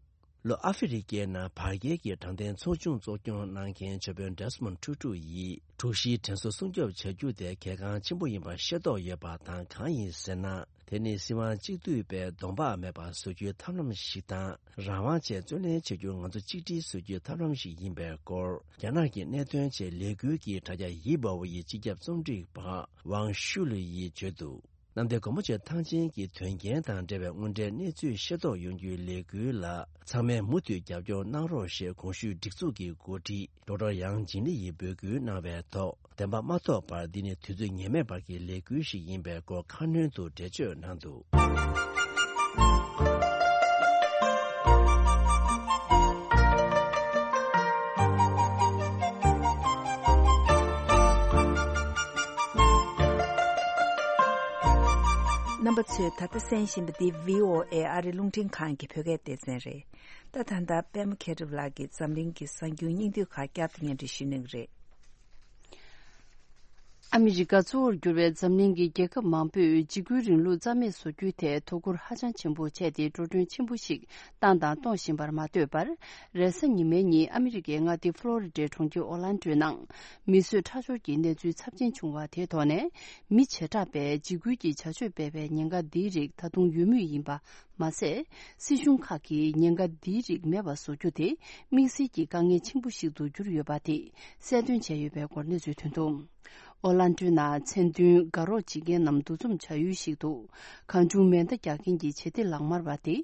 ལྷོ་ཨ་ཧྥེ་རི་ཀའི་ནང་བར་བརྒལ་གྱི་དྲང་བདེན་ཚོགས་ཆུང་གཙོ་སྐྱོང་གནང་མཁན་ཆོས་དཔོན་ཌེ་སི་མོན་ཊུ་ཊུ་ཡིས་དྲུག་བཞིའི་དྲན་གསོ་སྲུང་སྐྱོབ་བྱ་རྒྱུ་དེ་གལ་འགངས་ཆེན་པོ་ཡིན་པ་ཤེས་རྟོགས་ཡོད་པ་དང་། གང་ཡིན་ཟེར་ན། དེ་ནི་སྲིད་དབང་གཅིག་སྡུད་པའི་གདོང་འབག་མེད་པ་བཟོ་རྒྱུའི་ཐབས་ལམ་ཞིག་དང་། རང་དབང་བཅས་བརྩོན་ལེན་བྱ་རྒྱུར་ང་ཚོ་གཅིག་སྒྲིལ་བཟོ་རྒྱུའི་ཐབས་ལམ་ཞིག་ཡིན་པའི་སྐོར། རྒྱ་ནག་གི་གནད་དོན་ཆེད་ལས་འགུལ་གྱི་དྲ་རྒྱ་ཡི་བའོ་ཡི་སྤྱི་ཁྱབ་རྩོམ་སྒྲིག་པ་ཝང་ཤུ་ལི་ཡིས་བརྗོད་འདུག་གནམ་བདེ་སྒོ་མོ་ཆེ་ཐང་ཆེན་གྱི་དོན་རྐྱེན་དང་འབྲེལ་བའི་དངོས་འབྲེལ་གནས་ཚུལ་ཤེས་རྟོགས་ཡོང་རྒྱུའི་ལས་འགུལ་ལ། ཚང་མས་མུ་མཐུད་རྒྱབ་སྐྱོར་གནང་རོགས་ཞེས་གོང་ཞུས་སྒྲིག་འཛུགས་ཀྱི་འགོ་ཁྲིད་ཌོག་ཊར་ཡང་ཇིན་ལི་ཡིས་འབོད་སྐུལ་གནང་བའི་ཐོག་བདེན་པ་མ་ཐོབ་བར་འདི་ནི་དུས་ཚོད་ངེས་མེད་བར་གྱི་ལས་འགུལ་ཞིག་ཡིན་པའི་སྐོར་ཁ་སྣོན་དུ་འགྲེལ་བརྗོད་གནང་འདུག་རྣམ་པ་ཚོས་ད་ལྟ་གསན་བཞིན་པ་འདི་བྷི་ཨོ་ཨེ་ཨ་རི་རླུང་འཕྲིན་ཁང་གི་བོད་སྐད་སྡེ་ཚན་རེད། ད་ད་ལྟ་པད་མ་མཁས་གྲུབ་ལགས་ཀྱིས་འཛམ་གླིང་གི་གསར་འགྱུར་སྙིང་བསྡུས་ཁག་བསྐྱར་དུ་སྙན་སྒྲོན་ཞུ་གནང་གི་རེད། ཨ་མི་རི་ཀ་གཙོ་བོར་གྱུར་བའི་འཛམ་གླིང་གི་རྒྱལ་ཁབ་མང་པོས་འཇིགས་སྐུལ་རིང་ལུགས་རྩ་མེད་བཟོ་རྒྱུའི་ཐད་དོ་ཁུར་ཧ་ཅང་ཆེན་པོ་བྱས་ཏེ། འགྲོ་གྲོན་ཆེན་པོ་ཞིག་བཏང་དང་གཏོང་བཞིན་པར་མ་ལྟོས་པར། རེས་གཟའ་ཉི་མའི་ཉིན་ཨ་མི་རི་ཀའི་མངའ་སྡེ་ཕློ་རི་ཌའི་གྲོང་ཁྱེར་ཨོ་ལན་ཌོའི་ནང་མི་གསོད་ཁྲག་སྦྱོར་གྱི་གནས་ཚུལ་ཚབས་ཆེན་བྱུང་བ་དེའི་ཐོག་ནས། མི་བྱེ་བྲག་པས་འཇིགས་སྐུལ་གྱི་བྱ་སྤྱོད་སྤེལ་བའི་ཉེན་ཁ་འདིའི་རིགས་ད་དུང་ཡོད་མུས་ཡིན་པ་མ་ཟད། སྲིད་གཞུང་ཁག་གིས་ཉེན་ཁ་འདིའི་རིགས་མེད་པ་བཟོ་རྒྱུ་དེ་དམིགས་བསལ་གྱི་དཀའ་ངལ་ཆེན་པོ་ཞིག་ཏུ་གྱུར་ཡོད་པ་དེ་གསལ་སྟོན་བྱས་ཡོད་པའི་སྐོར་གནས་ཚུལ་ཐོན་འདུག་ཨོ་ལན་ཌོའི་ནང་མཚན་མཐུན་དགའ་རོགས་བྱེད་མཁན་རྣམས་འདུ་འཛོམས་བྱ་ཡུལ་ཞིག་ཏུ། གང་བྱུང་མེ་མདའ་རྒྱག་མཁན་གྱི་བྱེད་གཏེ་ལག་དམར་བ་དེ།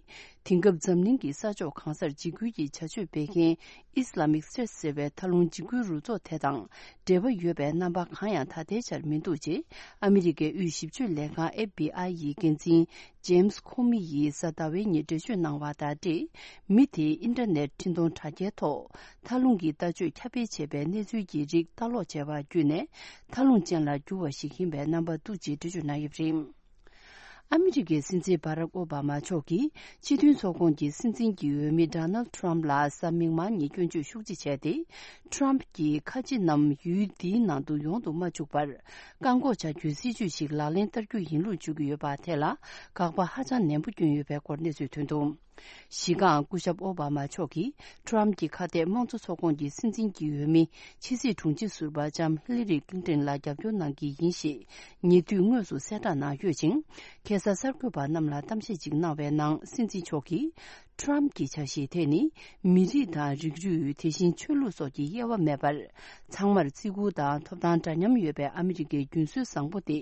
དེང་སྐབས་འཛམ་གླིང་གི་ས་ཕྱོགས་གང་སར་འཇིགས་སྐུལ་གྱི་བྱ་སྤྱོད་སྤེལ་མཁན་ཨི་སི་ལ་མིག་སི་ཊེ་ཊི་ཟེར་བའི་མཐའ་ལྷུང་འཇིགས་སྐུལ་རུ་ཚོགས་དེ་དང་འབྲེལ་བ་ཡོད་པའི་རྣམ་པ་གང་ཡང་ད་ལྟའི་ཆར་མི་འདུག་ཅེས་ཨ་མི་རི་ཀའི་དབུས་ཞིབ་དཔྱོད་ལས་ཁང་ཨེཕ་བྷི་ཨའི་ཡི་འགན་འཛིན་ཇེམ་སི་ཁོ་མི་ཡིས་གཟའ་ཟླ་བའི་ཉིན་འགྲེལ་བརྗོད་གནང་བ་དང་འབྲེལ། མི་དེས་ཨིན་ཊར་ནེཊ་འཕྲིན་གཏོང་དྲ་རྒྱའི་ཐོག་མཐའ་ལྷུང་གི་ལྟ་སྤྱོད་ཁྱབ་སྤེལ་བྱས་པའི་གནས་ཚུལ་གྱི་རིགས་ལྟ་ཀློག་བྱས་པ་བརྒྱུད་ནས། མཐའ་ལྷུང་ཅན་ལ་འགྱུར་བ་ཞིག་ཡིན་པའི་རྣམ་པ་འདུག་ཅེས་འགྲེལ་བརྗོད་གནང་ཡོད་པ་རེད། ཨ་མི་རི་ཀའི་སྲིད་འཛིན་བྷ་རག་ཨོ་བྷ་མ་མཆོག་གིས་སྤྱི་མཐུན་ཚོགས་ཁོངས་ཀྱི་སྲིད་འཛིན་གྱི་འོས་མི་ཌོ་ནལ་ཌི་ཊརམ་ཕི་ལ་གཟའ་མིག་དམར་ཉིན་སྐྱོན་བརྗོད་ཤུགས་ཆེ་བྱས་ཏེ། ཊརམ་ཕི་གྱིས་ཁ་ཆེ་རྣམས་ཡུལ་འདིའི་ནང་དུ་ཡོང་དུ་མ་བཅུག་པར། བཀག་འགོག་བྱ་རྒྱུའི་སྲིད་ཇུས་ཤིག་ལག་ལེན་བསྟར་རྒྱུ་ཡིན་ལུགས་བརྗོད་ཀྱི་ཡོད་པ་དེ་ལ་དགག་པ་ཧ་ཅང་ནན་པོ་བསྐྱོན་ཡོད་པའི་སྐོར་གནས་ཚུལ་ཐོན་འདུག་གཞི་རྐང་སྐུ་ཞབས་ཨོ་བྷ་མ་མཆོག་གིས་ཊརམ་ཕི་གྱི་ཁ་གཏད་དམངས་གཙོ་ཚོགས་ཁོངས་ཀྱི་སྲིད་འཛིན་གྱི་འོས་མི་ཕྱི་སྲིད་དྲུང་ཆེ་ཟུར་པ་ལྕམ་ཧི་ལི་རི་ཀླིན་ཊོན་ལ་རྒྱབ་སྐྱོར་གནང་གི་ཡིན་ཞེས་ཉེ་དུས་དངོས་སུ་གསལ་བསྒྲགས་གནང་ཡོད་ཅིང་། ཁ་སང་གསར་འགོད་པ་རྣམས་ལ་གཏམ་བཤད་ཅིག་གནང་བའི་ནང་སྲིད་འཛིན་མཆོག་གིས། ཊརམ་ཕི་གྱི་འཆར་གཞི་དེ་ནི་མི་རིགས་དང་རིགས་རུས། དེ་བཞིན་ཆོས་ལུགས་སོགས་ཀྱི་དབྱེ་བ་མེད་པར། ཚང་མར་བརྩི་བཀུར་དང་ཐོབ་ཐང་འདྲ་མཉམ་ཡོད་པའི་ཨ་མི་རི་ཀའི་རྒྱུན་སྲོལ་བཟང་པོ་དེ་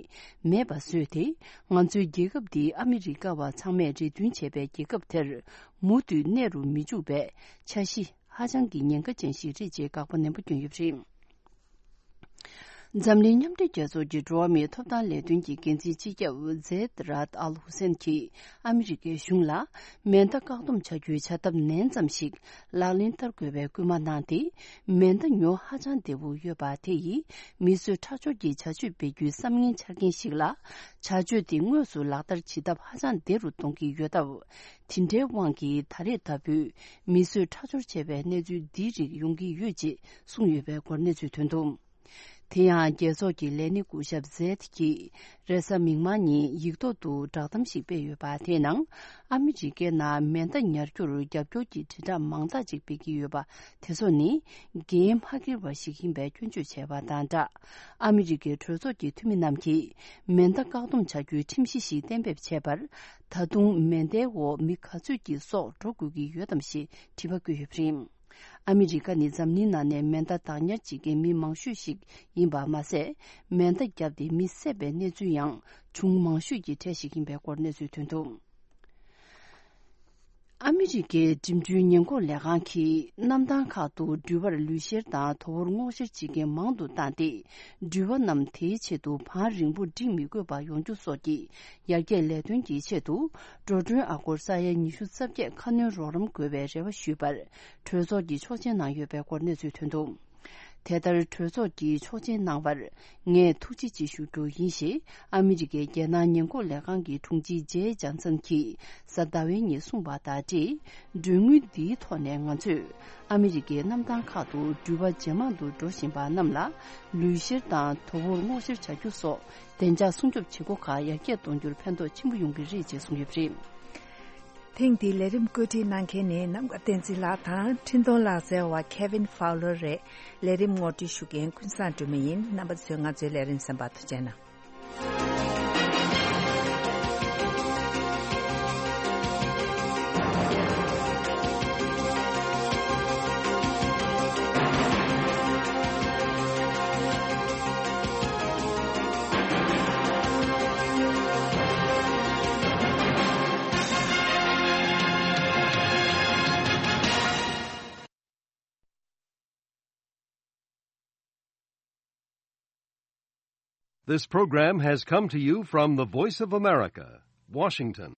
མེད་པ་བཟོས་ཏེ། ང་ཚོའི་རྒྱལ་ཁབ་འདི་ཨ་མི་རི་ཀ་བ་ཚང་མས་རེ་འདུན་བྱས་པའི་རྒྱལ་ཁབ་དེར་མུ་མཐུད་གནས་རུ་མི་འཇུག་པའི་འཆར་གཞི་ཧ་ཅང་གི་ཉེན་ཁ་ཅན་ཞིག་རེད་ཅེས་དགག་པ་ནན་པོ་བསྐྱོན་ཡོད་པ་རེད། འཛམ་གླིང་མཉམ་འབྲེལ་རྒྱལ་ཚོགས་ཀྱི་འགྲོ་བ་མིའི་ཐོབ་ཐང་ལས་དོན་གྱི་འགན་འཛིན་སྤྱི་ཁྱབ་ཛེད་རཱད་ཨལ་ཧུ་སེན་གྱིས་ཨ་མི་རི་ཀའི་གཞུང་ལ་མེ་མདའ་བཀག་སྡོམ་བྱ་རྒྱུའི་བྱ་ཐབས་ནན་ཙམ་ཞིག་ལག་ལེན་བསྟར་དགོས་པའི་སྐུལ་མ་གནང་སྟེ། མེ་མདའ་ཉོ་ཧ་ཅང་བདེ་པོ་ཡོད་པ་དེ་ཡིས་མི་གསོད་ཁྲག་སྦྱོར་གྱི་བྱ་སྤྱོད་སྤེལ་རྒྱུའི་བསམ་ངན་འཆར་མཁན་ཞིག་ལ། བྱ་སྤྱོད་དེ་དངོས་སུ་ལག་བསྟར་བྱེད་ཐབས་ཧ་ཅང་བདེ་རུ་གཏོང་གི་ཡོད་སྟབས། དེ་འདྲའི་དབང་གིས་ད་རེས་ལྟ་བུའི་མི་གསོད་ཁྲག་སྦྱོར་བྱས་པའི་གནས་ཚུལ་འདིའི་རིགས་ཡོང་གི་ཡོད་ཅེས་གསུངས་ཡོད་པའི་སྐོར་གནས་ཚུལ་ཐོན་འདུག་དེ་ཡང་རྒྱལ་ཚོགས་ཀྱི་ལས་སྣེ་སྐུ་ཞབས་ཛེད་ཀྱིས་རེས་གཟའ་མིག་དམར་ཉིན་ཡིག་ཐོག་ཏུ་བསྒྲགས་གཏམ་ཞིག་སྤེལ་ཡོད་པ། དེའི་ནང་ཨ་མི་རི་ཀའི་ནང་མེ་མདའ་ཉར་རྒྱུར་རྒྱབ་སྐྱོར་གྱི་དྲིལ་བསྒྲགས་མང་དག་ཅིག་སྤེལ་གྱི་ཡོད་པ། དེ་ཚོ་ནི་འགན་མ་འཁྱེར་བ་ཞིག་ཡིན་པའི་སྐྱོན་བརྗོད་བྱས་པ་དང་སྦྲགས། ཨ་མི་རི་ཀའི་གྲོས་ཚོགས་ཀྱི་འཐུས་མི་རྣམས་ཀྱིས་མེ་མདའ་བཀག་སྡོམ་བྱ་རྒྱུའི་ཁྲིམས་གཞི་ཞིག་གཏན་འབེབས་བྱས་པར། ད་དུང་མེ་མདའི་འོག་མི་ག་ཚོད་ཀྱི་སྲོག་འགྲོ་དགོས་ཀྱི་ཡོད་དམ་ཞེས་དྲི་བ་བཀོད་ཡོད་པ་རེད། ཨ་མི་རི་ཀ་ནི་འཛམ་གླིང་ནང་ནས་མེ་མདའ་བདག་ཉར་བྱེད་མཁན་མི་མང་ཤོས་ཤིག་ཡིན་པ་མ་ཟད། མེ་མདའ་བརྒྱབ་སྟེ་མི་བསད་པའི་གནས་ཚུལ་ཡང་བྱུང་མང་ཤོས་ཀྱི་གྲས་ཤིག་ཡིན་པའི་སྐོར་གནས་ཚུལ་ཐོན་འདུག་ཨ་མི་རི་ཀའི་འགྲིམ་འགྲུལ་ཉེན་འགོག་ལས་ཁང་གིས་གནམ་ཐང་ཁག་ཏུ་འགྲུལ་པར་ལུས་བཤེར་དང་དོ་ཝོར་སྔོག་བཤེར་བྱེད་མཁན་མང་དུ་བཏང་སྟེ། འགྲུལ་པ་རྣམས་དེའི་ཆེད་དུ་བང་རིང་པོ་སྒྲིག་མི་དགོས་པ་ཡོང་རྒྱུ་སོགས་ཀྱི་ཡར་རྒྱས་ལས་དོན་གྱི་ཆེད་དུ། འགྲོ་གྲོན་ཨ་སྒོར་ས་ཡ་ཉི་ཤུ་རྩ་བརྒྱད་ཁ་སྣོན་རོགས་རམ་དགོས་པའི་རེ་བ་ཞུས་པར། གྲོས་ཚོགས་ཀྱིས་ཆོག་མཆན་གནང་ཡོད་པའི་སྐོར་གནས་ཚུལ་ཐོན་འདུག་དེ་ལྟར་གྲོས་ཚོགས་ཀྱིས་ཆོག་མཆན་གནང་བར་ངས་ཐུགས་རྗེ་ཆེ་ཞུ་རྒྱུ་ཡིན་ཞེས་ཨ་མི་རི་ཀའི་རྒྱལ་ནང་ཉེན་འགོག་ལས་ཁང་གི་དྲུང་ཆེ་ཇེ་ཇོན་སན་གྱིས་གཟའ་ཟླ་བའི་ཉིན་གསུངས་པ་དང་འབྲེལ། གྲོན་དངུལ་འདིའི་ཐོག་ནས་ང་ཚོས་ཨ་མི་རི་ཀའི་གནམ་ཐང་ཁག་ཏུ་འགྲུལ་པ་ཇེ་མང་དུ་འགྲོ་བཞིན་པ་རྣམས་ལ་ལུས་བཤེར་དང་དོ་ཝོར་སྔོག་བཤེར་བྱ་རྒྱུ་སོགས་བདེ་འཇགས་སྲུང་སྐྱོབ་བྱེད་སྒོ་ཁག་ཡར་རྒྱས་གཏོང་རྒྱུར་ཕན་ཐོགས་ཆེན་པོ་ཡོང་གི་རེད་ཅེས་གསུངས་ཡོད་པ་རེད། ཐེངས་འདིའི་ལས་རིམ་བཀོད་སྒྲིག་གནང་མཁན་ནི་ནམ་མཁའ་བསྟན་འཛིན་ལགས་དང་འཕྲིན་གཏོང་ལག་རྩལ་བ་Kevin Fowler་རེད། ལས་རིམ་ངོ་སྤྲོད་ཞུ་མཁན་ཀུན་བཟང་སྒྲོལ་མ་ཡིན། རྣམ་པ་ཚོས་ང་ཚོའི་ལས་རིམ་གསན་པར་ཐུགས་རྗེ་གནང་། This program has come to you from the Voice of America, Washington.